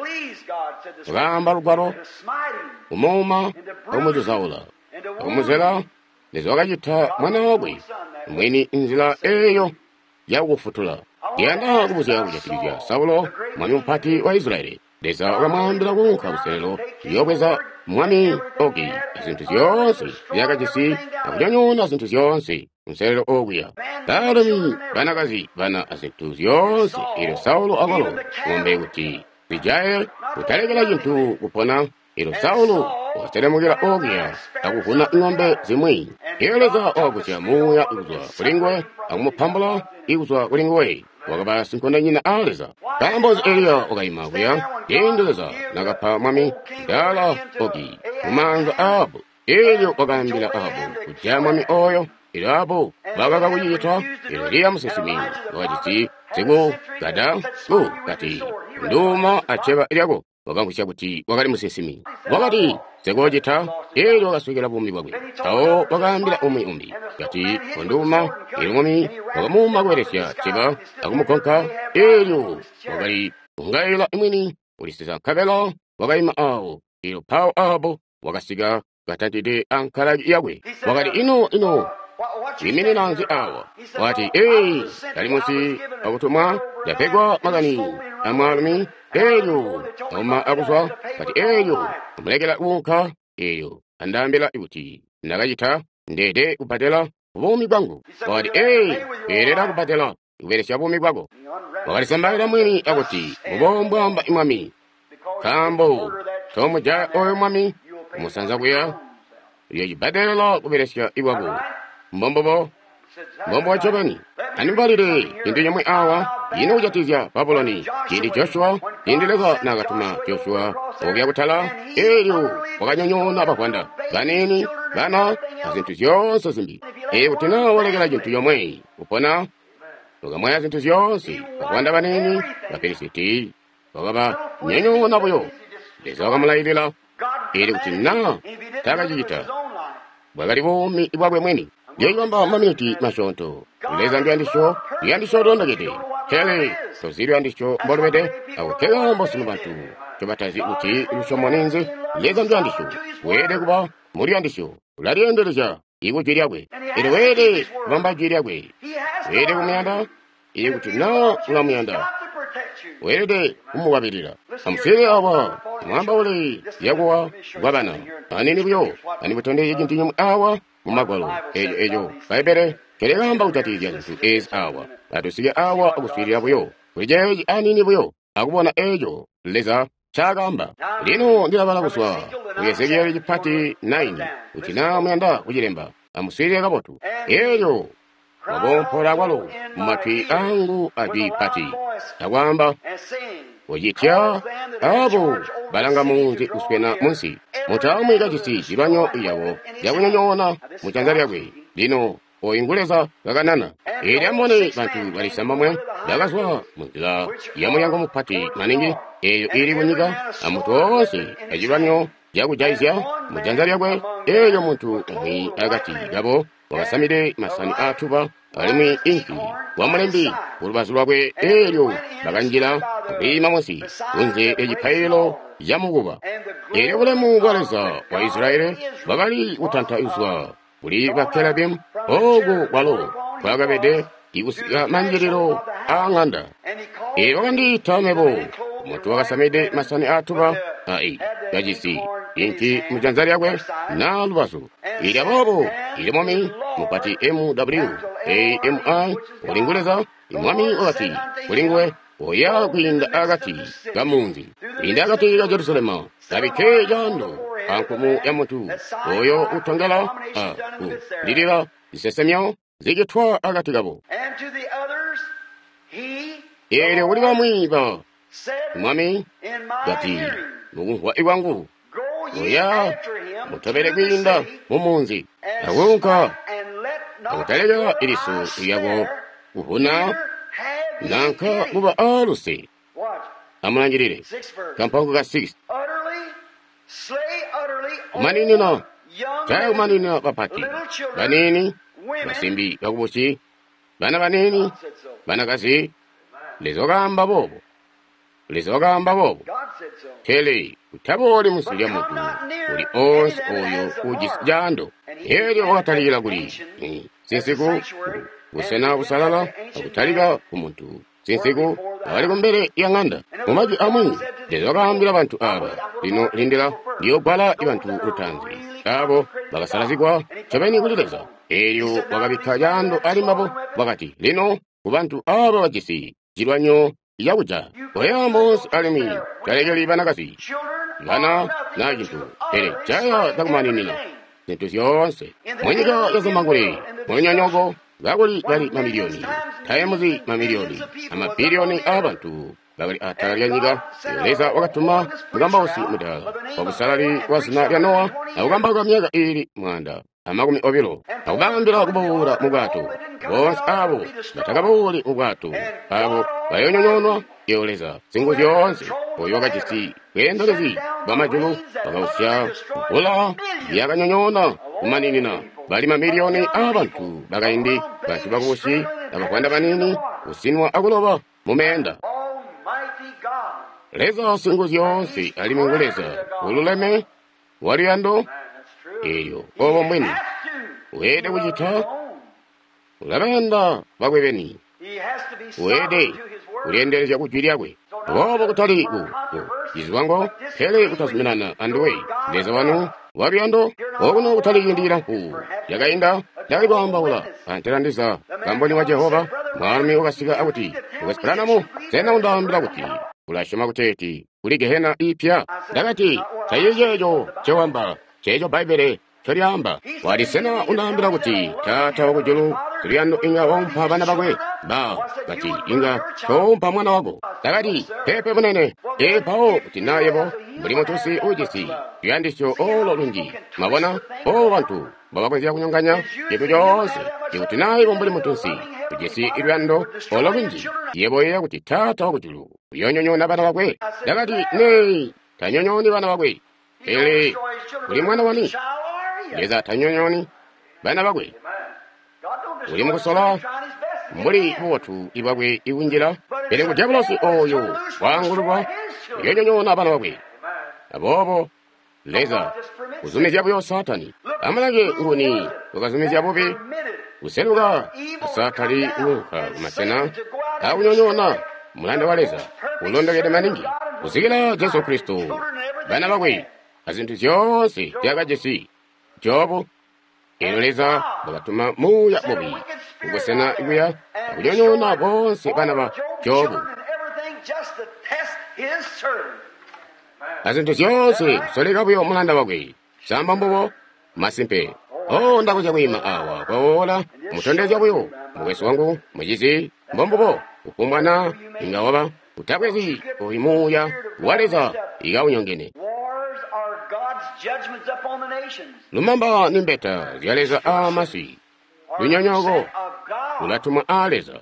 wakaamba lugwalo kumuuma akumucizaula akumuzela. Leza wakacita mwana wakwe mwini nzila eeyo yakukufutula. Ndiyanda kubuzya kujatikizya Saulo, mwami mupati wa Israyeli. Leza wakamwaambila kuunka kuselelo kuyoobweza mwami Ogi azintu zyoonse zyakajisi akunyonyoona zintu zyoonse kunselelo okuya. Baalumi, banakazi, bana azintu zyoonse. Eelyo Saulo akwalo ng'ombe kuti zijaye kutalekela cintu kupona. Eelyo Saulo wakaselemukila okuya akuvuna ng'ombe zimwi. Eelyo Leza wakagusya muuya kuzwa kulinguwe akumupambula ikuzwa kulinguwe. Wakaba sinkondonyina a Leza. Nkaambo Eliya wakayima kuya ciindi Leza nakapa mwami Dala Ogi mumaanza Ahabu. Eelyo wakaambila Ahabu kujaya mwami oyo. Eelyo Ahabu bakaka kucicita. Eelyo Eliya musinsimi wakajisi sikugada ku kati nduuma acceba lyako. Wakamvwisya kuti wakali musinsimi. Wakati sikucita. Eelyo wakaswekela buumi bwakwe. Mpawo wakaambila umwi umbi kati konduuma. Eelyo mwami wakamuuma kubelesya cceba akumugonka. Eelyo wakali kungaila mwini ulisiza nkabela wakayima awo. Eelyo mpawo Ahabu wakasika katantide ankalaki yakwe. Wakati ino ino wiiminina nzi awa? Wati ee ndali munsi akutumwa ndapegwa makani amwaalumi. Eelyo auma akuzwa. Kati eelyo amulekela kuunka. Eelyo andaambila kuti ndakacita ndeede kubbadela buumi bwangu. Wakati ee weelela kubbadela kubelesya buumi bwako. Wakalisambaila mwini akuti mubombwamba mwami, nkaambo tomujaya oyo mwami kumusanza kuya uyoocibbadelela kubelesya ikwako. Mbombobo mbombo ncobeni. Andibalile cintu cimwi awa ino kujatikizya Babuloni. Ciindi Joshua, ciindi Leza naakatuma Joshua okuya kutala, eelyo wakanyonyoona bavwanda baniini, bana, azintu zyoonse zimbi. Ee, kuti naa walekela cintu comwe kupona, wakamwaya zintu zyoonse. Bavwanda baniini Bafilisiti wakabanyonyoona buyo. Leza wakamulailila eelyo kuti naa taakacicita bwakali buumi bwakwe mwini. Ndiyoocibamba maminiti masyoonto. Leza nduyandisyo, luyandisyo lulondokede. Pele tozi luyandisyo mbolubede, ako nkekaambo sunu bantu ncobatazi kuti lusyomo ninzi. Leza nduyandisyo, weelede kuba muluyandisyo. Ulalyendelezya ikujwi lyakwe. Eelyo weelede kubamba jwi lyakwe. Weelede kumuyanda. Eelyo kuti naa ulamuyanda, weelede kumukwabilila. Amuswiilile awa mwaambaule zyakuwa kwabana aniini buyo. Andimutondezye cintu cimwi awa mu Magwalo eeco eeco Bbaibbele ncolyaamba kujatikizya zintu eezi awa. Atusike awa akuswiilila buyo kuli ceeci aniini buyo akubona eeco Leza ncaakaamba. Lino ndilabala kuzwa ku Ezekieli cipati nine kuti naa muyanda kucilemba amuswiilile kabotu. Eelyo wakoompola kwalo mumatwi angu ajwi pati akwaamba, "Ucitya abo balanga munzi kuswena munsi, mutaamwi kajisi zilwanyo lyabo zyakunyonyoona mu janza lyakwe." Lino oyu ngu Leza kakanana. Eelyo amubone bantu bali cisambomwe bakazwa munzila yamulyango mupati maningi eeyo iili kunyika, amuntu woonse acilwanyo cakujayizya mu janza lyakwe. Eelyo muntu umwi akati kabo wakasamide masani aatuba alimwi inki wamulembi kulubazu lwakwe. Eelyo bakanjila akwiima munsi kunze lyacipaililo camukuba. Eelyo bulemu bwa Leza wa Israyeli bwakali kutanta kuzwa kuli bakerabimu ooku kwalo kwakabede ikusika manjililo aa ŋanda. Eelyo wakandiita mebo, muntu wakasamide masani aatuba ai kajisi inki mujanza lyakwe naa lubazu. Eelyo aboobo ili mwami mupati M W A M I uli ngu Leza. Mwami wakati kuli nguwe, Oya kwiinda akati kamunzi, kwiinda akati ka Jerusalema, kabikke caando ankumu ya muntu oyo utongela a kulilila zisesemyo zicitwa akati kabo. Eelyo kuli bamwi ba Mwami kati mukumvwa kwangu, oya mutobele kwiinda mumunzi, akuunka akutalekela iliso lyako kuvuna nanka kuba aaluse. Amulangilile kampango ka six. Kumaninina jaya kumaninina bapati baniini, basimbi bakubusi, bana baniini, banakazi. Leza wakaamba boobo. Leza wakaamba boobo. Pele utabooli munsi lya muntu uli onse oyo ujisi caando. Eelyo wakatalikila kuli sinsiku busena busalala akutalika ku muntu sinsiku akali kumbele ya ŋanda. Mumajwi amwi Leza wakaambila bantu aaba, lino lindila ndiyogwala bantu lutaanzi abo bakasalazigwa ncobeni kuli Leza. Eelyo wakabikka caando ali mbabo, wakati lino kubantu aaba bajisi cilwanyo cakuja koya monse alimwi talekeli banakazi bana na cintu, pele jaya cakumaninina zintu zyoonse munyika ya Zambangulwe munyonyoko kakuli bali mamiliyoni tayemuzi mamiliyoni amabiliyoni aabantu bakali atala lya nyika. Leza wakatuma mukambausi mudaala wabusalali wa zina lya Nowa akukambauka myaka iili mwaanda amakumi obilo, akubaambila kubuwula mu bwato. Boonse abo batakabuwuli mu bwato abo bayoonyonyoonwa. Iyo Leza Singuzyoonse oyo wakajisi bweendelezi bwa majulu wakausya mvula yakanyonyoona kumaninina bali mamiliyoni aabantu bakaindi, bantu bakubusi abavwanda baniini, kusinwa akuloba mu meenda. Leza Singuzyoonse alimwi ngu Leza ululeme waluyando. Eelyo obo mbwini weelede kucita, ulabayanda bakwe beni, weelede kulyendelezya kujwi lyakwe. Boobo kutali ku cizwango, pele kutazuminana anduwe Leza wanu waluyando. Okuno kutali ciindi cilamfu cakainda ndakali kwaambaula antela ndiza kamboni wa Jehova. Mwaalumi wakasika akuti, Mukwesu Branham, sena undaambila kuti ulasyoma kuteeti kuli gehena ipya? Ndakati, tacili ceeco ncewamba, ceeco Bbaibbele ncolyaamba. Wati, sena undaambila kuti Taata wakujulu siluyando inga waumpa bana bakwe? Ba kati, inga toumpa mwana wako. Ndakati, peepe munene. Ee, mpawo kuti naa yebo mbuli mutusi ujisi luyandisyo olo lunji, mwabona obo bantu mbobakonzya kunyonganya cintu coonse. Ikuti naa yebo mbuli mutusi ujisi luyando olo lunji, yebo uyeeya kuti Taata wakujulu uyoonyonyoona bana bakwe? Ndakati, nee, tanyonyooni bana bakwe. Pele uli mwana wani? Leza tanyonyooni bana bakwe. Uli mukusola mbuli bubotu ibwakwe ikunjila, pele ku diabolosi oyo waangululwa uyoonyonyoona bana bakwe. Aboobo Leza kuzumizya buyo Saatani. Amulange nguni wakazumizya bubi kuseluka Saatani kuunka kumasena akunyonyoona mulanda wa Leza ulondokede maningi kusikila Jesu Kristo, bana bakwe azintu zyoonse zyakajisi Jobu. Eelyo Leza wakatuma muuya mubi kubusena kuya akunyonyoona boonse bana ba Jobu azintu zyoonse kusoleka buyo mulanda wakwe. Samba mbubo masimpe. Oh, ndakonzya kwiima awa kwawola mutondezya buyo mukwesu wangu mucizi, mbombubo kufumbwa na inga waba utabwezi oyu muuya wa Leza ikaunyongene. Lumamba ni mbeta zya Leza aamasi, lunyonyooko lulatumwa aa Leza.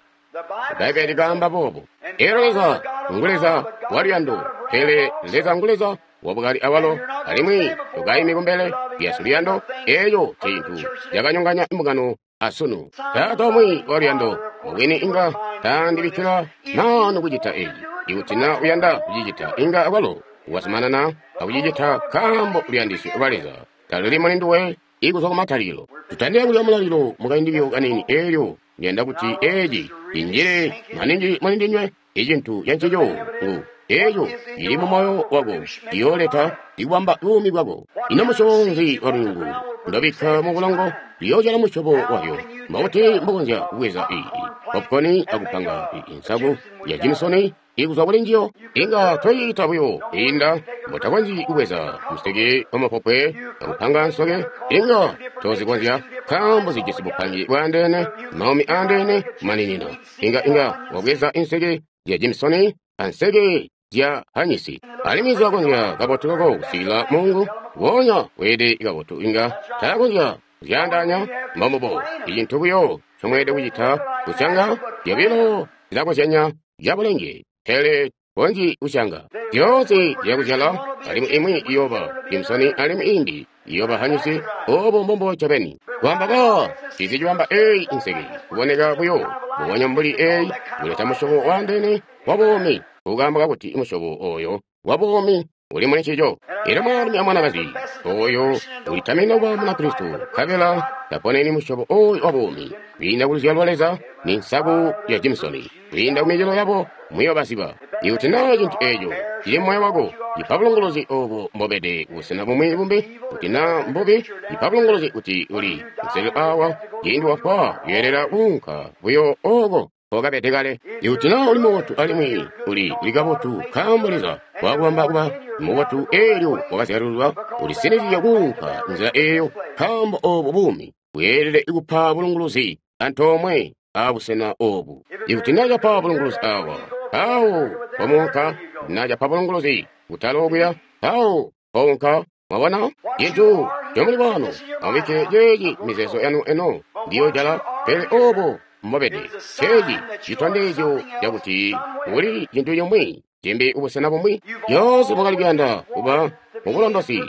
Bbaibbele likaamba boobo. Eelyo Leza ngu Leza waluyando, pele Leza ngu Leza wabukali awalo, alimwi tukaimi kumbele lya luyando. Eeyo ncintu cakanyonganya mbungano asunu. Taata umwi waluyando mubwini inga taandibikkila maanu kucita eeci. Ikuti na uyanda kucicita, inga awalo wazumanana akucicita nkaambo luyandisyo lwa Leza taluli muli nduwe ikuzwa kumatalikilo. Tutandile kulya mulalilo mukaindi buyo kaniini. Eelyo ndiyanda kuti eeci injile maningi muli ndinywe. Icintu cancico ngu eeco cili mu moyo wako ciyooleta ikubamba buumi bwako. Ino musyobo nzi wa lunyungu ndobikka mu bulongo liyoozyala musyobo wabyo? Mbokuti mbokonzya kubweza iyi popcorn akupanga insaku ya Jimsoni ikuzwa kuli njiyo. Inga toyiita buyo kwiinda mbotakonzyi kubweza museke wamapopwe akupanga nsoke. Inga tozikonzya nkaambo zijisi bupangi bwaandeene, maumi aandeene kumaninina. Inga inga wabweza inseke zya Jimsoni anseke zya hanyisi, alimwi zilakonzya kabotu loko kusikila mungu wonya weede kabotu. Inga taakonzya kuzyaandaanya. Mbombubo icintu buyo ncomweelede kucita kusyanga zyobilo zilakozyanya zyabulenge, pele konzyi kusyanga zyoonse zyakuzyala, alimwi imwi iyooba Jimsoni alimwi imbi iyooba hanyisi. Obo mbombo ncobeni. Kwamba ba cizi cibamba eyi inseke kuboneka buyo mbubonya mbuli eyi kuleta musyobo waandeene wa buumi, kukaambo kakuti musyobo oyo wa buumi uli muli ncico. Elyo mwaalumi amwanakazi oyo ulitamina kuba Munakristo nkabela taponeni musyobo oyo wa buumi kwiinda kuluzyalo lwa Leza ni nsaku ya Jimsoni. Kwiinda ku micelo yabo muyobaziba. Ikuti naa cintu eeco cili moyo wako, cipa bulunguluzi obo mbobede kubusena bumwi bumbi. Kuti naa mbubi, cipa bulunguluzi kuti uli nselelo awa. Ciindi wafwa uyeelela kuunka buyo oko okabede kale. Ikuti naa uli mubotu alimwi uli uli kabotu nkaambo Leza wakubamba kuba mubotu eelyo wakazyalululwa, ulisinizye kuunka nzila eeyo nkaambo obo buumi bweelede kupa bulunguluzi antoomwe abusena obu. Ikuti naa capa bulunguluzi awa, awo pomuunka. Naa capa bulunguluzi kutala okuya, awo pounka. Mwabona cintu comuli bwano, amubikke ceeci mizeezo yanu eno ndiyojala, pele obo mbobede ceeci citondezyo cakuti uli cintu cimwi cimbi kubusena bumwi. Lyoonse mwakali kuyanda kuba mubulondosi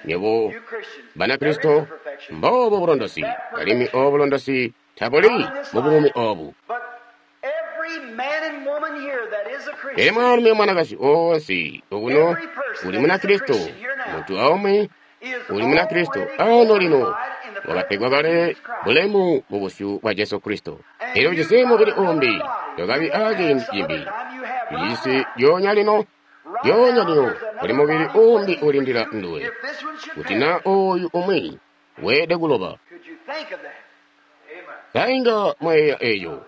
nywebo Banakristo, mboobo bulondosi, alimwi obo bulondosi tabuli mu buumi obu. Pele mwaalumi amwanakazi oonse okuno uli Munakristo, muntu aumwi uli Munakristo ano lino wakapegwa kale bulemu mu busyu bwa Jesu Kristo. Elyo ujisi mubili umbi, tokabi aciindi cimbi. Ujisi lyoonya lino, lyoonya lino kuli mubili umbi ulindila nduwe. Kuti naa oyu umwi weede kuloba. Sainga mweeya eeyo,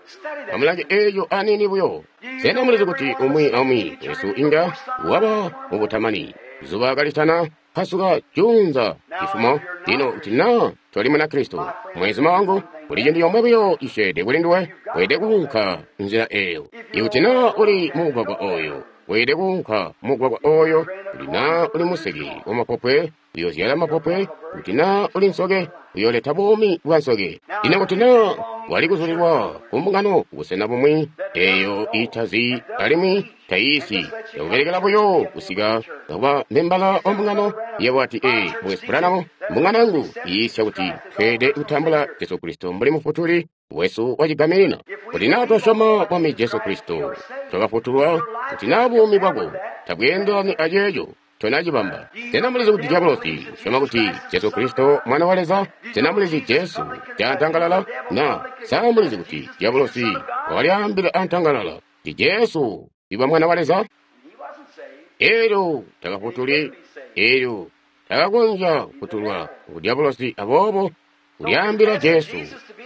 amulange eeyo aniini buyo. Sena mulizi kuti umwi aumwi wesu inga waba mubutamani zuba kalitana pasuka junza cifumo? Lino kuti naa toli Munakristo, mwezuma wangu, kuli cintu comwe buyo cisyeede kuli nduwe, weede kuunka nzila eeyo. Ikuti naa uli mugwagwa oyo, weede kuunka mugwagwa oyo. Kuti naa uli museke wamapopwe, uyozyala mapopwe. Kuti naa uli nsoke, uyoleta buumi bwa nsoke. Lino kuti naa wali kuzulilwa kumbungano kubusena bumwi eeyo itazi alimwi tayiisi, yakubelekela buyo kusika kuba membala wa mbungano, yebo ati, ee, Mukwesu Branham, mbungano yangu iyiisya kuti tweelede kutambula Jesu Kristo mbuli Mufutuli wesu wacigaminina. Kuti naa twasyoma Mwami Jesu Kristo, twakafutulwa. Kuti naa buumi bwako tabweendelani aceeco, tonacibamba. Sena mulizi kuti diabolosi usyoma kuti Jesu Kristo mwana wa Leza? Sena mulizi Jesu caantangalala? Na sa mulizi kuti diabolosi wakalyaambila antangalala kuti Jesu iba mwana wa Leza? Elyo takafutuli, elyo takakonzya kufutulwa ku diabolosi, aboobo kulyaambila Jesu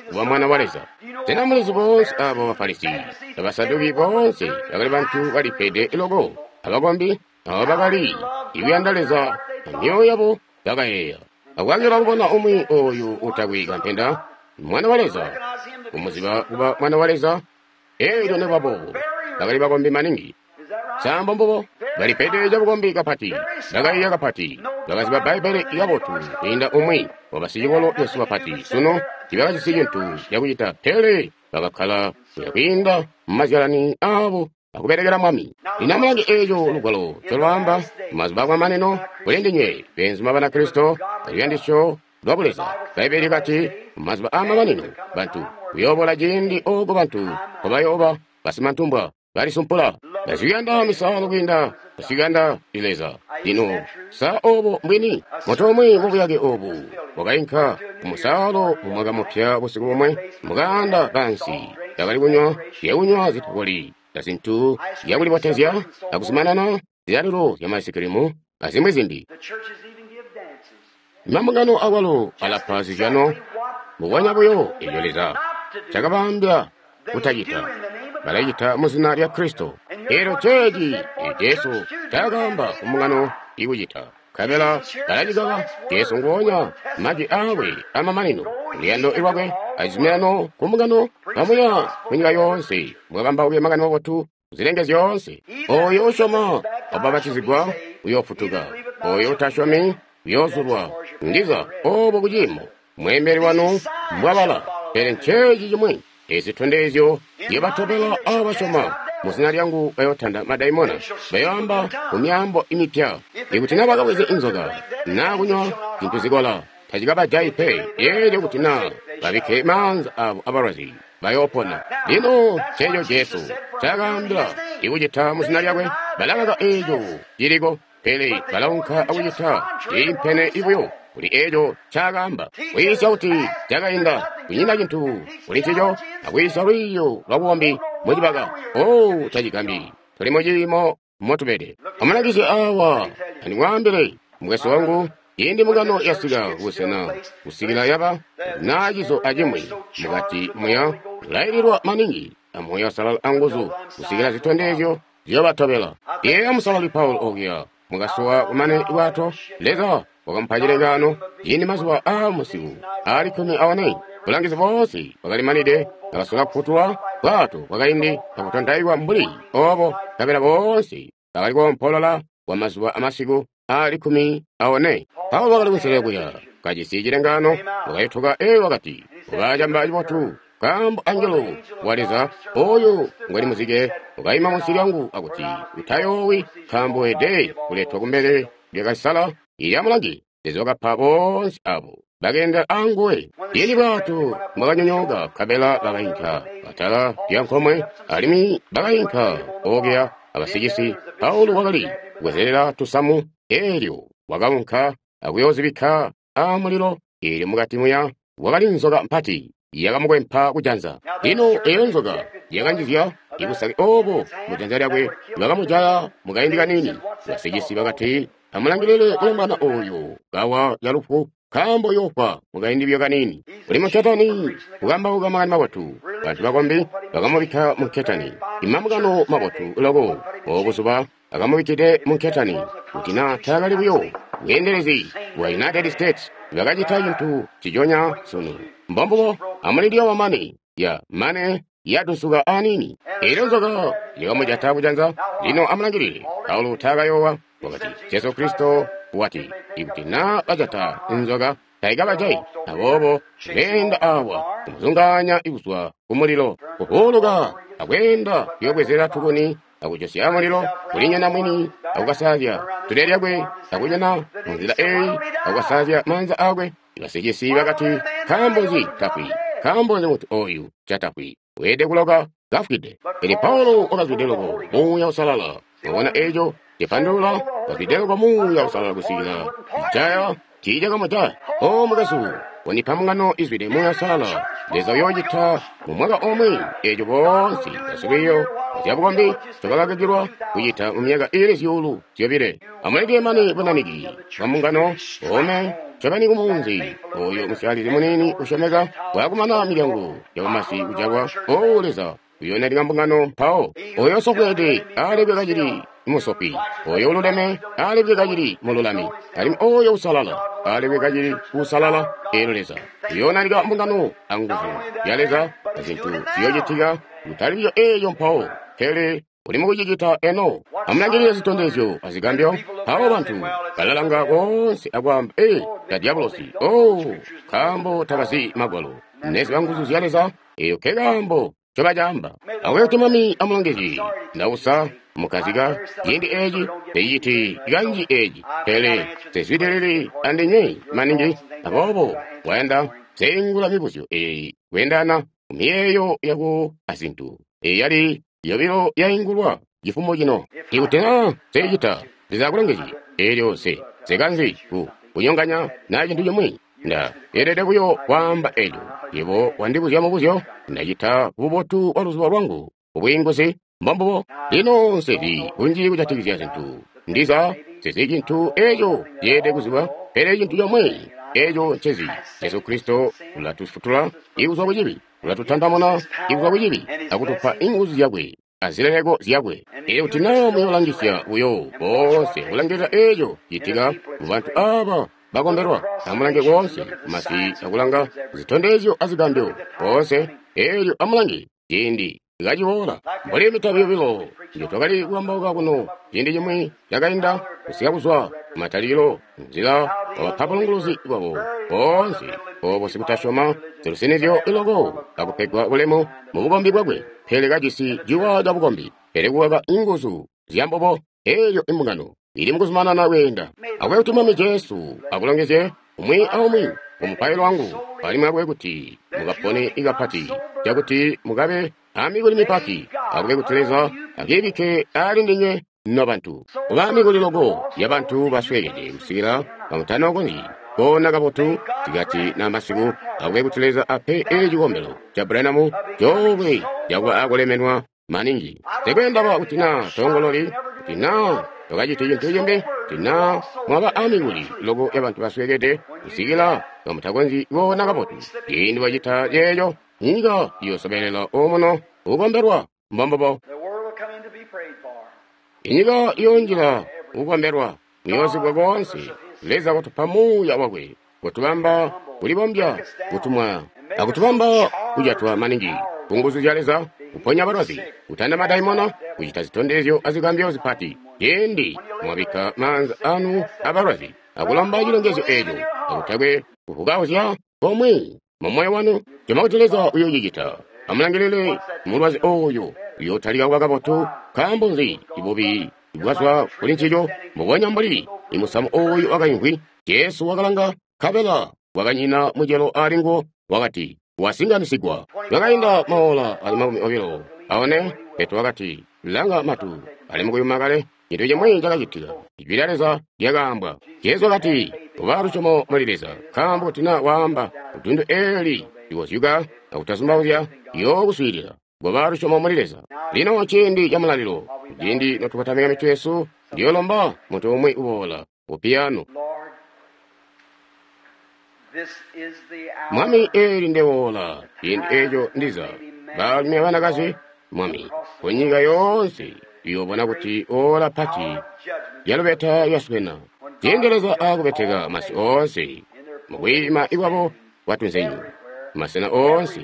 kuba mwana wa Leza. Sena mulizi boonse abo Bafarisi abasaduki boonse bakali bantu balipede loko abakombi abo bakali ikuyanda Leza amyoyo yabo bakayeeya akulangila kubona umwi oyu utakwe kampenda mwana wa Leza, kumuziba kuba mwana wa Leza. Elyo nebaboobo bakali bakombi maningi. Sambo mbubo balipede cabukombi kapati, bakaiya kapati, bakaziba Bbaibbele kabotu kwiinda umwi wabasicikolo besu bapati. Sunu tibakajisi cintu cakucita, pele bakakkala kuya kwiinda mumazyalani aabo akubelekela Mwami. Lino amulange eeco lugwalo ncolwaamba mazuba akwamanino kuli ndinywe beenzuma Banakristo aluyandisyo lwa buleza. Bbaibbele likati mazuba aamamanino bantu kuyoobola ciindi ooko bantu nkobayooba basimantumbwa balisumpula, basikuyanda misaalo kwiinda basikuyanda Leza. Lino sa obo mbwini? Muntu umwi mubuyake obu wakainka kumusaalo mumwaka mupya busiku bumwe mukaanda kansi, bakali kunywa zyakunywa zitakoli azintu zyakulibotezya akuzumanana zilalilo zyamaisikilimu azimwi zimbi. Mambungano akwalo alapa zizyano mbubonya buyo eeco Leza cakabaambila kutacita. balacita mu zina lya Kristo. Elyo ceeci Jesu taakaamba ku mbungano ikucita. Nkabela balacikaka Jesu nguonya majwi aakwe amamanino, luyando lwakwe acizuminano ku mbungano kamuya ku nyika yoonse, mukakambauke makani mabotu zilenge zyoonse. Oyo usyoma wabapatizigwa uyoofutuka, oyo utasyomi uyoozulwa. Ndiza obo kuciimo mweembeli wanu mbwabala, pele nceeci cimwi ezitondezyo zyobatobela abasyoma mu zina lyangu bayotanda madaimona, bayoamba mu myaambo imipya. Ikuti na bakabweze inzoka naa kunywa zintu zikola, tacikabajayi pe. Eelyo kuti naa babikke maanza abo abalwazi, bayoopona. Lino nceeco Jesu ncaakaambila ikucita mu zina lyakwe. Balakaka eeco ciliko, pele balaunka akucita ciimpene ibuyo kuli eeco ncaakaamba. Kwiisya kuti cakainda kunyina cintu kuli ncico, akwiisya lwiiyo lwabukombi mucibaka. Oh, tacigambi tuli muciimo motubede. Amulangizye awa andimwaambile, mukwesu wangu, ciindi mbungano yasika kubusena kusikila yaba naa cizo acimwi mukati muya kulaililwa maningi amuya usalala anguzu kusikila zitondezyo ziyobatobela. Yeeya Musalali Paulo okuya mukasuwa kumane bwato, Leza wakamupa cilengaano ciindi mazuba aa musiku aali kkumi aone. Bulangizi boonse bwakalimanide, bakasola kufutulwa bwato bwakaindi kakutontaikwa mbuli obo, nkabela boonse bakali koompolola kwa mazuba amasiku aali kkumi aone. Paulo wakali kunselelo kuya kajisi cilengaano, wakayutuka eyo wakati, "Ubacamba cibotu, nkaambo angelo wa Leza oyo ngwali muzike ukaima munsi lyangu akuti, utayoowi, nkaambo wede kuletwa kumbele lya Kaisala ilya mulangi." Leza wakapa boonse abo bakeenda anguwe. Ciindi bwato bwakanyonyooka, nkabela bakainka atala lya nkomwe, alimwi bakainka okuya abasicisi. Paulo wakali kubwezelela tusamu, eelyo wakaunka akuyoozibikka aamulilo. Eelyo mukati muya wakali nzoka mpati yakamukwempa kujanza. Lino eyo nzoka yakanjizya ibusaki obo mujanza lyakwe, bakamujaya mukaindi kanini. Basicisi bakati, "Amulangilile mulombwana oyu kawa yalufu, nkaambo yoofwa mukaindi buyo kanini." Uli munketani kukambauka makani mabotu. Bantu bakombi bakamubikka munketani. Imambungano mabotu loko obuzuba akamubikkide munketani. Kuti naa taakali buyo bweendelezi bwa United States, bakacita cintu ciconya sunu. Mbombubo. Amulindile wamane ya mane yatusuka anini. Eelyo nzoka yakamujata kujanza. Lino amulangilile Paulo taakayoowa, wakati, Jesu Kristo wati, ikuti naa bajata nzoka taikabajayi. Aboobo beenda awa kumuzungaanya kuzwa kumulilo, kuvuuluka akweenda kuyobwezela tukuni akujosya mulilo kulinyana mwini akukasazya tule lyakwe akunyana munzila eyi akukasazya maanza akwe. Basicisi bakati, "Nkaambo nzi tafwi? Nkaambo nzi muntu oyu catafwi? Weelede kuloka kafwide." Pele Paulo wakazwide loko Muuya Usalala. Wabona eeco cipandulula? Kazwide loko Muuya Usalala kusikila ijaya tiicakamujaya. O mukwesu, wandipa mbungano izwide Muuya Usalala. Leza uyoocita mu mwaka omwe eeco boonse basilwiiyo zyabukombi ncobakakakilwa kucita mu myaka iili zyuulu zyobile. Amuleke mane bunaniki bwa mbungano ome ncobeni kumunzi oyo musyalizi muniini usyomeka bwakumana milyango yabamasi kujalwa. O Leza uyoonalika mbungano mpawo. Oyo usofweede alebwe kacili musofi, oyo ululeme alebwe kacili mululami, alimwi oyo usalala alebwe kacili usalala. Eelyo Leza uyoonalika mbungano anguzu ya Leza azintu ziyoocitika kutali buyo eeyo mpawo, pele uli mukucicita eno. Amulangilile zitondezyo azigambyo. Mpawo bantu balalanga koonse akwaamba, "Ee, ta diabolosi." Oh, nkaambo tabazi magwalo neziba nguzu zya Leza. Eyo ke kaambo ncobacaamba. Akube kuti Mwami amulongezye. Ndausa mukazika ciindi eeci teciciti kanji eeci, pele sezwidilili andinywe maningi. Aboobo wayanda seingula mibuzyo eeyi kweendana kumiyeeyo yako azintu. Eyi yali yobilo yaingulwa cifumo cino. Ikuti naa seicita, Leza akulongezye. Eelyo se sekanzi ku kunyonganya naa cintu cimwi. Nda elede buyo kwaamba eco. Yebo wandibuzya mubuzyo, ndacita bubotu bwa luzubo lwangu kubwiinguzi. Mbombubo. Lino nsezi kunji kujatikizya zintu. Ndiza sezi cintu eco ceelede kuzibwa, pele cintu comwe eco ncezi Jesu Kristo ulatufutula ikuzwa ku cibi. Ulatutantamuna kuzwa ku cibi akutupa inguzu zyakwe azileleko zyakwe. Elyo kuti naa muyoolangisya buyo boonse kulangilila eeco citika mu bantu aaba bakombelwa, amulange koonse masi akulanga zitondezyo azigambyo koonse, eelyo amulange ciindi kaciboola. Mbuli mitabi yobilo njotwakali kukambauka kuno ciindi cimwi cakainda, kusika kuzwa kumatalikilo nzila wabapa bulunguluzi bwabo boonse obo sikutasyoma zilusinizyo iloko akupegwa bulemu mu bukombi bwakwe, pele kajisi ciwa ca bukombi, pele kukaka inguzu zyambubo. Eelyo imbungano ili mukuzumanana kweenda. Akube kuti Mwami Jesu akulongezye umwi aumwi mumupailo wangu, alimwi akube kuti mukapone ikapati cakuti mukabe amikuli mipati. Akube kuti Leza akibikke ali ndinywe nobantu. Kuba amikuli loko yabantu basweekede kusikila bamutanokonzyi koona kabotu sikati na masiku. Akube kuti Leza ape eci cikombelo ca Branham coolwe cakuba akulemenwa maningi. Nsikwe kuti naa tongololi, kuti naa twakacita cintu cimbi, kuti naa mwaba amikuli loko yabantu basweekede kusikila bamutakonzyi koona kabotu. Ciindi wacita ceeco, nyika iyoosobelela omuno kukombelwa. Mbombubo. Inyika iyoonjila kukombelwa muyoozibwa koonse. Leza kutupa muuya wakwe, kutubamba kulibombya, kutumwa akutubamba kujatwa maningi ku nguzu zya Leza, kuponya balwazi, kutanda madaimona, kucita zitondezyo azigambyo zipati. Ciindi mwabikka maanza anu abalwazi akulomba cilongezyo eeco, akutakwe kuvukauzya komwe mu moyo wanu, syoma kuti Leza uyoocicita. Amulangilile mulwazi ooyo uyootalika kuba kabotu. Nkaambo nzi? Ibubi bwazwa kuli ncico, mbubonya mbuli imusamu ooyu wakaimvwi. Jesu wakalanga, nkabela kwakanyina mucelo ali nguwo, wakati, wasinganisigwa. Kwakainda maola ali makumi obilo aone, Petro wakati, langa matu ali mukuyuma kale. Cintu cimwi cakacitika. Ijwi lya Leza lyakaambwa. Jesu wakati, kuba lusyomo muli Leza, nkaambo kuti naa waamba dundu eeli likozyuka akutazumbauzya, liyookuswiilila. Kuba lusyomo muli Leza. Lino ciindi ca mulalilo, ciindi notukotamika mitwe yesu, ndiyoolomba muntu umwi uboola ku piyano. Mwami, eeli ndewoola, ciindi eeco ndiza baalumi abanakazi, Mwami, kunyika yoonse iyoobona kuti oola pati lyalubeta lyaswena. Ciindi Leza aakubeteka masi oonse mukwiima ikwabo kwatunzenyu, masena oonse,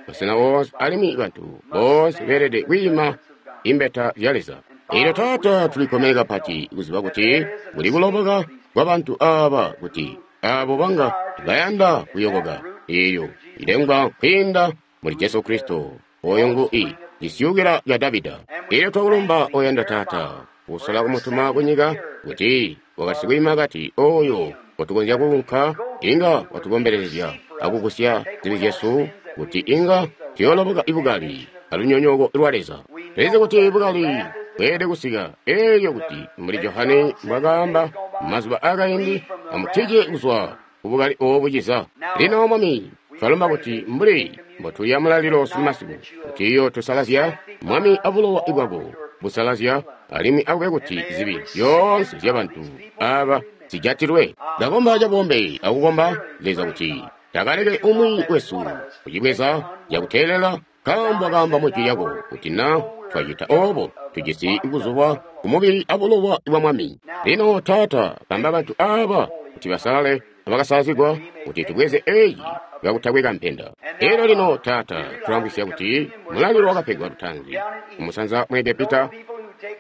masena oonse, alimwi bantu boonse beelede kwiima imbeta zya Leza. Eelyo Taata, tulikkomene kapati kuziba kuti kuli kuloboka kwa bantu aaba, kuti aabo banga bayanda kuyokoka eelyo ilengwa kwiinda muli Jesu Kristo, oyo ngu i cisyukila ca Davida. Eelyo twakulumba oyanda Taata kusola kumutuma kunyika kuti wakasi kwiima kati oyo watukonzya kuunka inga watukombelezya akugusya zibi zyesu, kuti inga tuyooloboka ibukali alunyonyooko lwa Leza. Tulizi kuti bukali bweelede kusika, eelyo kuti mbuli Johane mbwakaamba mazuba akaindi, amutije kuzwa kubukali oobu ciza. Lino Mwami, twalomba kuti mbuli mbotulya mulalilo sunu masiku, kuti iyo tusalazya Mwami abulowa bwako busalazya, alimwi akube kuti zibi zyoonse zyabantu aaba zijatilwe. Ndakomba cabombe akukomba Leza kuti takaleke umwi wesu kucibweza cakuteelela, nkaambo akaamba mu jwi lyako kuti na twacita oobo tujisi kuzulwa kumubili abulowa bwa Mwami. Lino Taata, bamba bantu aaba kuti basalale abakasalazigwa, kuti tubweze eeci kakutakwe kampenda. Eelyo lino Taata, tulamvwisya kuti mulalilo wakapegwa lutaanzi kumusanza mu Egepita.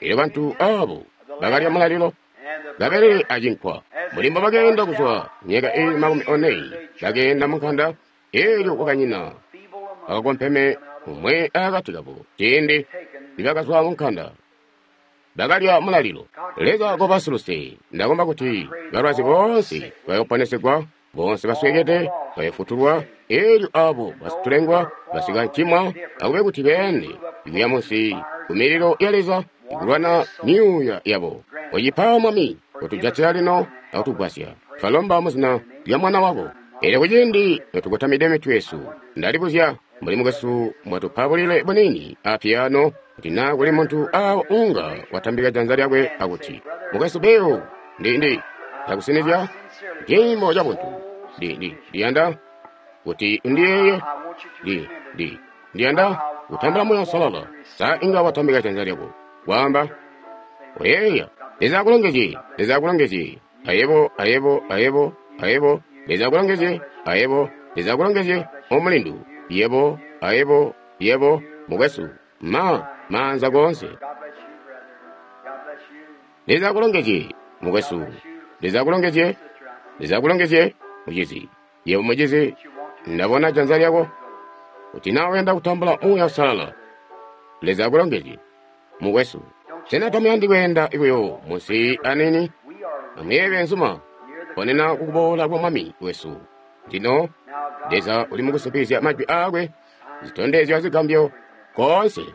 Eelyo bantu aabo bakalya mulalilo kabelele acinkwa, mbuli mbobakeenda kuzwa myaka eeli makumi one, bakeenda munkanda. Eelyo kwakanyina bakakompeme umwe akati kabo ciindi nibakazwa munkanda, bakalya mulalilo. Leza kobasuluse. Ndakomba kuti balwazi boonse bayoponesegwa, boonse basweekede bayofutulwa, eelyo aabo basitulengwa basikancimwa akube kuti beende ikuya munsi ku mililo ya Leza ikulwana myuuya yabo. Ocipa Mwami, kutujatila lino akutugwasya. Twalomba muzina lya Mwana wako. Eelyo kuciindi notukotamide mitwe yesu, ndalibuzya mbuli mukwesu mwatupa bulile bunini a piyano, kuti naa kuli muntu aawo unga watambika janza lyakwe akuti, mukwesu Bill, ndi ndi ndakusinizya ciimo ca buntu, ndi ndi ndiyanda kuti undiyeeye, ndi Ndi, Ndi yanda kutambula Muuya Uusalala. Sa inga watambika janza lyako, kwaamba, oyeeya, Leza akulongezye, Leza akulongezye, ayebo, ayebo, ayebo, ayebo, Leza akulongezye, ayebo, Leza akulongezye, omulindu, yebo, ayebo, yebo, mukwesu, ma, maanza koonse. Leza akulongezye, mukwesu, Leza akulongezye, Leza akulongezye, mucizi, yebo mucizi, ndabona janza lyako, kuti na uyanda kutambula Muuya Uusalala. Leza akulongezye, mukwesu. Sena tamuyandi kweenda buyo munsi anini? Amuyeeye beenzuma, ponena kukuboola kwa Mwami wesu. Lino Leza uli mukusimpikizya majwi aakwe, zitondezyo azigambyo koonse.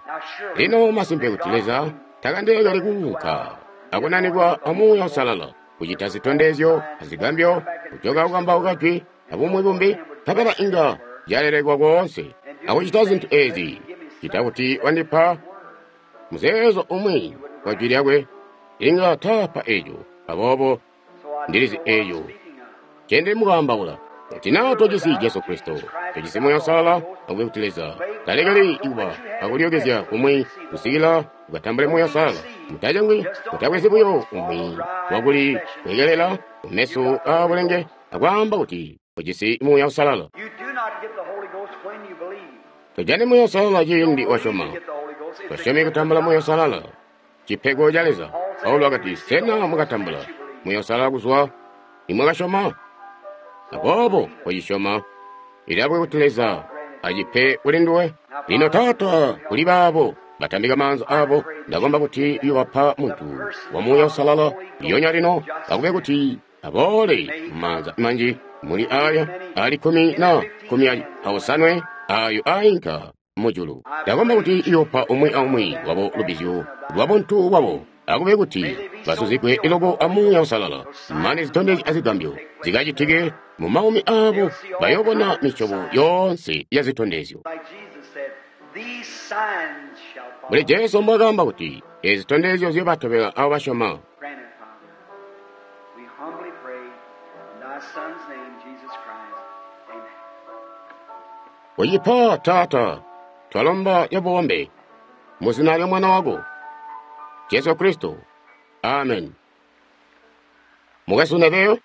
Lino masimpe kuti Leza takandeekeli kuunka akunanikwa a Muuya Uusalala, kucita zitondezyo azigambyo, kujoka kukambauka jwi abumwi bumbi, nkabela inga zyalelekwa koonse. Akucita zintu eezi, cita kuti wandipa muzeezo umwi wa jwi lyakwe, inga taapa eeco. Aboobo ndilizi eeco nce mukaambaula. Kuti naa tojisi Jesu Kristo, tojisi Muuya Uusalala, akube kuti Leza talekeli kuba akulyokezya kumwi kusikila ukatambule Muuya Uusalala. Mutacengwi, mutabwezi buyo umwi wakuli kwekelela kumeso aabulenge akwaamba kuti ujisi Muuya Uusalala. Tojani Muuya Uusalala ciindi wasyoma. Tosyomi kutambula Muuya Uusalala, cipego ca Leza. Paulo wakati, sena mukatambula Muuya Uusalala kuzwa nimwakasyoma? Aboobo wacisyoma, ilabwe kuti Leza acipe kuli nduwe. Lino Taata, kuli baabo batambika maanza abo, ndakomba kuti uyobapa muntu wa Muuya Uusalala lyonya lino, akube kuti aboole mumaanza manji muli aya ali kkumi na kkumi aosanwe ayo ainka mujulu. Ndakomba kuti iyopa umwi aumwi wabo lubizyo lwa buntu bwabo, akube kuti basuzigwe iloko a Muuya Uusalala, mane zitondezyo azigambyo zikacitike mu maumi abo, bayobona misyobo yoonse ya zitondezyo. Mbuli Jesu mbwakaamba kuti ezi zitondezyo ziyobatobela abo basyoma. Uyipa Taata, twalomba yabombe mu zina lya Mwana wako Jesu Kristo. Amen. Mukwesu Neville.